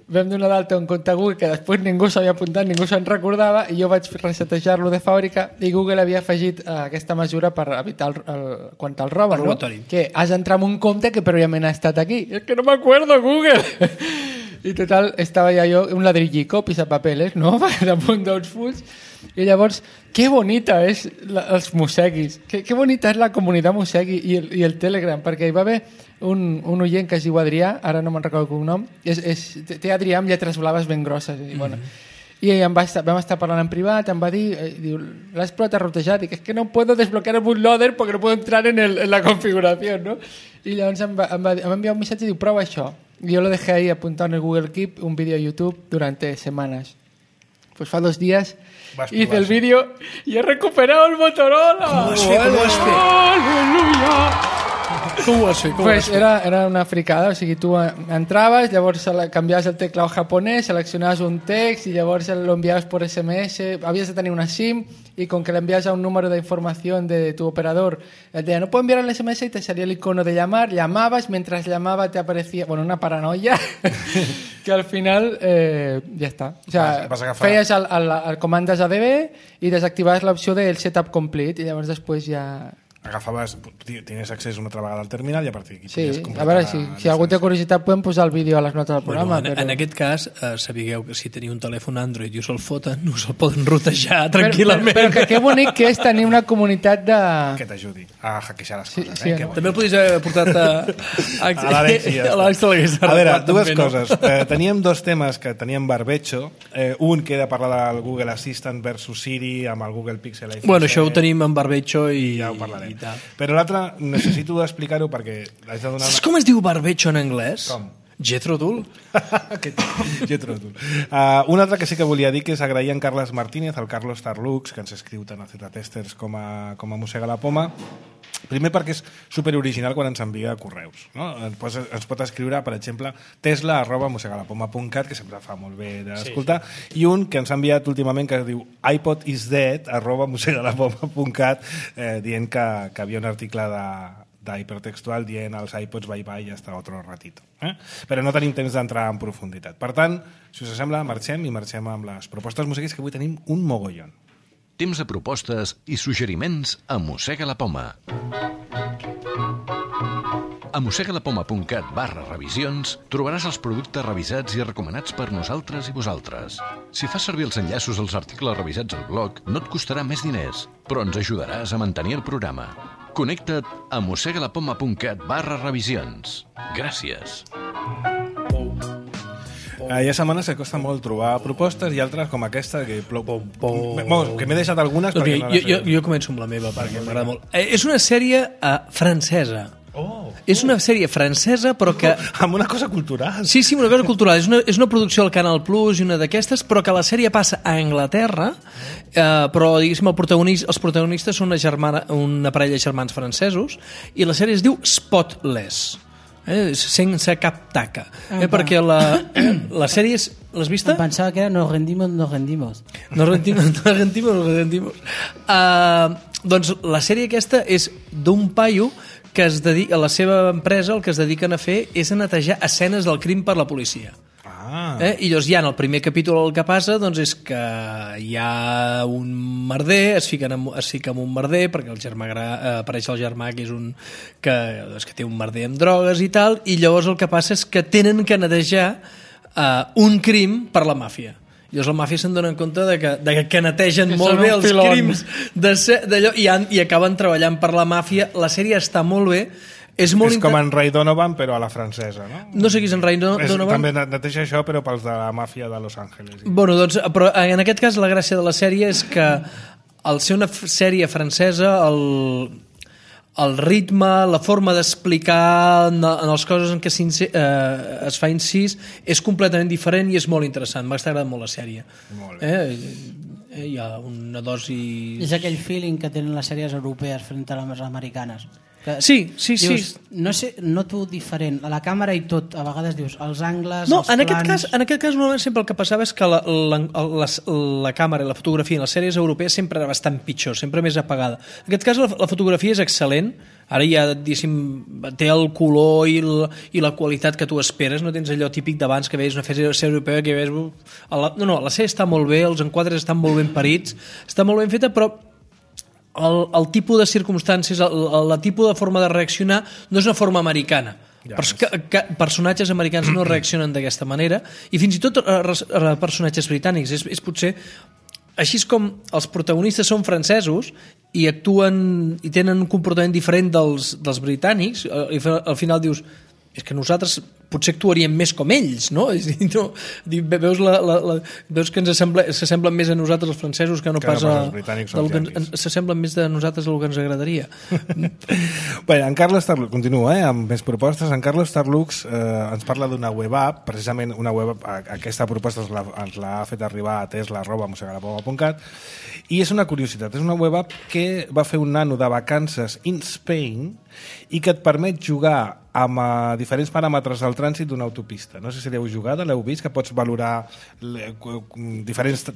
vam donar d'alta un compte Google que després ningú s'havia apuntat, ningú se'n recordava, i jo vaig resetejar-lo de fàbrica i Google havia afegit eh, aquesta mesura per evitar el, el, quan te'l roben, El no? robatori. Que has d'entrar en un compte que prèviament ha estat aquí. És que no m'acuerdo, Google! I total, estava ja jo, un ladrillico, pisapapeles, no? Damunt d'uns fulls. I llavors, que bonita és la, els Museguis, que, que bonita és la comunitat Musegui i el, i el Telegram, perquè hi va haver un, un oient que es diu Adrià, ara no me'n recordo el cognom, és, és, té Adrià amb lletres blaves ben grosses. I, bueno, i em va estar, vam estar parlant en privat, em va dir, eh, diu, l'has provat a rotejar? Dic, és que no puedo desbloquear el bootloader perquè no puedo entrar en, el, en la configuració, no? I llavors em va, em va, em va enviar un missatge i diu, prova això. I jo lo dejé ahí apuntado en el Google Keep, un vídeo a YouTube durante semanas. Pues fa dos días hice el vídeo y he recuperado el Motorola. ¿Cómo has fet? ¿Cómo has fet? ¡Aleluya! Com ho has fet? Com Pues ho has fet? era, era una fricada, o sigui, tu entraves, llavors canviaves el teclado japonès, seleccionaves un text i llavors lo enviaves por S M S, havies de tenir una SIM y con que le envías a un número de información de tu operador, te decía, no puedo enviar el S M S y te salía el icono de llamar, llamabas, mientras llamaba te aparecía, bueno, una paranoia que al final eh, ja està. O sea, vas, vas feies el, el, el comandes A D B i desactivaves l'opció del setup complete i llavors després ja... Agafaves, tenies accés una altra vegada al terminal i a partir d'aquí Sí, podies a completar veure, si, la si algú té llicència. curiositat podem posar el vídeo a les notes del programa. Bueno, en, però... en aquest cas, eh, sapigueu que si teniu un telèfon Android i us el foten, us el poden rotejar Però, tranquil·lament. però, però que que bonic que és tenir una comunitat de... Que t'ajudi a hackejar les Sí, coses. sí, eh? Que no? bo. També el podries haver portat a, a, A l'Àlex i ja a l'Àlex te l'hagués està. A veure, arreglat dues també, no? coses. Eh, teníem dos temes que teníem barbecho. Eh, un que era parlar del Google Assistant versus Siri amb el Google Pixel iPhone Bueno, això ho set. tenim en barbecho i, Ja ho parlarem. i tal. Però l'altre, necessito explicar-ho perquè haig de donar... Saps com es diu barbecho en anglès? Com? Jethro Tull. Aquest, Jethro Tull. Uh, un altre que sí que volia dir que és agrair en Carles Martínez, el Carlos Tarlux, que ens escriu tant a Z-Testers com a, com a Mossega la Poma. Primer perquè és superoriginal quan ens envia correus. No? Ens, pot, ens pot escriure, per exemple, tesla arroba mossegalapoma punt cat, que sempre fa molt bé d'escoltar, sí. I un que ens ha enviat últimament que diu iPodisdead arroba mossegalapoma punt cat, eh, dient que, que havia un article de d'hipertextual dient als iPods bye bye i hasta otro ratito. Eh? Però no tenim temps d'entrar en profunditat. Per tant, si us sembla, marxem i marxem amb les propostes musiquis, que avui tenim un mogollon. Temps de propostes i suggeriments a Mossega la Poma. A mossegalapoma.cat barra revisions trobaràs els productes revisats i recomanats per nosaltres i vosaltres. Si fas servir els enllaços als articles revisats al blog, no et costarà més diners, però ens ajudaràs a mantenir el programa. Connecta't a mossegalapoma.cat barra revisions. Gràcies. Uh, hi ha setmanes que costa molt trobar propostes i altres com aquesta que plou... Bueno, que m'he deixat algunes Doncs perquè mira, no jo, les jo, he... jo començo amb la meva perquè m'agrada molt. Eh, és una sèrie uh, francesa. Oh, és una sèrie francesa però que... Amb una cosa cultural. Sí, sí, una cosa cultural. És una, és una producció al Canal Plus i una d'aquestes, però que la sèrie passa a Anglaterra, eh, però diguéssim el protagonista, els protagonistes són una, germana, una parella de germans francesos i la sèrie es diu Spotless. Eh, sense cap taca eh, perquè la, la sèrie és... L'has vista? Em pensava que era nos rendimos, nos rendimos. Nos rendimos, nos rendimos, nos rendimos. Uh, doncs la sèrie aquesta és d'un paio que es dedica, a la seva empresa el que es dediquen a fer és a netejar escenes del crim per la policia. Ah. Eh? I llavors ja en el primer capítol el que passa doncs, és que hi ha un merder, es fiquen amb, es fica amb un merder perquè el germà gra, eh, apareix el germà que és un que, doncs, que té un merder amb drogues i tal, i llavors el que passa és que tenen que netejar eh, un crim per la màfia. I llavors la màfia se'n donen compte de que, de que netegen Que molt són bé un els filon. crims d'allò i, han, i acaben treballant per la màfia. La sèrie està molt bé. És, molt És com inter... en Ray Donovan, però a la francesa, no? No sé qui és en Ray És, Donovan. també neteja això, però pels de la màfia de Los Angeles. Bueno, doncs, però en aquest cas la gràcia de la sèrie és que al ser una f- sèrie francesa el, el ritme, la forma d'explicar en, en les coses en què eh, es fa incís és completament diferent i és molt interessant. M'ha agradat molt la sèrie. Molt bé. Eh? Eh, hi ha una dosi... És aquell feeling que tenen les sèries europees front a les americanes. Que Sí, sí, dius, sí. no sé, noto diferent. A la càmera i tot, a vegades dius, els angles, No, els en plans... aquest, cas, en aquest cas normalment sempre el que passava és que la, la, la, la càmera i la fotografia en les sèries europees sempre era bastant pitjor, sempre més apagada. En aquest cas la, la fotografia és excel·lent, ara ja té el color i la, i la qualitat que tu esperes, no tens allò típic d'abans que veies una sèrie europea que veies... La, no, no, la sèrie està molt bé, els enquadres estan molt ben parits, està molt ben feta, però el, el tipus de circumstàncies, el, el, el tipus de forma de reaccionar no és una forma americana. Ja, Pers que, que personatges americans no reaccionen d'aquesta manera, i fins i tot a, a personatges britànics. És, és potser així és com els protagonistes són francesos i actuen i tenen un comportament diferent dels, dels britànics, i al final dius, és que nosaltres potser actuaríem més com ells, no? És dir, no veus, la, la, la, veus que ens s'assemblen més a nosaltres els francesos que no que pas no a... els britànics o els yanquis. S'assemblen més de nosaltres el que ens agradaria. Bé, en Carlos Tarlux, continua, eh, amb més propostes. En Carlos Tarlux eh, ens parla d'una web app, precisament una web app, aquesta proposta ens l'ha, ens l'ha fet arribar a tesla arroba mosegalapoma punt cat, i és una curiositat, és una web app que va fer un nano de vacances in Spain i que et permet jugar amb uh, diferents paràmetres del trànsit d'una autopista. No sé si l'heu jugada, l'heu vist, que pots valorar diferents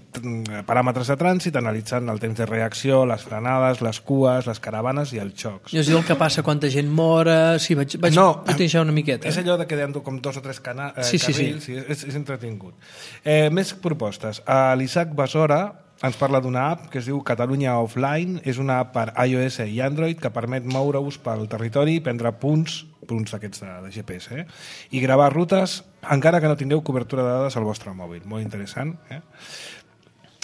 paràmetres de trànsit analitzant el temps de reacció, les frenades, les cues, les caravanes i els xocs. I és el que passa, quanta gent mora... Sí, vaig, vaig no, botejar una miqueta. És allò de que hi ha com dos o tres cana eh, sí, sí, carrils, sí. I és, és entretingut. Eh, més propostes. Uh, L'Isaac Besora ens parla d'una app que es diu Catalunya Offline. És una app per iOS i Android que permet moure-us pel territori i prendre punts, punts d'aquests de, de G P S, eh? I gravar rutes encara que no tingueu cobertura de dades al vostre mòbil. Molt interessant. Eh?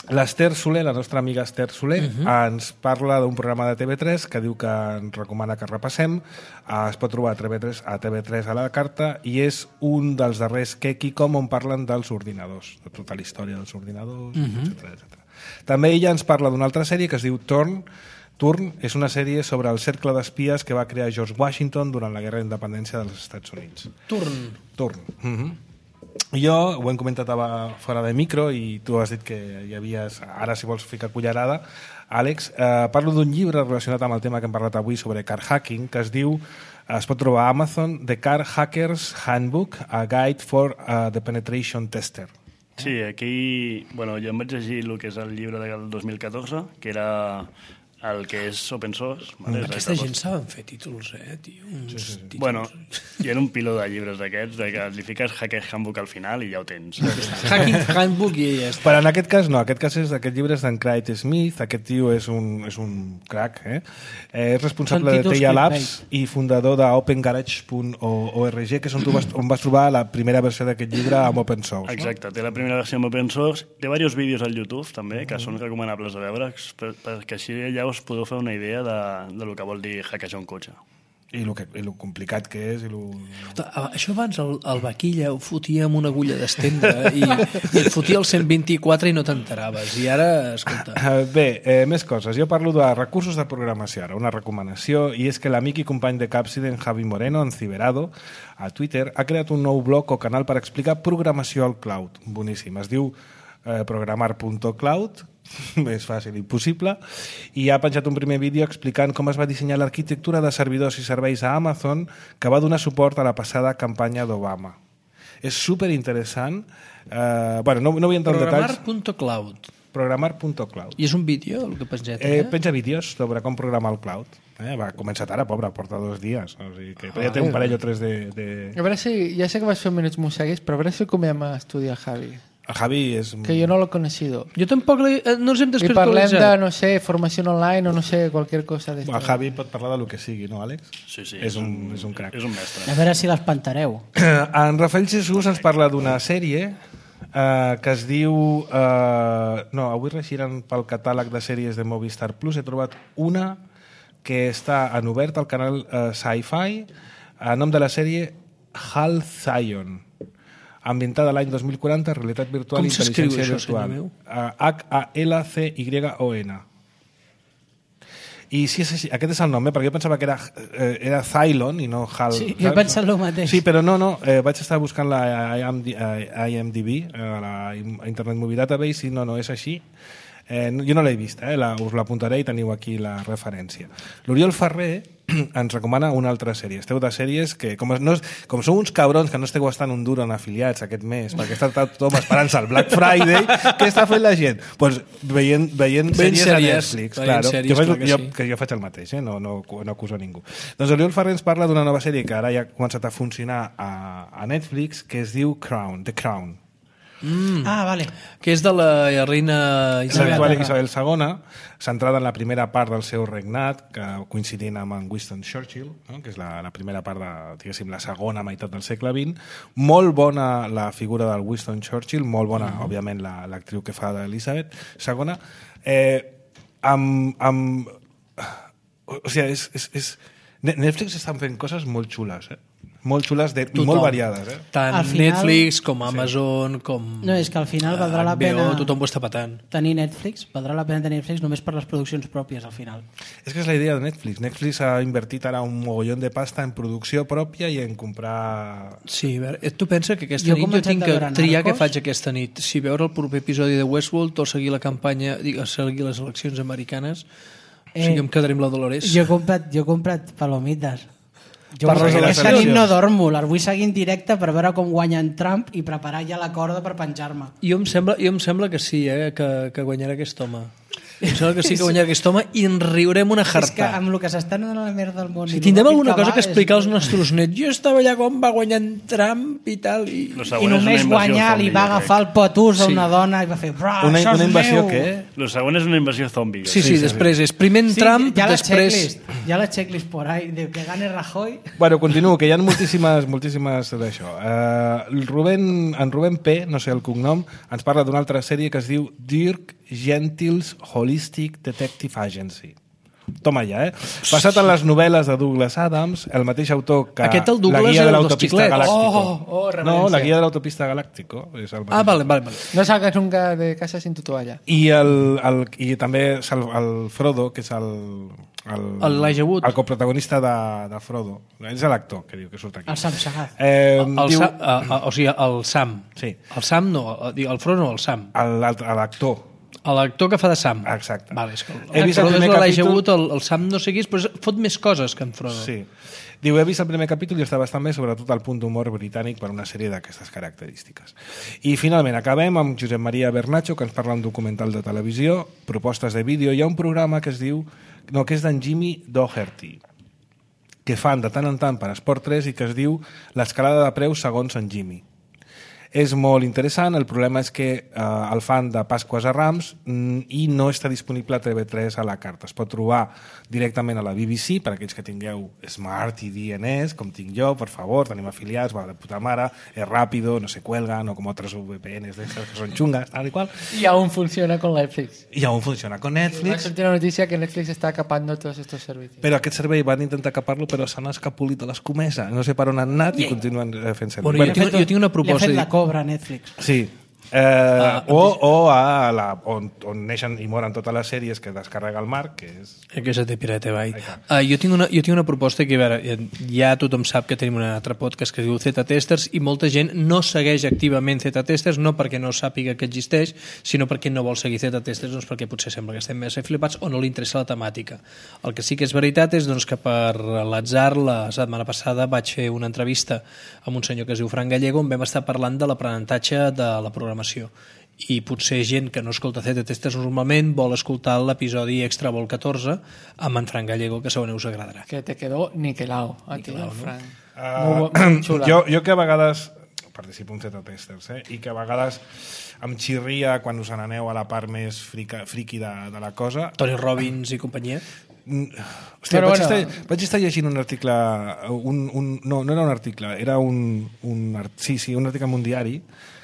L'Ester Soler, la nostra amigaEster Soler, uh -huh. ens parla d'un programa de T V tres que diu que ens recomana que repassem. Uh, es pot trobar a T V tres a T V tres a la carta i és un dels darrers Kekicom on parlen dels ordinadors, de tota la història dels ordinadors, uh -huh. etcètera, etcètera. També ella ens parla d'una altra sèrie que es diu Turn. Turn és una sèrie sobre el cercle d'espies que va crear George Washington durant la Guerra d'Independència dels Estats Units. Turn. Turn. Uh-huh. Jo ho hem comentat fora de micro i tu has dit que hi havies, ara si vols ficar cullerada, Àlex, eh, parlo d'un llibre relacionat amb el tema que hem parlat avui sobre car hacking, que es diu, es pot trobar a Amazon, The Car Hacker's Handbook, a Guide for uh, the Penetration Tester. Sí, aquí, bueno, jo em vaig llegir el que és el llibre del dos mil catorze, que era el que és open source. Vale? Mm. Aquesta gent saben fer títols, eh, tio? Uns sí, sí, sí. Títols. Bueno, hi ha un piló de llibres d'aquests, de que li fiques Hacker Handbook al final i ja ho tens. Hacking Handbook i ja està. Però en aquest cas no, aquest cas és aquest llibre és d'en Craig Smith, aquest tio és un, és un crack, eh? eh és responsable de Teia Labs i fundador d'open garage punt org, que és on, tu vas, on vas trobar la primera versió d'aquest llibre amb open source. Exacte, no? Té la primera versió amb open source, té diversos vídeos al YouTube també, que són recomanables de veure, perquè així ja us podeu fer una idea de, de lo que vol dir hackejar un cotxe. I el, que, i el complicat que és. I lo... Això abans el, el vaquilla ho fotia amb una agulla d'estendre i, i et fotia el cent vint-i-quatre i no t'enteraves. I ara, escolta... Bé, eh, més coses. Jo parlo de recursos de programació ara, una recomanació, i és que l'amic i company de Capsiden, Javi Moreno, en Ciberado, a Twitter, ha creat un nou blog o canal per explicar programació al cloud. Boníssim. Es diu eh, programar punt cloud, més fàcil i possible, i ha penjat un primer vídeo explicant com es va dissenyar l'arquitectura de servidors i serveis a Amazon que va donar suport a la passada campanya d'Obama. És superinteressant. Eh, bueno, no, no vull entrar en detalls. Programar punt cloud. Programar punt cloud. I és un vídeo, el que penjat, eh? eh? Penja vídeos sobre com programar el cloud. Eh, va començar ara, pobre, porta dos dies. O sigui que ja té un parell o tres de... de... A veure si, ja sé que vas fer minuts mosseguis, però a veure si comem a estudiar Javi. El Javi és... Que jo no l'he conocido. Jo tampoc li, no ens hem I parlem desvirtualitzat. de, no sé, formació online o no sé, qualsevol cosa d'esto. El Javi pot parlar de lo que sigui, no, Àlex? Sí, sí. És un, és un crac. És un mestre. A veure si l'espantareu. En Rafael Jesús ens parla d'una sèrie eh, que es diu... Eh, no, avui reixiran pel catàleg de sèries de Movistar Plus. He trobat una que està en obert al canal eh, Sci-Fi, a nom de la sèrie Hal Zion, ambientada l'any dos mil quaranta, realitat virtual i intel·ligència virtual. H A L C Y O N. I sí, sí, sí, aquest és el nom, eh? Perquè jo pensava que era, eh, era Cylon i no Hal. Sí, jo he pensat el mateix. Sí, però no, no, eh, vaig estar buscant la I M D B, eh, la Internet Movie Database, i no, no, és així. Eh, jo no l'he vist, eh? la, us l'apuntaré i teniu aquí la referència. L'Oriol Ferrer ens recomana una altra sèrie. Esteu de sèries que, com, no, com sou uns cabrons que no esteu gastant un duro en afiliats aquest mes, perquè està tothom esperant-se el Black Friday, què està fent la gent? Pues veient, veient sèries, sèries a Netflix. Claro, sèries, que, faig, que, jo, sí. que jo faig el mateix, eh? no, no, no acuso ningú. Doncs l'Oriol Ferrer ens parla d'una nova sèrie que ara ja ha començat a funcionar a, a Netflix, que es diu Crown, The Crown. Mm. Ah, vale. Que és de la reina Isabel. L'actual Isabel segona, centrada en la primera part del seu regnat, que coincidint amb en Winston Churchill, no? que és la, la primera part de, diguéssim, la segona meitat del segle vint. Molt bona la figura del Winston Churchill, molt bona, mm. òbviament, la, l'actriu que fa d'Elisabet segona. Eh, amb... amb o sigui, és, és, és... Netflix estan fent coses molt xules, eh? Molt xules de, i molt variades. Eh? Tant Al final- Netflix com Amazon, com No, és que al final valdrà la H B O, pena tothom ho està patant. tenir Netflix, valdrà la pena tenir Netflix només per les produccions pròpies al final. És que és la idea de Netflix. Netflix ha invertit ara un mogollon de pasta en producció pròpia i en comprar... Sí, a veure, tu pensa que aquesta Jo he nit jo començat tinc a que veure triar què Narcos. faig aquesta nit. Si veure el proper episodi de Westworld o seguir la campanya, dic, seguir les eleccions americanes, eh, o sigui, em quedaré amb la Dolores. Jo he comprat, jo he comprat palomites. Jo Per vull- les aquesta nit eleccions. no dormo, les vull seguir en directe per veure com guanyen Trump i preparar ja la corda per penjar-me. Jo em sembla, jo em sembla que sí, eh, que, que guanyarà aquest home. Em sembla que sí que guanyarà aquest home i ens riurem una És que jarta. amb el que s'està anant a la merda del món... Si i tindrem lo ràpid alguna cosa va, que explicar als és- nostres nets. Jo estava allà com va guanyant Trump i tal. I... Lo I següent és una només invasió guanyar zombi, li jo va crec. agafar el potús a Sí. una dona i va fer... Bra, Una, això és una invasió meu! què? Lo següent és una invasió zombi. Sí, sí, després és primer en Sí, Trump, ja la després... checklist, ja la checklist por ahí, de que gane Rajoy. Bueno, continuo, que hi ha moltíssimes, moltíssimes d'això. Uh, el Rubén, en Rubén P, no sé el cognom, ens parla d'una altra sèrie que es diu Dirk Gently's Holistic Detective Agency. Toma ja, eh? Basat en les novel·les de Douglas Adams, el mateix autor que Aquest el La Douglas guia era de el dels l'autopista xiclets. galàctico. Oh, oh, no, reverència. La guia de l'autopista galàctico. És el Ah, mateix. vale, vale, vale. No salgas nunca de casa sin tu toalla. I, el, el, i també és el, el Frodo, que és el... el Elijah Wood. El coprotagonista de, de Frodo. És l'actor que diu que surt aquí. El Sam Sagat. Eh, El, diu, Sam, a, a, o sigui, el Sam. Sí. El Sam no, el, el Frodo no, el Sam. el- l'actor. L'actor que fa de Sam. Exacte. Vale, és que el, He vist el Frodo és primer l'Elijah capítol- Wood, el, el Sam no sé qui és, però és- fot més coses que en Frodo. Sí. Diu, he vist el primer capítol i està bastant bé, sobretot el punt d'humor britànic per una sèrie d'aquestes característiques. I finalment acabem amb Josep Maria Bernacho, que ens parla un documental de televisió, propostes de vídeo. Hi ha un programa que es diu, no, que és d'en Jimmy Doherty, que fan de tant en tant per Esport tres i que es diu l'escalada de preus segons en Jimmy. És molt interessant, el problema és que eh, el fan de Pasques a Rams mm, i no està disponible a T V tres a la carta. Es pot trobar directament a la B B C, per aquells que tingueu Smart i D N S, com tinc jo, per favor, tenim afiliats, va de puta mare, és ràpido, no se cuelga, no com altres V P Ns d'estes que són xungas, tal i qual. Y aún funciona con Netflix. I aún funciona con Va a Netflix, sortir la noticia que Netflix está acapando todos estos servicios. però aquest servei van intentar capar-lo, però s'han escapolit a l'escomesa. No sé per on han anat i continuen eh, fent servir. Bueno, Bueno, jo, tinc, jo tinc una Li ha proposta. fet la cobra a Netflix. sí. Eh, Ah, o, o a la, on, on neixen i moren totes les sèries que descarrega el Marc, que és... Que se té pirata, vai. Uh, jo, tinc una, jo tinc una proposta que, a veure, ja tothom sap que tenim un altre podcast que es diu Z-Testers i molta gent no segueix activament Z-Testers, no perquè no sàpiga que existeix, sinó perquè no vol seguir Z-Testers, doncs perquè potser sembla que estem més flipats o no li interessa la temàtica. El que sí que és veritat és doncs, que per l'atzar la setmana passada vaig fer una entrevista amb un senyor que es diu Fran Gallego on vam estar parlant de l'aprenentatge de la programació i potser gent que no escolta Z-Testers normalment vol escoltar l'episodi Extra Vol catorze amb en Fran Gallego, que segurament us agradarà. Que te quedó niquelao a ti, Niquelao, no? Fran. Uh, Molt, bo- molt xula. jo, jo que a vegades participo en Z-Testers, eh? I que a vegades em xirria quan us n'aneu a la part més frica, friqui de, de la cosa. Tony Robbins i companyia. Mm, Hòstia, Però vaig, bueno. estar, vaig estar llegint un article, un, un, no, no era un article, era un, un, art- sí, sí, un article en un diari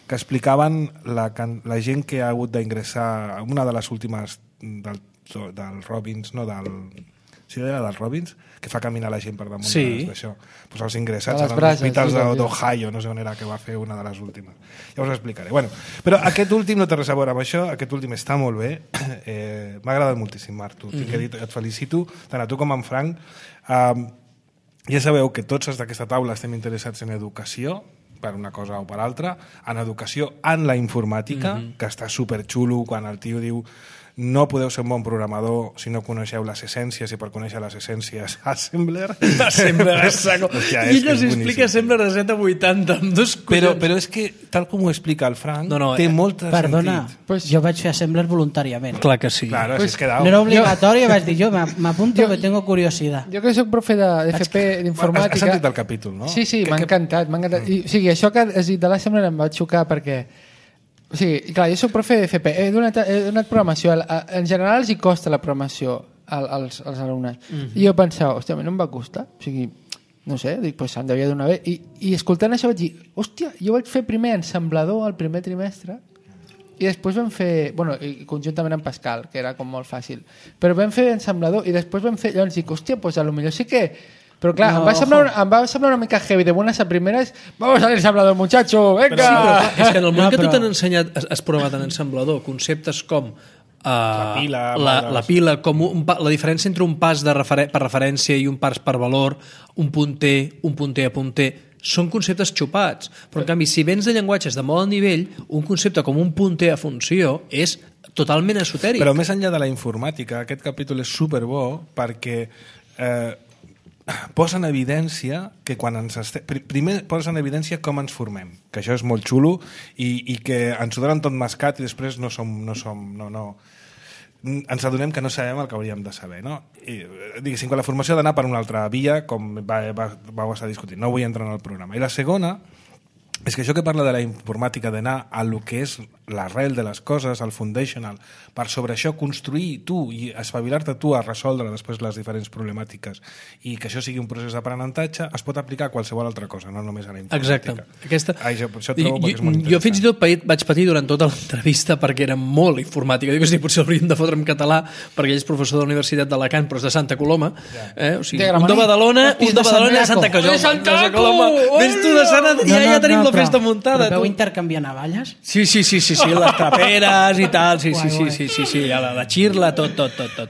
que explicaven la, can- la gent que ha hagut d'ingressar, una de les últimes del, del Robbins, no del... Sí, era del Robbins, que fa caminar la gent per damunt Sí. d'això. Pues els ingressats A les als brases, hospitals sí, de- sí. d'Ohio, no sé on era que va fer una de les últimes. Ja us ho explicaré. Bueno, però aquest últim no té res a veure amb això, aquest últim està molt bé. Eh, M'ha agradat moltíssim, Marc, tu. Mm -hmm. dir, et felicito, tant a tu com a en Frank. Um, ja sabeu que tots els d'aquesta taula estem interessats en educació, per una cosa o per altra, en educació en la informàtica, mm -hmm. que està superxulo quan el tio diu no podeu ser un bon programador si no coneixeu les essències, i per conèixer les essències Assembler. Assembler a saco. Hòstia, I és que ell és us explica boníssim. Assembler de set a vuitanta amb dos Però, collons. però és que, tal com ho explica el Frank, No, no, té eh, molt de Perdona, sentit. pues, jo vaig fer Assembler voluntàriament. Clar que sí. Claro, Pues, si es quedado. No era obligatori, vaig dir jo, "Me- m'apunto que tengo curiosidad. Jo que soc profe de, de F P Has, d'informàtica... has sentit el capítol, no? Sí, sí, Que- m'ha que- encantat, m'ha encantat. I, o sigui, això que has dit de l'Assembler em va xocar perquè O sigui, clar, jo soc profe de F P, he donat, he donat programació, en general els hi costa la programació als, als alumnes. Mm-hmm. I jo pensava, hòstia, a mi no em va costar. O sigui, no sé, dic, pues se'n devia donar bé. I, I escoltant això vaig dir, hòstia, jo vaig fer primer ensamblador al primer trimestre i després vam fer, bueno, i conjuntament amb Pascal, que era com molt fàcil, però vam fer ensamblador i després vam fer, llavors dic, hòstia, pues a lo millor sí que... Però clar, no, em, va semblar, em va semblar una mica heavy, de buenas a primeras, vamos al ensamblador, muchacho, venga! Però sí, però, és que en el moment no, que però... tu t'han ensenyat, has, has provat en ensamblador, conceptes com Uh, la pila, la, la pila com un, la diferència entre un pas de refer per referència i un pas per valor, un punter, un punter a punter, són conceptes xupats. Però en canvi, si vens de llenguatges de molt alt nivell, un concepte com un punter a funció és totalment esotèric. Però més enllà de la informàtica, aquest capítol és superbo perquè eh, posa en evidència que quan ens este... primer posa en evidència com ens formem, que això és molt xulo i, i que ens ho donen tot mascat i després no som, no som no, no, ens adonem que no sabem el que hauríem de saber, no? I, diguéssim, que la formació ha d'anar per una altra via, com va, va, vau estar discutint, no vull entrar en el programa. I la segona és que això que parla de la informàtica, d'anar a lo que és l'arrel de les coses, al foundational, per sobre això construir tu i espavilar-te tu a resoldre després les diferents problemàtiques i que això sigui un procés d'aprenentatge, es pot aplicar a qualsevol altra cosa, no només a la informàtica. Exacte. Aquesta... Ai, jo, això trobo jo, perquè és molt interessant. Jo fins i tot vaig patir durant tota l'entrevista perquè era molt informàtica. Dic que sí, potser hauríem de fotre en català perquè ell és professor de la Universitat d'Alacant, però és de Santa Coloma. Eh? O sigui, un de Badalona, un de Badalona i Santa Coloma. Santa Coloma! Vés tu de Sant Adrià, ja tenim la festa muntada. Però veu intercanviar navalles? Sí, sí, sí, sí, sí, les traperes i tal, sí, sí, sí, sí, sí, sí, la, la xirla, tot, tot, tot, tot.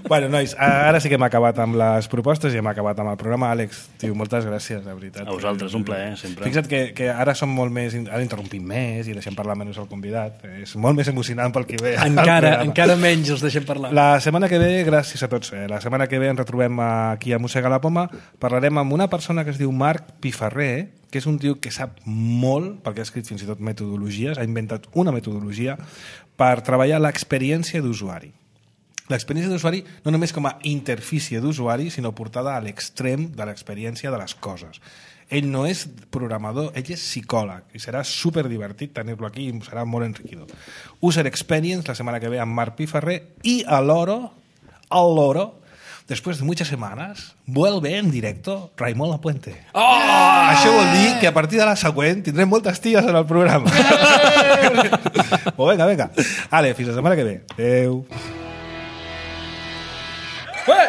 Bueno, nois, ara sí que hem acabat amb les propostes i hem acabat amb el programa. Àlex, tio, moltes gràcies, de veritat. A vosaltres, un plaer, sempre. Fixa't que, que ara som molt més... Ara interrompim més i deixem parlar menys al convidat. És molt més emocionant pel que ve. Encara, encara menys els deixem parlar. La setmana que ve, gràcies a tots, eh, la setmana que ve ens retrobem aquí a Mossega la Poma, parlarem amb una persona que es diu Marc Piferrer, que és un tio que sap molt, perquè ha escrit fins i tot metodologies, ha inventat una metodologia per treballar l'experiència d'usuari. L'experiència d'usuari no només com a interfície d'usuari, sinó portada a l'extrem de l'experiència de les coses. Ell no és programador, ell és psicòleg, i serà superdivertit tenir-lo aquí i serà molt enriquidor. User Experience, la setmana que ve amb Marc Piferrer, i a l'Oro, al Loro, después de muchas semanas, vuelve en directo Raimon Lapuente. Oh! Això vol dir que a partir de la següent tindrem moltes ties en el programa. Oh, venga, venga. Ale, fins la setmana que ve. Adéu. Ué!